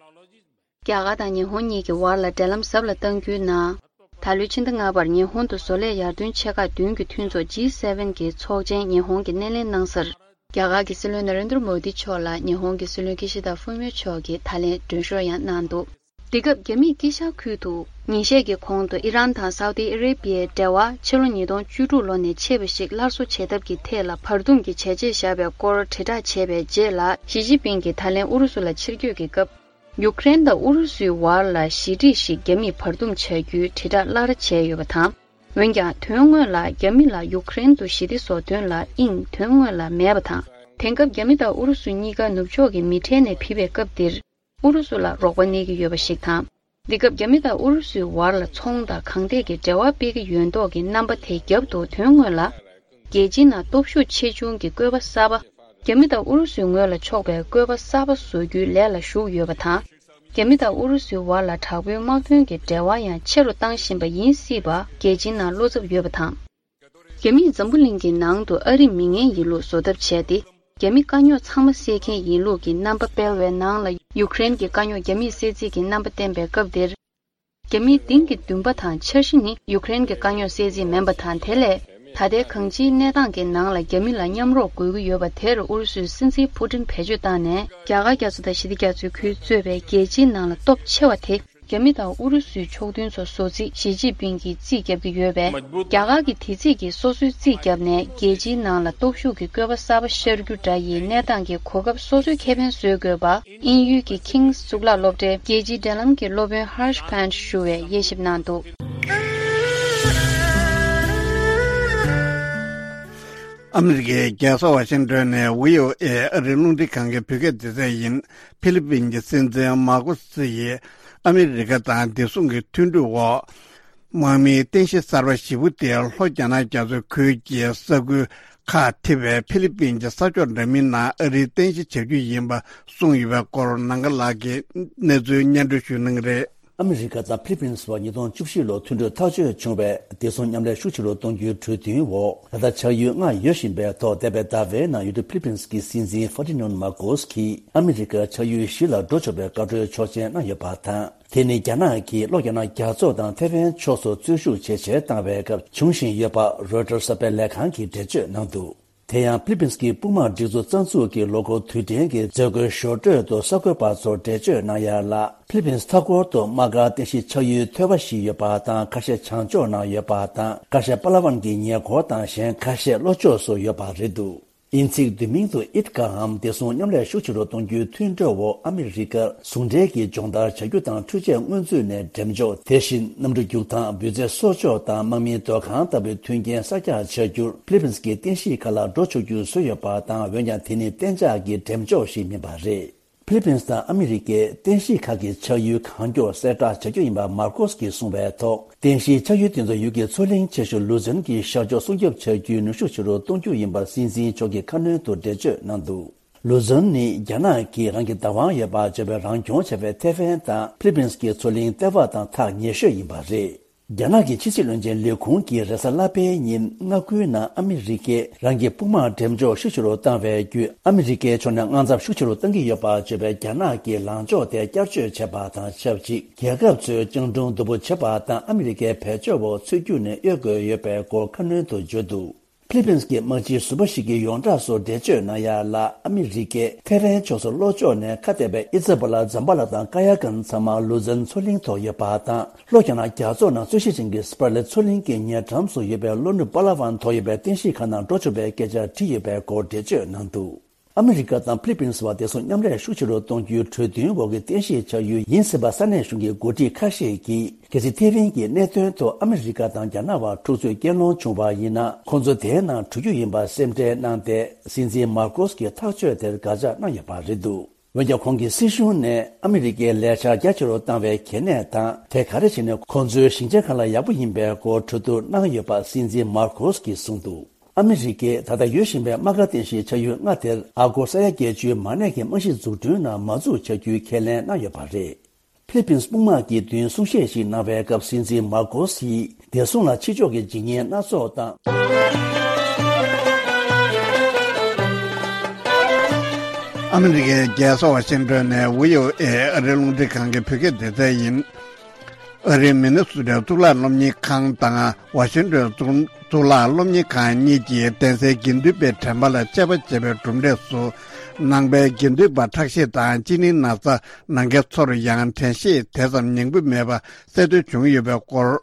རྒྱ་གར་དང་ཉི་ཧོང་གཉིས་ཀྱི་བར་ལ་འབྲེལ་ལམ་ཟབ་ལ་གཏང་རྒྱུའི་ནང་། ད་ལོའི་ཕྱི་ཟླ་ལྔ་པར་ཉི་ཧོང་དུ་བཟོ་ལས་ཡར་ཐོན་ཆེ་ཁག་བདུན་གྱི་མཐུན་ཚོགས་ཇི་སེ་ཝེན་གྱི་ཚོགས་ཆེན་ཉི་ཧོང་གིས་སྣེ་ལེན་གནང་སར། རྒྱ་གར་གྱི་སྲིད་བློན་ན་རེན་དྲ་མོ་དི་མཆོག་ལ་ཉི་ཧོང་གི་སྲིད་བློན་ཀི་ཤི་ད་ཧྥུ་མིའོ་མཆོག་གིས་ད་ལན་མགྲོན་ཤོག་ཡང་གནང་འདུག་དེ་སྐབས་རྒྱ་མིས་དཀྱིལ་ཤར་ཁུལ་དུ་ཉིན་ཤས་ཀྱི་གོང་དུ་ཨི་རན་དང་སའུ་ཏི་ཨ་རེ་བྷི་ཡའི་འབྲེལ་བ་ཕྱི་ལོ་ཉིས་སྟོང་བཅུ་དྲུག་ལོ་ནས་ཆད་པ་ཞིག་སླར་གསོ་བྱེད་ཐབས་ཀྱི་ཐད་ལ་བར་འདུམ་གྱི་བྱས་རྗེས་བཞག་པའི་སྐོར་དྲིལ་བསྒྲགས་བྱས་པའི་རྗེས་ལ། ཞི་ཅིན་ཕིང་གིས་ད་ལན་ཨུ་རུ་སུ་ལ་ཕྱིར་སྐྱོད་ཀྱི་སྐབས། ཡུཀ་རེན་དང་ཨུ་རུ་སུའི་བར་ལ་ཞི་འགྲིག་ཞིག་རྒྱ་མིས་བར་འདུམ་བྱ་རྒྱུའི་དྲིལ་བསྒྲགས་སླར་བྱས་ཡོད་པ་དང་། འོན་ཀྱང་དོན་དངོས་ལ་རྒྱ་མི་ལ་ཡུཀ་རེན་དུ་ཞི་བདེ་བཟོ་དོན་ལ་དབྱིངས་དོན་དངོས་ལ་མེད་པ་དང་། དེང་སྐབས་རྒྱ་མི་དང་ཨུ་རུ་སུ་གཉིས་ཀ་ནུབ་ཕྱོགས་ཀྱི་མི་གྲལ་ནས་ཕུད་པའི་སྐབས་འདིར། ཨུ་རུ་སུ་ལ་རོགས་པ་གནས་ཀྱི་ཡོད་པ་ཞིག་དང་། འདི་སྐབས་རྒྱ་མི་དང་ཨུ་རུ་སུའི་བར་ལ་ཚོང་དང་གང་ཐད་ཀྱི་འབྲེལ་བ་སྤེལ་གྱི་ཡོད་མདོག་གི་རྣམ་པ་དེ་རྒྱབ་ཏུ་དོན་དངོས་ལ། རྒྱལ་སྤྱིའི་ནང་སྟོབས་ཤུགས་ཆེ་ཆུང་གི་བཀོད་པ་གསར་པ། རྒྱ་མི་དང་ཨུ་རུ་སུའི་ངོས་ལ་ཕྱོགས་པའི་བཀོད་པ་གསར་པ་བཟོ་རྒྱུའི་ལས་ལ་ཞུགས་ཡོད་པ་དང་། རྒྱ་མི་དང་ཨུ་རུ་སུའི་བར་ལ་དྲག་པོའི་དམག་དོན་གྱི་འབྲེལ་བ་ཡང་ཆེ་རུ་བཏང་བཞིན་པ་ཡིན་སྲིད་པ་རྒྱལ་སྤྱིའི་ནང་བློ་འཚབ་ཡོད་པ་དང་། རྒྱ་མིས་འཛམ་བུ་གླིང་གི་ནང་དུ་ཨ་རིས་མི་ངན་ཡིན་ལུགས་བཟོ་ཐབས་བྱས་ཏེ། རྒྱ་མི་དཀའ་རྙོག་ཚང་མ་སེལ་མཁན་ཡིན་ལུགས་ཀྱི་རྣམ་པ་སྤེལ་བའི་ནང་ལ། ཡུཀ་རེན་གྱི་དཀའ་རྙོག་རྒྱ་མིས་སེལ་རྩིས་ཀྱི་རྣམ་པ་བསྟན་པའི་སྐབས་འདིར། རྒྱ་མིའི་གཏིང་གི་འདུན་པ་དང་འཆར་གཞི་ནི་ཡུཀ་རེན་གྱི་དཀའ་རྙོག་སེལ་རྩིས་མིན་པ་དང་། དེ་ལས་ད་ལྟའི་གང་ཅིའི་གནས་སྟངས་ཀྱི་ནང་ལ་རྒྱ་མི་ལ་མཉམ་རོགས་དགོས་ཀྱི་ཡོད་པ་དེར་ཨུ་རུ་སུའི་སྲིད་འཛིན་ཕུ་ཏིན་བེད་སྤྱོད་བཏང་ནས། རྒྱ་གར་རྒྱ་མཚོ་དང་ཞི་བདེ་རྒྱ་མཚོའི་ཁུལ་གཙོས་པའི་རྒྱལ་སྤྱིའི་ནང་ལ་སྟོབས་ཆེ་བ་དེ། རྒྱ་མི་དང་ཨུ་རུ་སུའི་ཕྱོགས་མཐུན་ཚོ་བཟོ་རྩིས་ཞི་ཅིན་ཕིང་གིས་རྩིས་བརྒྱབ་ཀྱི་ཡོད་པས། རྒྱ་གར་གྱིས་དེ་རྩིས་ཀྱིས་སོ་སོའི་རྩིས་བརྒྱབ་ནས་རྒྱལ་སྤྱིའི་ནང་ལ་སྟོབས་ཤུགས་ཀྱི་བཀོད་པ་གསར་པ་ཤར་རྒྱུ་འདྲ་ཡི་གནས་སྟངས་ཀྱི་གོ་སྐབས་སོ་སོའི་ཁེ་ཕན་བཟོ་དགོས་པ། དབྱིན་ཡུལ་གྱི་King's གཙུག་ལག་སློབ་གྲྭའི་རྒྱལ་སྤྱིའི་འབྲེལ་ལམ་གྱི་སློབ་དཔོན་Harsh Pant ཞུ་བས་དབྱེ་ཞིབ་གནང་འདུག་ཨ་མི་རི་ཀའི་རྒྱལ་ས་ཝ་ཤིང་ཏོན་ནས་བྷི་ཨོ་ཨེ་ཨ་རིའི་རླུང་འཕྲིན་ཁང་གི་བོད་སྐད་སྡེ་ཚན་ཡིན། ཧྥི་ལི་པིན་གྱི་སྲིད་འཛིན་མར་ཀོ་སི་ཡིས་ཨ་མི་རི་ཀ་དང་བདེ་སྲུང་གི་མཐུན་གྲོས་འོག་དམག་མིའི་རྟེན་གཞི་གསར་པ་བཞི་པོ་དེ་ལྷོ་རྒྱ་ནག་རྒྱ་མཚོའི་ཁུལ་གྱི་ས་ཁུལ་ཁག་ཐེ་བའི་ཧྥི་ལི་པིན་གྱི་ས་ཕྱོགས་འདྲ་མིན་ནང་ཨ་རིའི་རྟེན་གཞི་བྱ་རྒྱུ་ཡིན་པ་གསུངས་ཡོད་པའི་སྐོར་ནང་ཀ་ལགས་ཀྱིས་གནས་ཚུལ་སྙན་སྒྲོན་ཞུ་གནང་གི་རེད། ཨ་མི་རི་ཀ་དང་ཕི་ལི་པིན་སི་བར་ཉིས་སྟོང་བཅུ་བཞི་ལོར་མཐུན་གྲོས་ཐག་གཅོད་བྱུང་བའི་བདེ་སྲུང་མཉམ་ལས་ཤུགས་ཆེ་རུ་གཏོང་རྒྱུའི་གྲོས་མཐུན་འོག་ད་ལྟ་ཆགས་ཡུལ་ལྔ་ཡོད་བཞིན་པའི་ཐོག་འདས་པའི་ཟླ་བའི་ནང་ཡུལ་གྲུ་ཕི་ལི་པིན་སི་གི་སྲིད་འཛིན་ཧྥར་ཏི་ནན་མར་ཀོ་སི་གིས་ཨ་མི་རི་ཀར་ཆགས་ཡུལ་བཞི་ལ་འགྲོ་ཆོག་པའི་བཀའ་འཁྲོལ་ཆོག་མཆན་གནང་ཡོད་པ་དང་། དེ་ནི་རྒྱ་ནག་གིས་ལྷོ་རྒྱ་ནག་རྒྱ་མཚོ་དང་ཐེ་ཝན་ཕྱོགས་སུ་རྩོད་ཤུགས་ཇེ་ཆེར་བཏང་བའི་སྐབས་བྱུང་བཞིན་ཡོད་པ་རོའི་ཊར་གསར་སྤེལ་ལས་ཁང་གིས་འགྲེལ་བརྗོད་གནང་འདུག་དེ་ཡང་ཕི་ལི་པིན་སི་གི་དཔུང་དམག་སྒྲིག་འཛུགས་རྩ་འཛུགས་ཀྱི་ལོ་འཁོར་དུས་དྲན་གྱི་མཛད་སྒོའི་ཞོར་འཕྲོས་སུ་གསར་འགོད་པ་ཚོར་འགྲེལ་བརྗོད་གནང་ཡ་ལ། ཕི་ལི་པིན་སི་མཐའ་འཁོར་དུ་དམག་སྒར་རྟེན་གཞི་ཆགས་ཡུལ་མཐོ་བ་བཞི་ཡོད་པ་དང་ཁ་ཤས་བྱང་ཕྱོགས་ན་ཡོད་པ་དང་ཁ་ཤས་པ་ལ་ཝན་གྱི་ཉེ་འཁོར་དང་གཞན་ཁ་ཤས་ལྷོ་ཕྱོགས་སུ་ཡོད་པ་རེད་འདུག་དབྱིན་ཚིག་བསྡུས་མིང་དུ་ཨིཊ་ཀ་འམ་བདེ་སྲུང་མཉམ་ལས་ཤུགས་ཆེ་རུ་གཏོང་རྒྱུའི་མཐུན་གྲོས་འོག་ཨ་མི་རི་ཀར་ཟུང་འབྲེལ་གྱིས་སྦྱོང་བརྡར་བྱ་རྒྱུ་དང་འཕྲུལ་ཆས་སྔོན་ཚུད་ནས་འགྲེམས་འཇོག་དེ་བཞིན་གནམ་གྲུ་རྒྱུག་ཐང་འབུད་རྫས་གསོ་ཆོག་དང་དམག་མིའི་སྡོད་ཁང་ལྟ་བུའི་མཐུན་རྐྱེན་གསར་རྒྱག་བྱ་རྒྱུར་ཕི་ལི་པིན་སི་གི་རྟེན་གཞིའི་ཁ་ལ་འགྲོ་ཆོག་རྒྱུ་བཟོས་ཡོད་པ་དང་འོན་ཀྱང་དེ་ནི་གཏན་འཇགས་ཀྱི་འགྲེམས་འཇོག་ཞིག་མིན་པ་རེད། ཕི་ལི་པིན་སི་དང་ཨ་མི་རི་ཀས་རྟེན་གཞི་ཁག་གི་ཆགས་ཡུལ་གང་མགྱོགས་གསལ་བསྒྲགས་བྱ་རྒྱུ་ཡིན་པ་མར་ཀོ་སི་གིས་གསུངས་པའི་ཐོག་རྟེན་གཞིའི་ཆགས་ཡུལ་དེ་ཚོ་ཡུལ་གྱི་མཚོ་གླིང་ཆེ་ཤོས་ལུ་ཛོན་གྱི་ཤར་ཕྱོགས་སྲུང་སྐྱོབ་བྱ་རྒྱུའི་ནུས་ཤུགས་ཆེ་རུ་གཏོང་རྒྱུ་ཡིན་པར་སྲིད་འཛིན་མཆོག་གིས་ཁ་སྣོན་དུ་འགྲེལ་བརྗོད་གནང་འདུག་ལུ་ཛོན་ནི་རྒྱ་ནག་གིས་རང་གི་བདག་དབང་ཡོད་པར་བརྗོད་པའི་རང་སྐྱོང་བྱ་བའི་ཐེ་ཝན་དང་ཕི་ལི་པིན་སི་གི་མཚོ་གླིང་ལྟེ་བ་དང་ཐག་ཉེ་ཤོས་ཡིན་པ་རེད། རྒྱ་ནག་གི་ཕྱི་སྲིད་བློན་ཆེན་ལས་ཁུངས་ཀྱིས་རེས་གཟའ་ལྷག་པའི་ཉིན་མངའ་ཁུལ་ནང་ཨ་མི་རི་ཀས་རང་གི་དཔུང་དམག་འགྲེམས་འཇོག་ཤུགས་ཆེ་རུ་བཏང་བའི་བརྒྱུད་ཨ་མི་རི་ཀའི་ཕྱོགས་ནས་དངངས་འཚབ་ཤུགས་ཆེ་རུ་གཏང་གི་ཡོད་པ་བརྗོད་པའི་རྒྱ་ནག་གི་ལངས་ཕྱོགས་དེ་བསྐྱར་བཅོས་བྱས་པ་དང་ཆབས་ཅིག་རྒྱལ་ཁབ་ཚོས་སྤྱང་གྲུང་སྡུག་པོ་བྱེད་པ་དང་ཨ་མི་རི་ཀའི་བེད་སྤྱོད་འོག་ཚུད་རྒྱུ་ནས་གཡོལ་དགོས་ཡོད་པའི་སྐོར་ཁ་སྣོན་དུ་བརྗོད་འདུག་ཕི་ལི་པིན་སི་གི་དམག་སྤྱིའི་ཟུར་པ་ཞིག་གིས་ཡོངས་གྲགས་སུ་འགྲེལ་བརྗོད་གནང་ཡ་ལ་ཨ་མི་རི་ཀས་ཐེ་ཝན་ཕྱོགས་སུ་ལྷོ་ཕྱོགས་ནས་ཁ་གཏད་པའི་ཨི་ཛ་བྷ་ལ་ཛམ་བྷ་ལ་དང་ཀ་ཡ་གན་ཚང་མ་ལུ་ཛོན་མཚོ་གླིང་ཐོག་ཡོད་པ་དང་ལྷོ་རྒྱ་ནག་རྒྱ་མཚོ་ནང་རྩོད་གཞི་ཅན་གྱི་སི་པར་ལེ་མཚོ་གླིང་གི་ཉེ་འགྲམ་སུ་ཡོད་པའི་ལྷོ་ནུབ་པ་ལ་ཝན་ཐོག་ཡོད་པའི་རྟེན་གཞིའི་ཁ་ནང་འགྲོ་ཆོག་པའི་སྐད་ཆ་བྲིས་ཡོད་པའི་སྐོར་འགྲེལ་བརྗོད་གནང་འདུག་ཨ་མི་རི་ཀ་དང་ཕི་ལི་པིན་སི་བར་བདེ་སྲུང་མཉམ་ལས་ཤུགས་ཆེ་རུ་གཏོང་རྒྱུའི་གྲོས་མཐུན་འོག་གི་རྟེན་གཞི་ཆགས་ཡུལ་ཡིན་སྲིད་པ་ས་གནས་གཞུང་གི་འགོ་ཁྲིད་ཁ་ཤས་ཀྱིས། གལ་སྲིད་ཐེ་ཝན་གྱི་གནད་དོན་ཐོག་ཨ་མི་རི་ཀ་དང་རྒྱ་ནག་བར་འཁྲུག་རྩོད་རྐྱེན་སློང་བྱུང་བ་ཡིན་ན། ཁོང་ཚོ་དེའི་ནང་འགྲོ་རྒྱུ་ཡིན་པ་སེམས་ཁྲལ་གནང་སྟེ། སྲིད་འཛིན་མར་ཀོ་སི་གིས་ཐག་གཅོད་དེར་དགག་བྱ་གནང་ཡོད་པ་རེད་འདུག་འོན་ཀྱང་ཁོང་གིས་སྲིད་གཞུང་ནས་ཨ་མི་རི་ཀའི་ལས་འཆར་རྒྱ་ཆེ་རུ་བཏང་བའི་གལ་གནད་དང་། དེ་ག་རེ་བྱས་ནས་ཁོང་ཚོའི་ཞིང་ཆེན་ཁག་ལ་ཡག་པོ་ཡིན་པའི་སྐོར་གྲོས་བསྡུར་གནང་ཡོད་པ་སྲིད་འཛིན་མར་ཀོ་སི་གིས་གསུངས་འདུག་ཨ་མི་རི་ཀས་ད་ལྟ་ཡོད་བཞིན་པའི་དམག་སྒར་རྟེན་གཞིའི་ཆགས་ཡུལ་ལྔ་དེར་ཨ་སྒོར་ས་ཡ་བརྒྱད་ཅུའི་མ་གནས་ཀྱི་རྨང་གཞི་འཛུགས་སྐྲུན་ནང་མ་འཛུགས་བྱ་རྒྱུའི་ཁས་ལེན་གནང་ཡོད་པ་རེད། ཕི་ལི་པིན་སི་དཔུང་དམག་གི་མདུན་གསུང་བཤད་ཞིག་གནང་བའི་སྐབས་སྲིད་འཛིན་མར་ཀོ་སིས་བདེ་སྲུང་ལ་ཕྱི་ཕྱོགས་ཀྱི་འཇིགས་ཉེན་སྣ་ཚོགས་དང་། ཨ་མི་རི་ཀའི་རྒྱལ་ས་ཝ་ཤིང་ཏོན་ནས་བྷི་ཨོ་ཨེ་ཨ་རིའི་རླུང་འཕྲིན་ཁང་གི་བོད་སྐད་སྡེ་ཚན་ཡིན། ཨ་རིའི་མི་ནི་སོ་ཊའི་གཙུག་ལག་སློབ་གཉེར་ཁང་དང་ཝ་ཤིང་ཏོན་གཙུག་གཙུག་ལག་སློབ་གཉེར་ཁང་གཉིས་ཀྱིས་གདན་སའི་དགེ་འདུན་པའི་དྲན་པ་ལ་དཔྱད་པ་བྱས་པའི་གྲུབ་འབྲས་སུ། ནང་པའི་དགེ་འདུན་པ་ཁྲག་ཤེད་དང་གཅིན་སྙི་ན་ཚ་ནང་མཁན་ཚོར་ཡང་དྲན་ཤེས་དེ་ཙམ་ཉེ་པོ་མེད་པ་གསལ་སྟོན་བྱུང་ཡོད་པའི་སྐོར།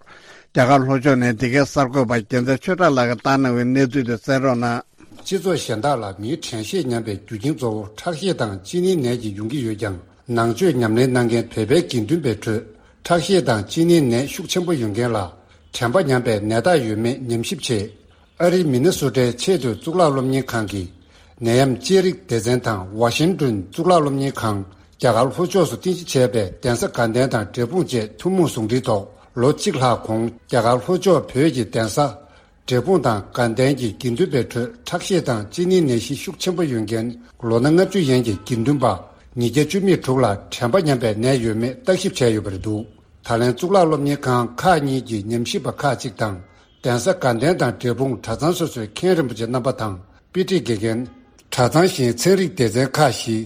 རྒྱ་གར་ལྷོ་ཕྱོགས་ནས་འདི་གའི་གསར་འགོད་པ་རྒྱལ་མཚན་ཆོས་གྲགས་ལགས་ཀྱིས་བཏང་གནང་བའི་གནས་ཚུལ་དེ་གསན་རོགས་གནང་། སྤྱི་ཚོགས་གཞན་དག་ལ་མིའི་དྲན་ཤེས་ཉམས་པའི་རྒྱུ་རྐྱེན་གཙོ་བོ་ཁྲག་ཤེད་དང་གཅིན་སྙིའི་ནད་ཀྱིས་ཡོང་གི་ཡོད་ཀྱང་། ནང་ཆོས་ཉམས་ལེན་གནང་མཁན་བོད་པའི་དགེ་འདུན་པའི་ཁྲོད་ཁྲག་ཤེད་དང་གཅིན་སྙིའི་ནད་ཤུགས་ཆེན་པོ་ཡོད་མཁན་ལ་དྲན་པ་ཉམས་པའི་ནད་རྟགས་ཡོད་མེད་ཉམས་ཞིབ་ཆེད། ཨ་རིའི་མི་ནི་སོ་ཊའི་ཆེས་མཐོའི་གཙུག་ལག་སློབ་གཉེར་ཁང་གི་ནད་ཡམས་དཔྱད་རིག་སྡེ་ཚན་དང་ཝ་ཤིང་ཏོན་གཙུག་ལག་སློབ་གཉེར་ཁང་རྒྱ་གར་ལྷོ་ཕྱོགས་སུ་རྟེན་གཞི་བྱས་པའི་གདན་ས་དགའ་ལྡན་དང་འབྲས་སྤུངས་བཅས་ཐུན་མོང་ཟུང་འབྲེལ་ཐོག་ལོ་གཅིག་ལྷག་གོང་རྒྱ་གར་ལྷོ་ཕྱོགས་བོད་ཀྱི་གདན་ས་འབྲས་སྤུངས་དང་དགའ་ལྡན་གྱི་དགེ་འདུན་པའི་ཁྲོད་ཁྲག་ཤེད་དང་གཅིན་སྙིའི་ནད་གཞི་ཤུགས་ཆེན་པོ་ཡོད་མཁན་ལོ་ན་ལྔ་བཅུ་ཡན་གྱི་དགེ་འདུན་པ་ཉིས་བརྒྱ་བཅུ་མེད་དྲུག་ལ་དྲན་པ་ཉམས་པའི་ནད་ཡོད་མེད་བརྟག་ཞིབ་བྱས་ཡོད་པ་རེད་འདུག་ད་ལན་གཙུག་ལག་སློབ་གཉེར་ཁང་ཁག་གཉིས་ཀྱི་ཉམས་ཞིབ་པ་ཁག་ཅིག་དང་། གདན་ས་དགའ་ལྡན་དང་འབྲས་སྤུངས་གྲྭ་ཚང་སོ་སོའི་མཁན་རིན་པོ་ཆེ་རྣམ་པ་དང་དཔེ་ཁྲིད་དགེ་རྒན། གྲྭ་ཚང་གཞན་ཚན་རིག་སྡེ་ཚན་ཁག་བཞི།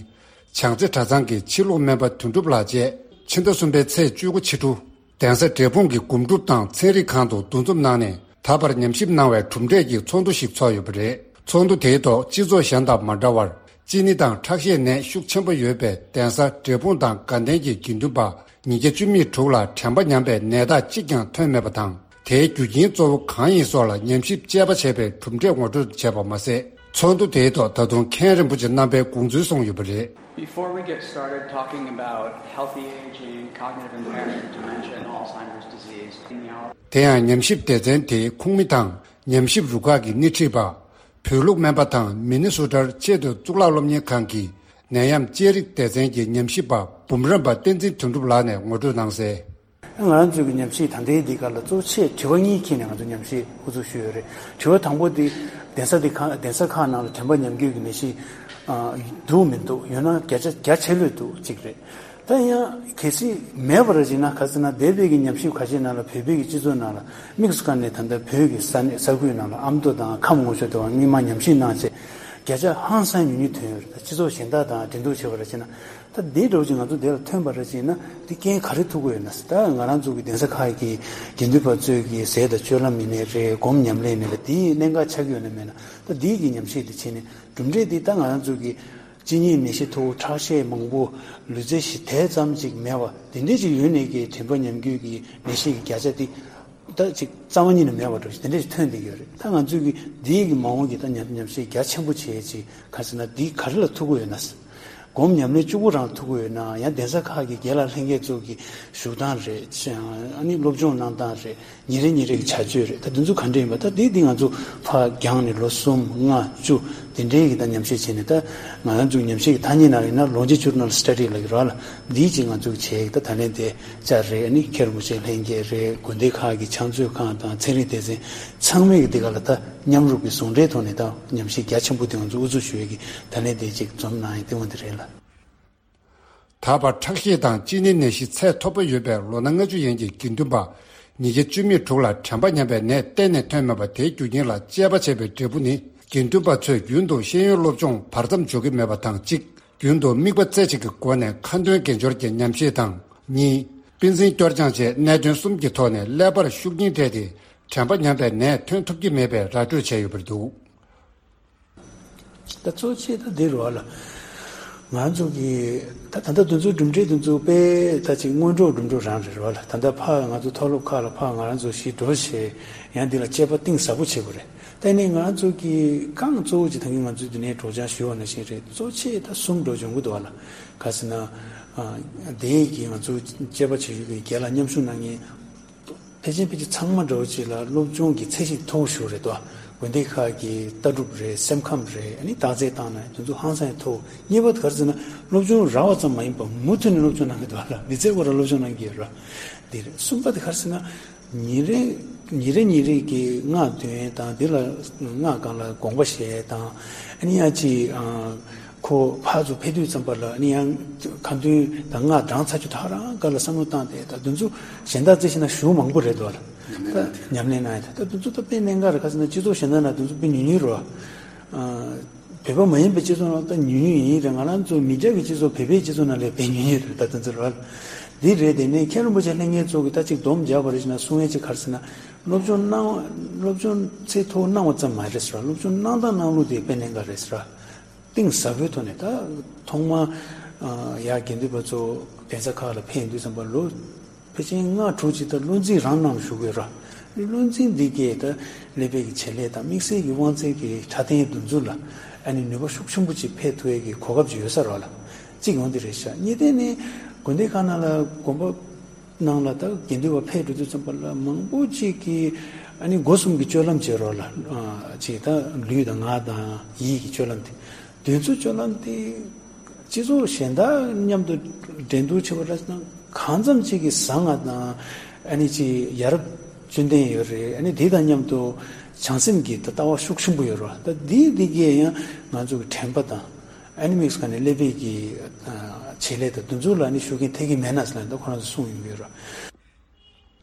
བྱང་རྩེ་གྲྭ་ཚང་གི་ཕྱི་ལུགས་སྨན་པ་དོན་གྲུབ་ལགས་བཅས་ཕྱི་ཟླ་གསུམ་པའི་ཚེས་བཅུ་དགུ་ཕྱི་དྲོ། གདན་ས་འབྲས་སྤུངས་ཀྱི་སྒོམ་སྒྲུབ་དང་ཚན་རིག་ཁང་དུ་འདུ་འཛོམས་གནང་ནས་ད་བར་ཉམས་ཞིབ་གནང་བའི་གྲུབ་འབྲས་ཀྱི་ཚོགས་འདུ་ཞིག་ཚོགས་ཡོད་པ་རེད། ཚོགས་འདུ་དེའི་ཐོག་སྤྱི་ཚོགས་གཞན་དང་མ་འདྲ་བར། གཅིན་སྙི་དང་ཁྲག་ཤེད་ནད་ཤུགས་ཆེན་པོ་ཡོད་པའི་གདན་ས་འབྲས་སྤུངས་དང་དགའ་ལྡན་གྱི་དགེ་འདུན་པ་ཉིས་བརྒྱ་བཅུ་མེད་དྲུག་ལ་དྲན་པ་ཉམས་པའི་ནད་རྟགས་གཅིག་ཀྱང་ཐོན་མེད་པ་དང་། དེའི་རྒྱུ་རྐྱེན་གཙོ་བོ་གང་ཡིན་སོགས་ལ་ཉམས་ཞིབ་དཔྱད་པ་བྱས་པའི་གྲུབ་འབྲས་ངོ་སྤྲོད་བྱས་པ་མ་ཟད། ཚོགས་འདུ་དེའི་ཐོག་ད་དུང་མཁན་རིན་པོ་ཆེ་རྣམ་པའི་དགོངས་ཚུལ་གསུངས་ཡོད་པ་རེད། Before we get started talking about healthy aging, cognitive impairment, dementia, and Alzheimer's disease, in the hour དེ་ཡང་ཉམས་ཞིབ་སྡེ་ཚན་དེའི་ཁོངས་མི་དང་ཉམས་ཞིབ་རུ་ཁག་གི་སྣེ་ཁྲིད་པ། བོད་ལུགས་སྨན་པ་དང་མི་ནི་སོ་ཊར་ཆེས་མཐོའི་གཙུག་ལག་སློབ་གཉེར་ཁང་གི་ནད་ཡམས་དཔྱད་རིག་སྡེ་ཚན་གྱི་ཉམས་ཞིབ་པ་འབུམ་རམས་པ་བསྟན་འཛིན་དོན་གྲུབ་ལགས་ནས་ངོ་སྤྲོད་གནང་གསལ། ང་རང་ཚོའི་གི་ཉམས་ཞིབ་ད་ལྟའི་འདི་ག་ལ་གཙོ་ཆེ་དྲི་བ་གཉིས་འཁྱེར་ནས་ང་ཚོ་ཉམས་ཞིབ་འགོ་འཛུགས་ཞུས་ཡོད་རེད། དྲི་བ་དང་པོ་འདི་གདན་ས་འདི་ཁག་གདན་ས་ཁག་ནང་ལ་དྲན་པ་ཉམས་རྒྱུ་གི་ནད་གཞི་འདུག་མི་འདུག་ཡོད་ན་བརྒྱ་ཆ་བརྒྱ་ཆ་ལོས་འདུག་གཅིག་རེད། ད་ཡང་གལ་སྲིད་མེད་པ་ར་ཅིག་ན་ག་ཟེར་ན་འདས་པའི་གི་ཉམས་ཞིབ་ཁ་ཤས་ནང་ལ་བོད་པའི་གི་སྤྱི་ཚོགས་ནང་ལ་དམིགས་སུ་བཀར་ནས་ད་ལྟ་བོད་ཀྱི་ས་གནས་ས་ཁུལ་ནང་ལ་ཨ་མདོ་དང་ཁམས་ལྔ་ཤོད་དུ་བ་སྔོན་མ་ཉམས་ཞིབ་གནང་བྱས་བརྒྱ་ཆ་ཧང་སང་ཉུང་ཉུང་ཐོན་ཡོད་རེད། ད་སྤྱི་ཚོགས་གཞན་དག་དང་འབྲེལ་གཏུག་བྱས་པ་ར་ཅིག་ན། ད་འདི་འདྲ་བོ་ཅིག་ང་ཚོ་འདི་ལ་ཐོན་པ་རེད་ཅེ་ན་འདི་རྐྱེན་ག་རེ་ཐུག་གི་ཡོད་ན་ཟེར། ད་ང་རང་ཚོ་གི་གདན་ས་ཁག་གི་དགེ་འདུན་པ་ཚོས་ཀྱི་ཟས་དང་སྤྱོད་ལམ་ཡིན་ནའི་རེད། སྒོམ་ཉམས་ལེན་ཡིན་ནའི་རེད། འདིའི་གནད་འགག་ཆགས་ཀྱི་ཡོད་ན་མེད་ན། ད་འདིའི་གི་ཉམས་ཞིབ་འདི་བྱས་ནས་གྲུབ་འབྲས་འདི་ད་ང་རང་ཚོ་གི་གཅིན་སྙི་ནད་གཞི་མཐོ་བོ་ཁྲག་ཤེད་མང་པོ་ལུས་རྩལ་ཞིག་དེ་ཙམ་ཅིག་མེད་པ་འདི་འདྲས་ཅིག་ཡོད་ནས་ཀྱི་དྲན་པ་ཉམས་རྒྱུ་གི་ནད་གཞི་གི་བརྒྱ་ཆ་འདི་ད་ཅིག་རྩ་བ་ཉིད་ནས་མེད་པ་འདྲ་ཞིག་དེ་འདྲས་ཞིག་ཐོན་བསྡད་ཀྱི་ཡོད་རེད། ད་ང་ཚོས་ཀྱི་འདིའི་གི་མ་འོངས་ཀྱི་ད་ཉམས་ཉམས་ཞིབ་རྒྱ་ཆེན་པོ་བྱས་ཅིག་ག་ཟེར་ན་འདི་ག་རེ་ལ་ཐུག་གི་ཡོད་ན། སྒོམ་ཉམས་ལེན་བཅུ་དགུ་རང་ཐུག་གི་ཡོད་ན་ཡང་གདན་ས་ཁག་གི་དགེ་ལགས་ལྷན་རྒྱས་ཚོ་གི་བཞུགས་སྟངས་རེད། ཨ་ནི་སློབ་སྦྱོང་གནང་སྟངས་རེད། ཉིན་རེ་ཉིན་རེ་གི་བྱ་སྤྱོད་རེད། ད་འདི་ཚོ་ག་འདྲ་ཡིན་པ་ད་འདི་འདི་ང་ཚོ་ཕར་རྒྱང་ནས་ལོ་གསུམ་ལྔ་བཅུ་དེ་འདྲའི་གི་ད་ཉམས་ཞིབ་བྱས་ནས། ད་ང་རང་ཚོའི་ཉམས་ཞིབ་གི་ཐ་སྙད་ནང་ཡིན་ན་longitudinal study་ལབ་ཀྱི་རེད་ལ། འདིའི་ཅིག་ང་ཚོ་གི་བྱས་ཀྱི་ད་ད་ལན་དེ་བཅར་རེད། ཨ་ནི་མཁན་རིན་པོ་ཆེ་ལྷན་རྒྱས་རེད། དགོན་སྡེ་ཁག་གི་ཕྱག་མཛོད་ཁང་དང་ཚན་རིག་སྡེ་ཚན་ཚང་མས་ཀྱི་འདི་ག་ལ་ད་མཉམ་རུབ་ཀྱི་ཟུང་འབྲེལ་ཐོག་ནས་ད་ཉམས་ཞིབ་རྒྱ་ཆེན་པོ་དེ་ང་ཚོ་དབུ་འཛུགས་ཞུ་ཡས་ཀྱི་ད་ལན་དེ་ཅིག་འཛོམས་གནང་ཡས་དེ་འོ་འདི་རེད་ལ། ད་བར་ཁྲག་ཤེད་དང་གཅིན་སྙི་ནད་གཞི་ཚད་མཐོ་པོ་ཡོད་པའི་ལོ་ན་ལྔ་བཅུ་ཡན་གྱི་དགེ་འདུན་པ་ཉིས་བརྒྱ་བཅུ་མེད་དྲུག་ལ་དྲན་པ་ཉམས་པའི་ནད་གཏན་ནས་ཐོན་མེད་པ་དེའི་རྒྱུ་རྐྱེན་ལ་དཔྱད་པ་བྱས་པའི་འབྲས་བུ་ནི། དགེ་འདུན་པ་ཚོས་རྒྱུན་དུ་ཤེས་ཡོན་སློབ་སྦྱོང་བར་མཚམས་འཇོག་གི་མེད་པ་དང་གཅིག་རྒྱུན་དུ་དམིགས་པ་རྩེ་གཅིག་གི་སྒོ་ནས་ཁ་འདོན་དགེ་སྦྱོར་གྱི་ཉམས་བཞེས་དང་། གཉིས། པཎ་ཆེན་སྐྱོར་སྦྱང་བཅས་གནད་དོན་གསུམ་གྱི་ཐོག་ནས་ཀླད་པར་ཤུགས་རྐྱེན་སྤྲད་དེ་དྲན་པ་ཉམས་པའི་ནད་ཐོན་ཐུབ་ཀྱི་མེད་པའི་ར་སྤྲོད་བྱས་ཡོད་པར་འདུག་ད་གཙོ་ཆེ་ད་འདི་རེད་བ་ལ། ང་ཚོ་གི་ད་ད་ལྟ་དེ་ཚོའི་གྲུབ་འབྲས་དེ་ཚོ་དཔེ་ད་ཅིག་སྔོན་འགྲོ་གྲུབ་འགྲོ་རང་རེད་བ་ལ། ད་ལྟ་ཕ་ང་ཚོ་མཐོ་སློབ་ཁག་ལ་ཕ་ང་རང་ཚོ་གཞིས་འགྲོ་བྱས་ཡང་འདི་ལ་དཔྱད་པ་གཏིང་ཟབ་པོ་བྱེད་དགོས་རེད། ད་ནི་ང་ཚོ་གི་རྐང་གཙོ་བོ་ཅིག་ད་གིན་ང་ཚོའི་འདི་ནས་སྒྲོག་སྦྱང་ཞུས་པ་ནང་བཞིན་རེད། གཙོ་ཆེ་ད་གསུམ་འགྲོ་འབྱུང་གི་འདུག་བ་ལ། ག་ཟེར་ན། དེ་གི་ང་ཚོ་དཔྱད་པ་བྱེད་རྒྱུ་གི་རྒན་ལགས་མཉམ་ཞུགས་གནང་མཁན། ཕལ་ཆེར་ཕལ་ཆེར་ཚང་མ་འདྲ་བོ་ཅིག་ལ་སློབ་སྦྱོང་གི་ཚད་གཞི་མཐོ་བོ་ཞིག་རེད་དོ། དགོན་སྡེ་ཁག་གི་ལྟ་གྲུབ་རེད། སེམས་ཁམས་རེད། ཨ་ནི་བརྟག་དཔྱད་བཏང་ན་དེ་ཚོ་ཧང་སང་མཐོ་བོ། གཉིས་པ་དེ་ག་རེ་ཟེར་ན་སློབ་སྦྱོང་རག་པ་ཙམ་མ་ཡིན་པར་མུ་མཐུད་ནས་སློབ་སྦྱོང་གནང་གི་འདུག་ལ། མི་ཚེ་བར་ལ་སློབ་སྦྱོང་གནང་གི་ཡོད་ར། འདི་རེད། གསུམ་པ་དེ་ག་རེ་ཟེར་ན་ཉིན་རེ་ཉིན་རེ་ཉིན་རེ་གི་སྔགས་འདོན་དང་འདི་ལ་སྔགས་སྒང་ལ་དགོངས་པ་བཞེས་དང་ཨ་ནི་ཡང་ཅིག་ཁོ་ཕར་ཚུར་ཕེབས་དུས་ཙམ་པ་ལ་ཨ་ནི་ཡང་ཁ་འདོན་དང་སྔགས་བགྲང་ཚར་རྒྱུ་ད་རང་དགའ་ལ་བསམ་བློ་བཏང་སྟེ་ད་དེ་ཚོ་གཞན་དག་རྩིས་བྱས་ན་ཞེ་པོ་མང་པོ་རེད་འདུག་ལ། ད་ཉམས་ལེན་གནང་ཡ་ད་ད་དེ་ཚོ་ད་དཔེ་གནད་འགག་རེད། ག་ཟེར་ན་སྤྱི་ཚོགས་གཞན་དག་ན་དེ་ཚོ་དཔེ་ཉུང་ཉུང་རེད་བ། བོད་པ་མ་ཡིན་པའི་སྤྱི་ཚོགས་ནང་ད་ཉུང་ཉུང་ཡིན་རེད། ང་རང་ཚོ་མི་སྐྱ་གི་སྤྱི་ཚོགས་བོད་པའི་སྤྱི་ཚོགས་ནང་ལས་དཔེ་ཉུང་ཉུང་རེད། ད་དེ་ཚོ་རེད་བ། འདི་རེད། དེ་ནས་མཁན་རིན་པོ་ཆེ་ལྷན་རྒྱས་ཚོ་གི་ད་ཅིག་སྡོམ་རྒྱག་པ་རེད་ཅེ་ན་གསུང་ཡ་ཅིག་ག་རེ་ཟེར་ན་སློབ་སྦྱོང་གནང་སློབ་སྦྱོང་ཚད་མཐོ་བོ་གནང་བ་ཙམ་མ་རེད་ཟེར་བ། སློབ་སྦྱོང་གནང་སྟངས་གནང་ལུགས་དེ་དཔེ་གནད་འགག་རེད་ཟེར་བ། གཏིང་ཟབ་པོའི་ཐོག་ནས་ད་ཐོག་མར་ཡར་དགེ་འདུན་པ་ཚོ་གདན་ས་ཁག་ལ་ཕེབས་ཡོང་དུས་ཙམ་པ་ལོ་ཕལ་ཆེར་ལྔ་དྲུག་ཅིག་ད་བློ་འཛིན་རང་གནང་བཞུགས་ཡོད་ར། བློ་འཛིན་འདི་གས་ད་ཀླད་པའི་གི་བྱེད་ལས་དང་དམིགས་བསལ་གྱི་དབང་རྩའི་གི་ཕྲ་ལྟའི་འདུ་འཛོམས་ལ་ཨ་ནི་ནུས་པ་ཤུགས་ཆེན་པོ་ཅིག་ཕེབས་ཐུབ་ཡས་ཀྱི་གོ་སྐབས་ཅིག་ཡོད་ས་རེད་བ་ལ། གཅིག་ཡོང་འདི་རེད་ཤག་གཉིས་དེ་ནི་དགོན་སྡེ་ཁག་ནང་ལ་དགོན་པ་ནང་ལ་ད་དགེ་འདུན་པ་ཕེབས་འགྲོ་དུས་ཙམ་པ་ལ་མང་པོ་ཅིག་གིས་ཨ་ནི་སྒོ་གསུམ་གྱི་སྤྱོད་ལམ་བྱེད་རོགས་ལ་ཅིག་ད་ལུས་དང་ངག་དང་ཡིད་ཀྱི་སྤྱོད་ལམ་དེ། དེ་ཚོ་སྤྱོད་ལམ་དེ་སྤྱི་ཚོགས་གཞན་དག་མཉམ་དུ་འགྲན་བསྡུར་བྱེད་པ་རེད་ན་གང་འཚམ་ཅིག་གིས་བཟང་ང་དང་ཨ་ནི་ཅིག་ཡ་རབས་བཅུད་ལྡན་ཡོད་རེད། ཨ་ནི་དེ་དང་མཉམ་དུ་བྱང་སེམས་ཀྱི་ད་ལྟ་བ་ཤུགས་ཆེན་པོ་ཡོད་རེད་བ། ད་དེ་དེ་གས་ཡང་ང་ཚོ་གི་དྲན་པ་དང་ཨ་ནི་དམིགས་སུ་བཀར་ནས་ཀླད་པའི་གི་བྱེད་ལས་དང་དེ་ཚོ་ལ་ནི་ཤུགས་རྐྱེན་ཐེབས་ཀྱི་མེད་ན་ཟེར་ལ་ད་ཁོ་རང་ཚོ་གསུངས་ཡོང་གི་ཡོད་རེད།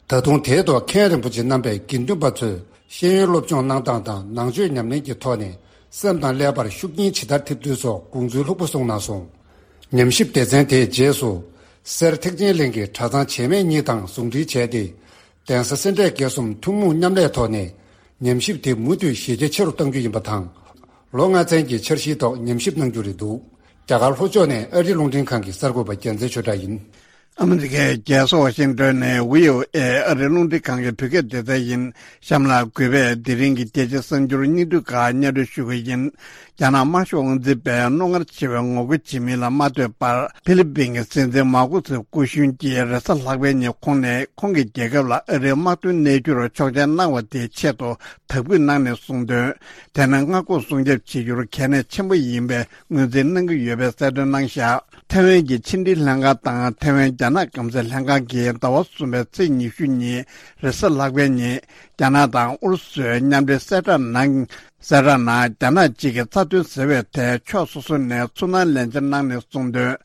ད་དུང་དེའི་ཐོག་མཁན་རིན་པོ་ཆེ་རྣམ་པས་དགེ་འདུན་པ་ཚོས་ཤེས་ཡོན་སློབ་སྦྱོང་གནང་སྟངས་དང་ནང་ཆོས་ཉམས་ལེན་གྱི་ཐོག་ནས་སེམས་དང་ཀླད་པར་ཤུགས་རྐྱེན་ཇི་ལྟར་ཐེབས་ཚུལ་སོགས་དགོངས་ཚུལ་ལྷུག་པོ་གསུངས་གནང་སོང་། ཉམས་ཞིབ་སྡེ་ཚན་དེའི་རྗེས་སུ་སེར་ཐེག་ཆེན་གླིང་གི་གྲྭ་ཚང་བྱེས་སྨད་གཉིས་དང་ཟུང་འབྲེལ་བྱས་ཏེ། གདན་ས་སེ་འབྲས་དགེ་གསུམ་ཐུན་མོང་མཉམ་ལས་ཐོག་ནས་ཉམས་ཞིབ་དེ་མུ་མཐུད་གཞི་རྒྱ་ཆེ་རུ་གཏང་རྒྱུ་ཡིན་པ་དང་། ལོ་ལྔ་ཚན་གྱི་འཆར་གཞིའི་ཐོག་ཉམས་ཞིབ་གནང་རྒྱུ་རེད་འདུག་རྒྱ་གར་ལྷོ་ཕྱོགས་ནས་ཨ་རི་རླུང་འཕྲིན་ཁང་གི་གསར་འགོད་པ་རྒྱལ་མཚན་ཆོས་གྲགས་ཡིན། ཨ་མི་རི་ཀའི་རྒྱལ་ས་ཝ་ཤིང་ཏོན་ནས་བྷི་ཨོ་ཨེ་ཨ་རིའི་རླུང་འཕྲིན་ཁང་གི་བོད་སྐད་སྡེ་ཚན་ཡིན། གཤམ་ལ་གུས་པས་དེ་རིང་གི་རྒྱལ་སྤྱིའི་གསར་འགྱུར་སྙིང་བསྡུས་ཁག་སྙན་སྒྲོན་ཞུ་གི་ཡིན། རྒྱ་ནག་དམར་ཤོག་དབང་འཛིན་པས་རྣོ་ངར་ཆེ་བའི་ངོ་རྒོལ་བྱེད་མིན་ལ་མ་ལྟོས་པར། ཧྥི་ལི་པིན་གྱི་སྲིད་འཛིན་མཱ་ཀུ་སི་སྐུ་གཞོན་གྱིས་རེས་གཟའ་ལྷག་པའི་ཉིན་ཁོང་ནས་ཁོང་གི་རྒྱལ་ཁབ་ལ་ཨ་རིའི་དམག་དོན་གནས་འཁྱོར་ཆོག་མཆན་གནང་བ་དེའི་ཆེད་དུ་དག་འབུལ་གནང་ནས་གསུངས་དོན། དེ་ནི་མངའ་ཁོངས་སྲུང་སྐྱོབ་བྱེད་རྒྱུར་གལ་གནད་ཆེན་པོ་ཡིན་པའི་ངོས་འཛིན་གནང་གི་ཡོད་པའི་གསལ་སྟོན་གནང་བཞག་ཐའེ་ཝན་གྱི་ཕྱི་འབྲེལ་ལྷན་ཁང་དང་ཐའེ་ཝན་རྒྱ་ནག་སྐམ་སའི་ལྷན་ཁང་གིས་ཟླ་བ་གསུམ་པའི་ཚེས་ཉི་ཤུ་ཉིན་རེས་གཟའ་ལྷག་པའི་ཉིན། རྒྱ་ནག་དང་ཨུ་རུ་སུའི་མཉམ་འབྲེལ་གསལ་བསྒྲགས་ནང་། གསལ་བསྒྲགས་ནང་རྒྱ་ནག་གཅིག་གི་རྩ་དོན་ཟེར་བའི་ཐད་ཕྱོགས་སོ་སོ་ནས་ཚུར་སྣང་ལན་འཆར་གནང་ནས་གསུངས་དོན།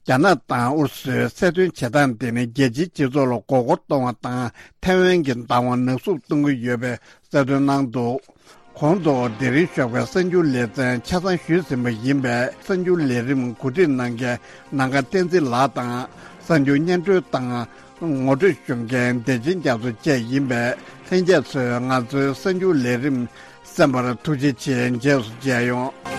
རྒྱ་ནག་དང་ཨུ་རུ་སུའི་གསལ་སྟོན་བྱེད་སྟངས་དེ་ནི་རྒྱལ་སྤྱིའི་སྤྱི་ཚོགས་ལ་མགོ་སྐོར་གཏོང་བ་དང་ཐའེ་ཝན་གྱི་བདག་དབང་ནག་གསུབ་གཏོང་གི་ཡོད་པའི་གསལ་སྟོན་གནང་འདུག་གོང་དུ་དེ་རིང་ཞོགས་པའི་གསར་འགྱུར་ལེ་ཚན་ཆ་ཚང་ཞུས་ཟིན་པ་ཡིན་པས། གསར་འགྱུར་ལས་རིམ་གོ་སྒྲིག་གནང་མཁན་ནམ་མཁའ་བསྟན་འཛིན་ལགས་དང་། གསར་འགྱུར་སྙན་སྒྲོན་དང་ངོ་སྤྲོད་ཞུ་མཁན་བདེ་ཆེན་རྒྱ་མཚོ་བཅས་ཡིན་པས། ལྷན་རྒྱས་ཚོས་ང་ཚོའི་གསར་འགྱུར་ལས་རིམ་གསན་པར་ཐུགས་རྗེ་ཆེ། རྗེས་སུ་མཇལ་ཡོང་།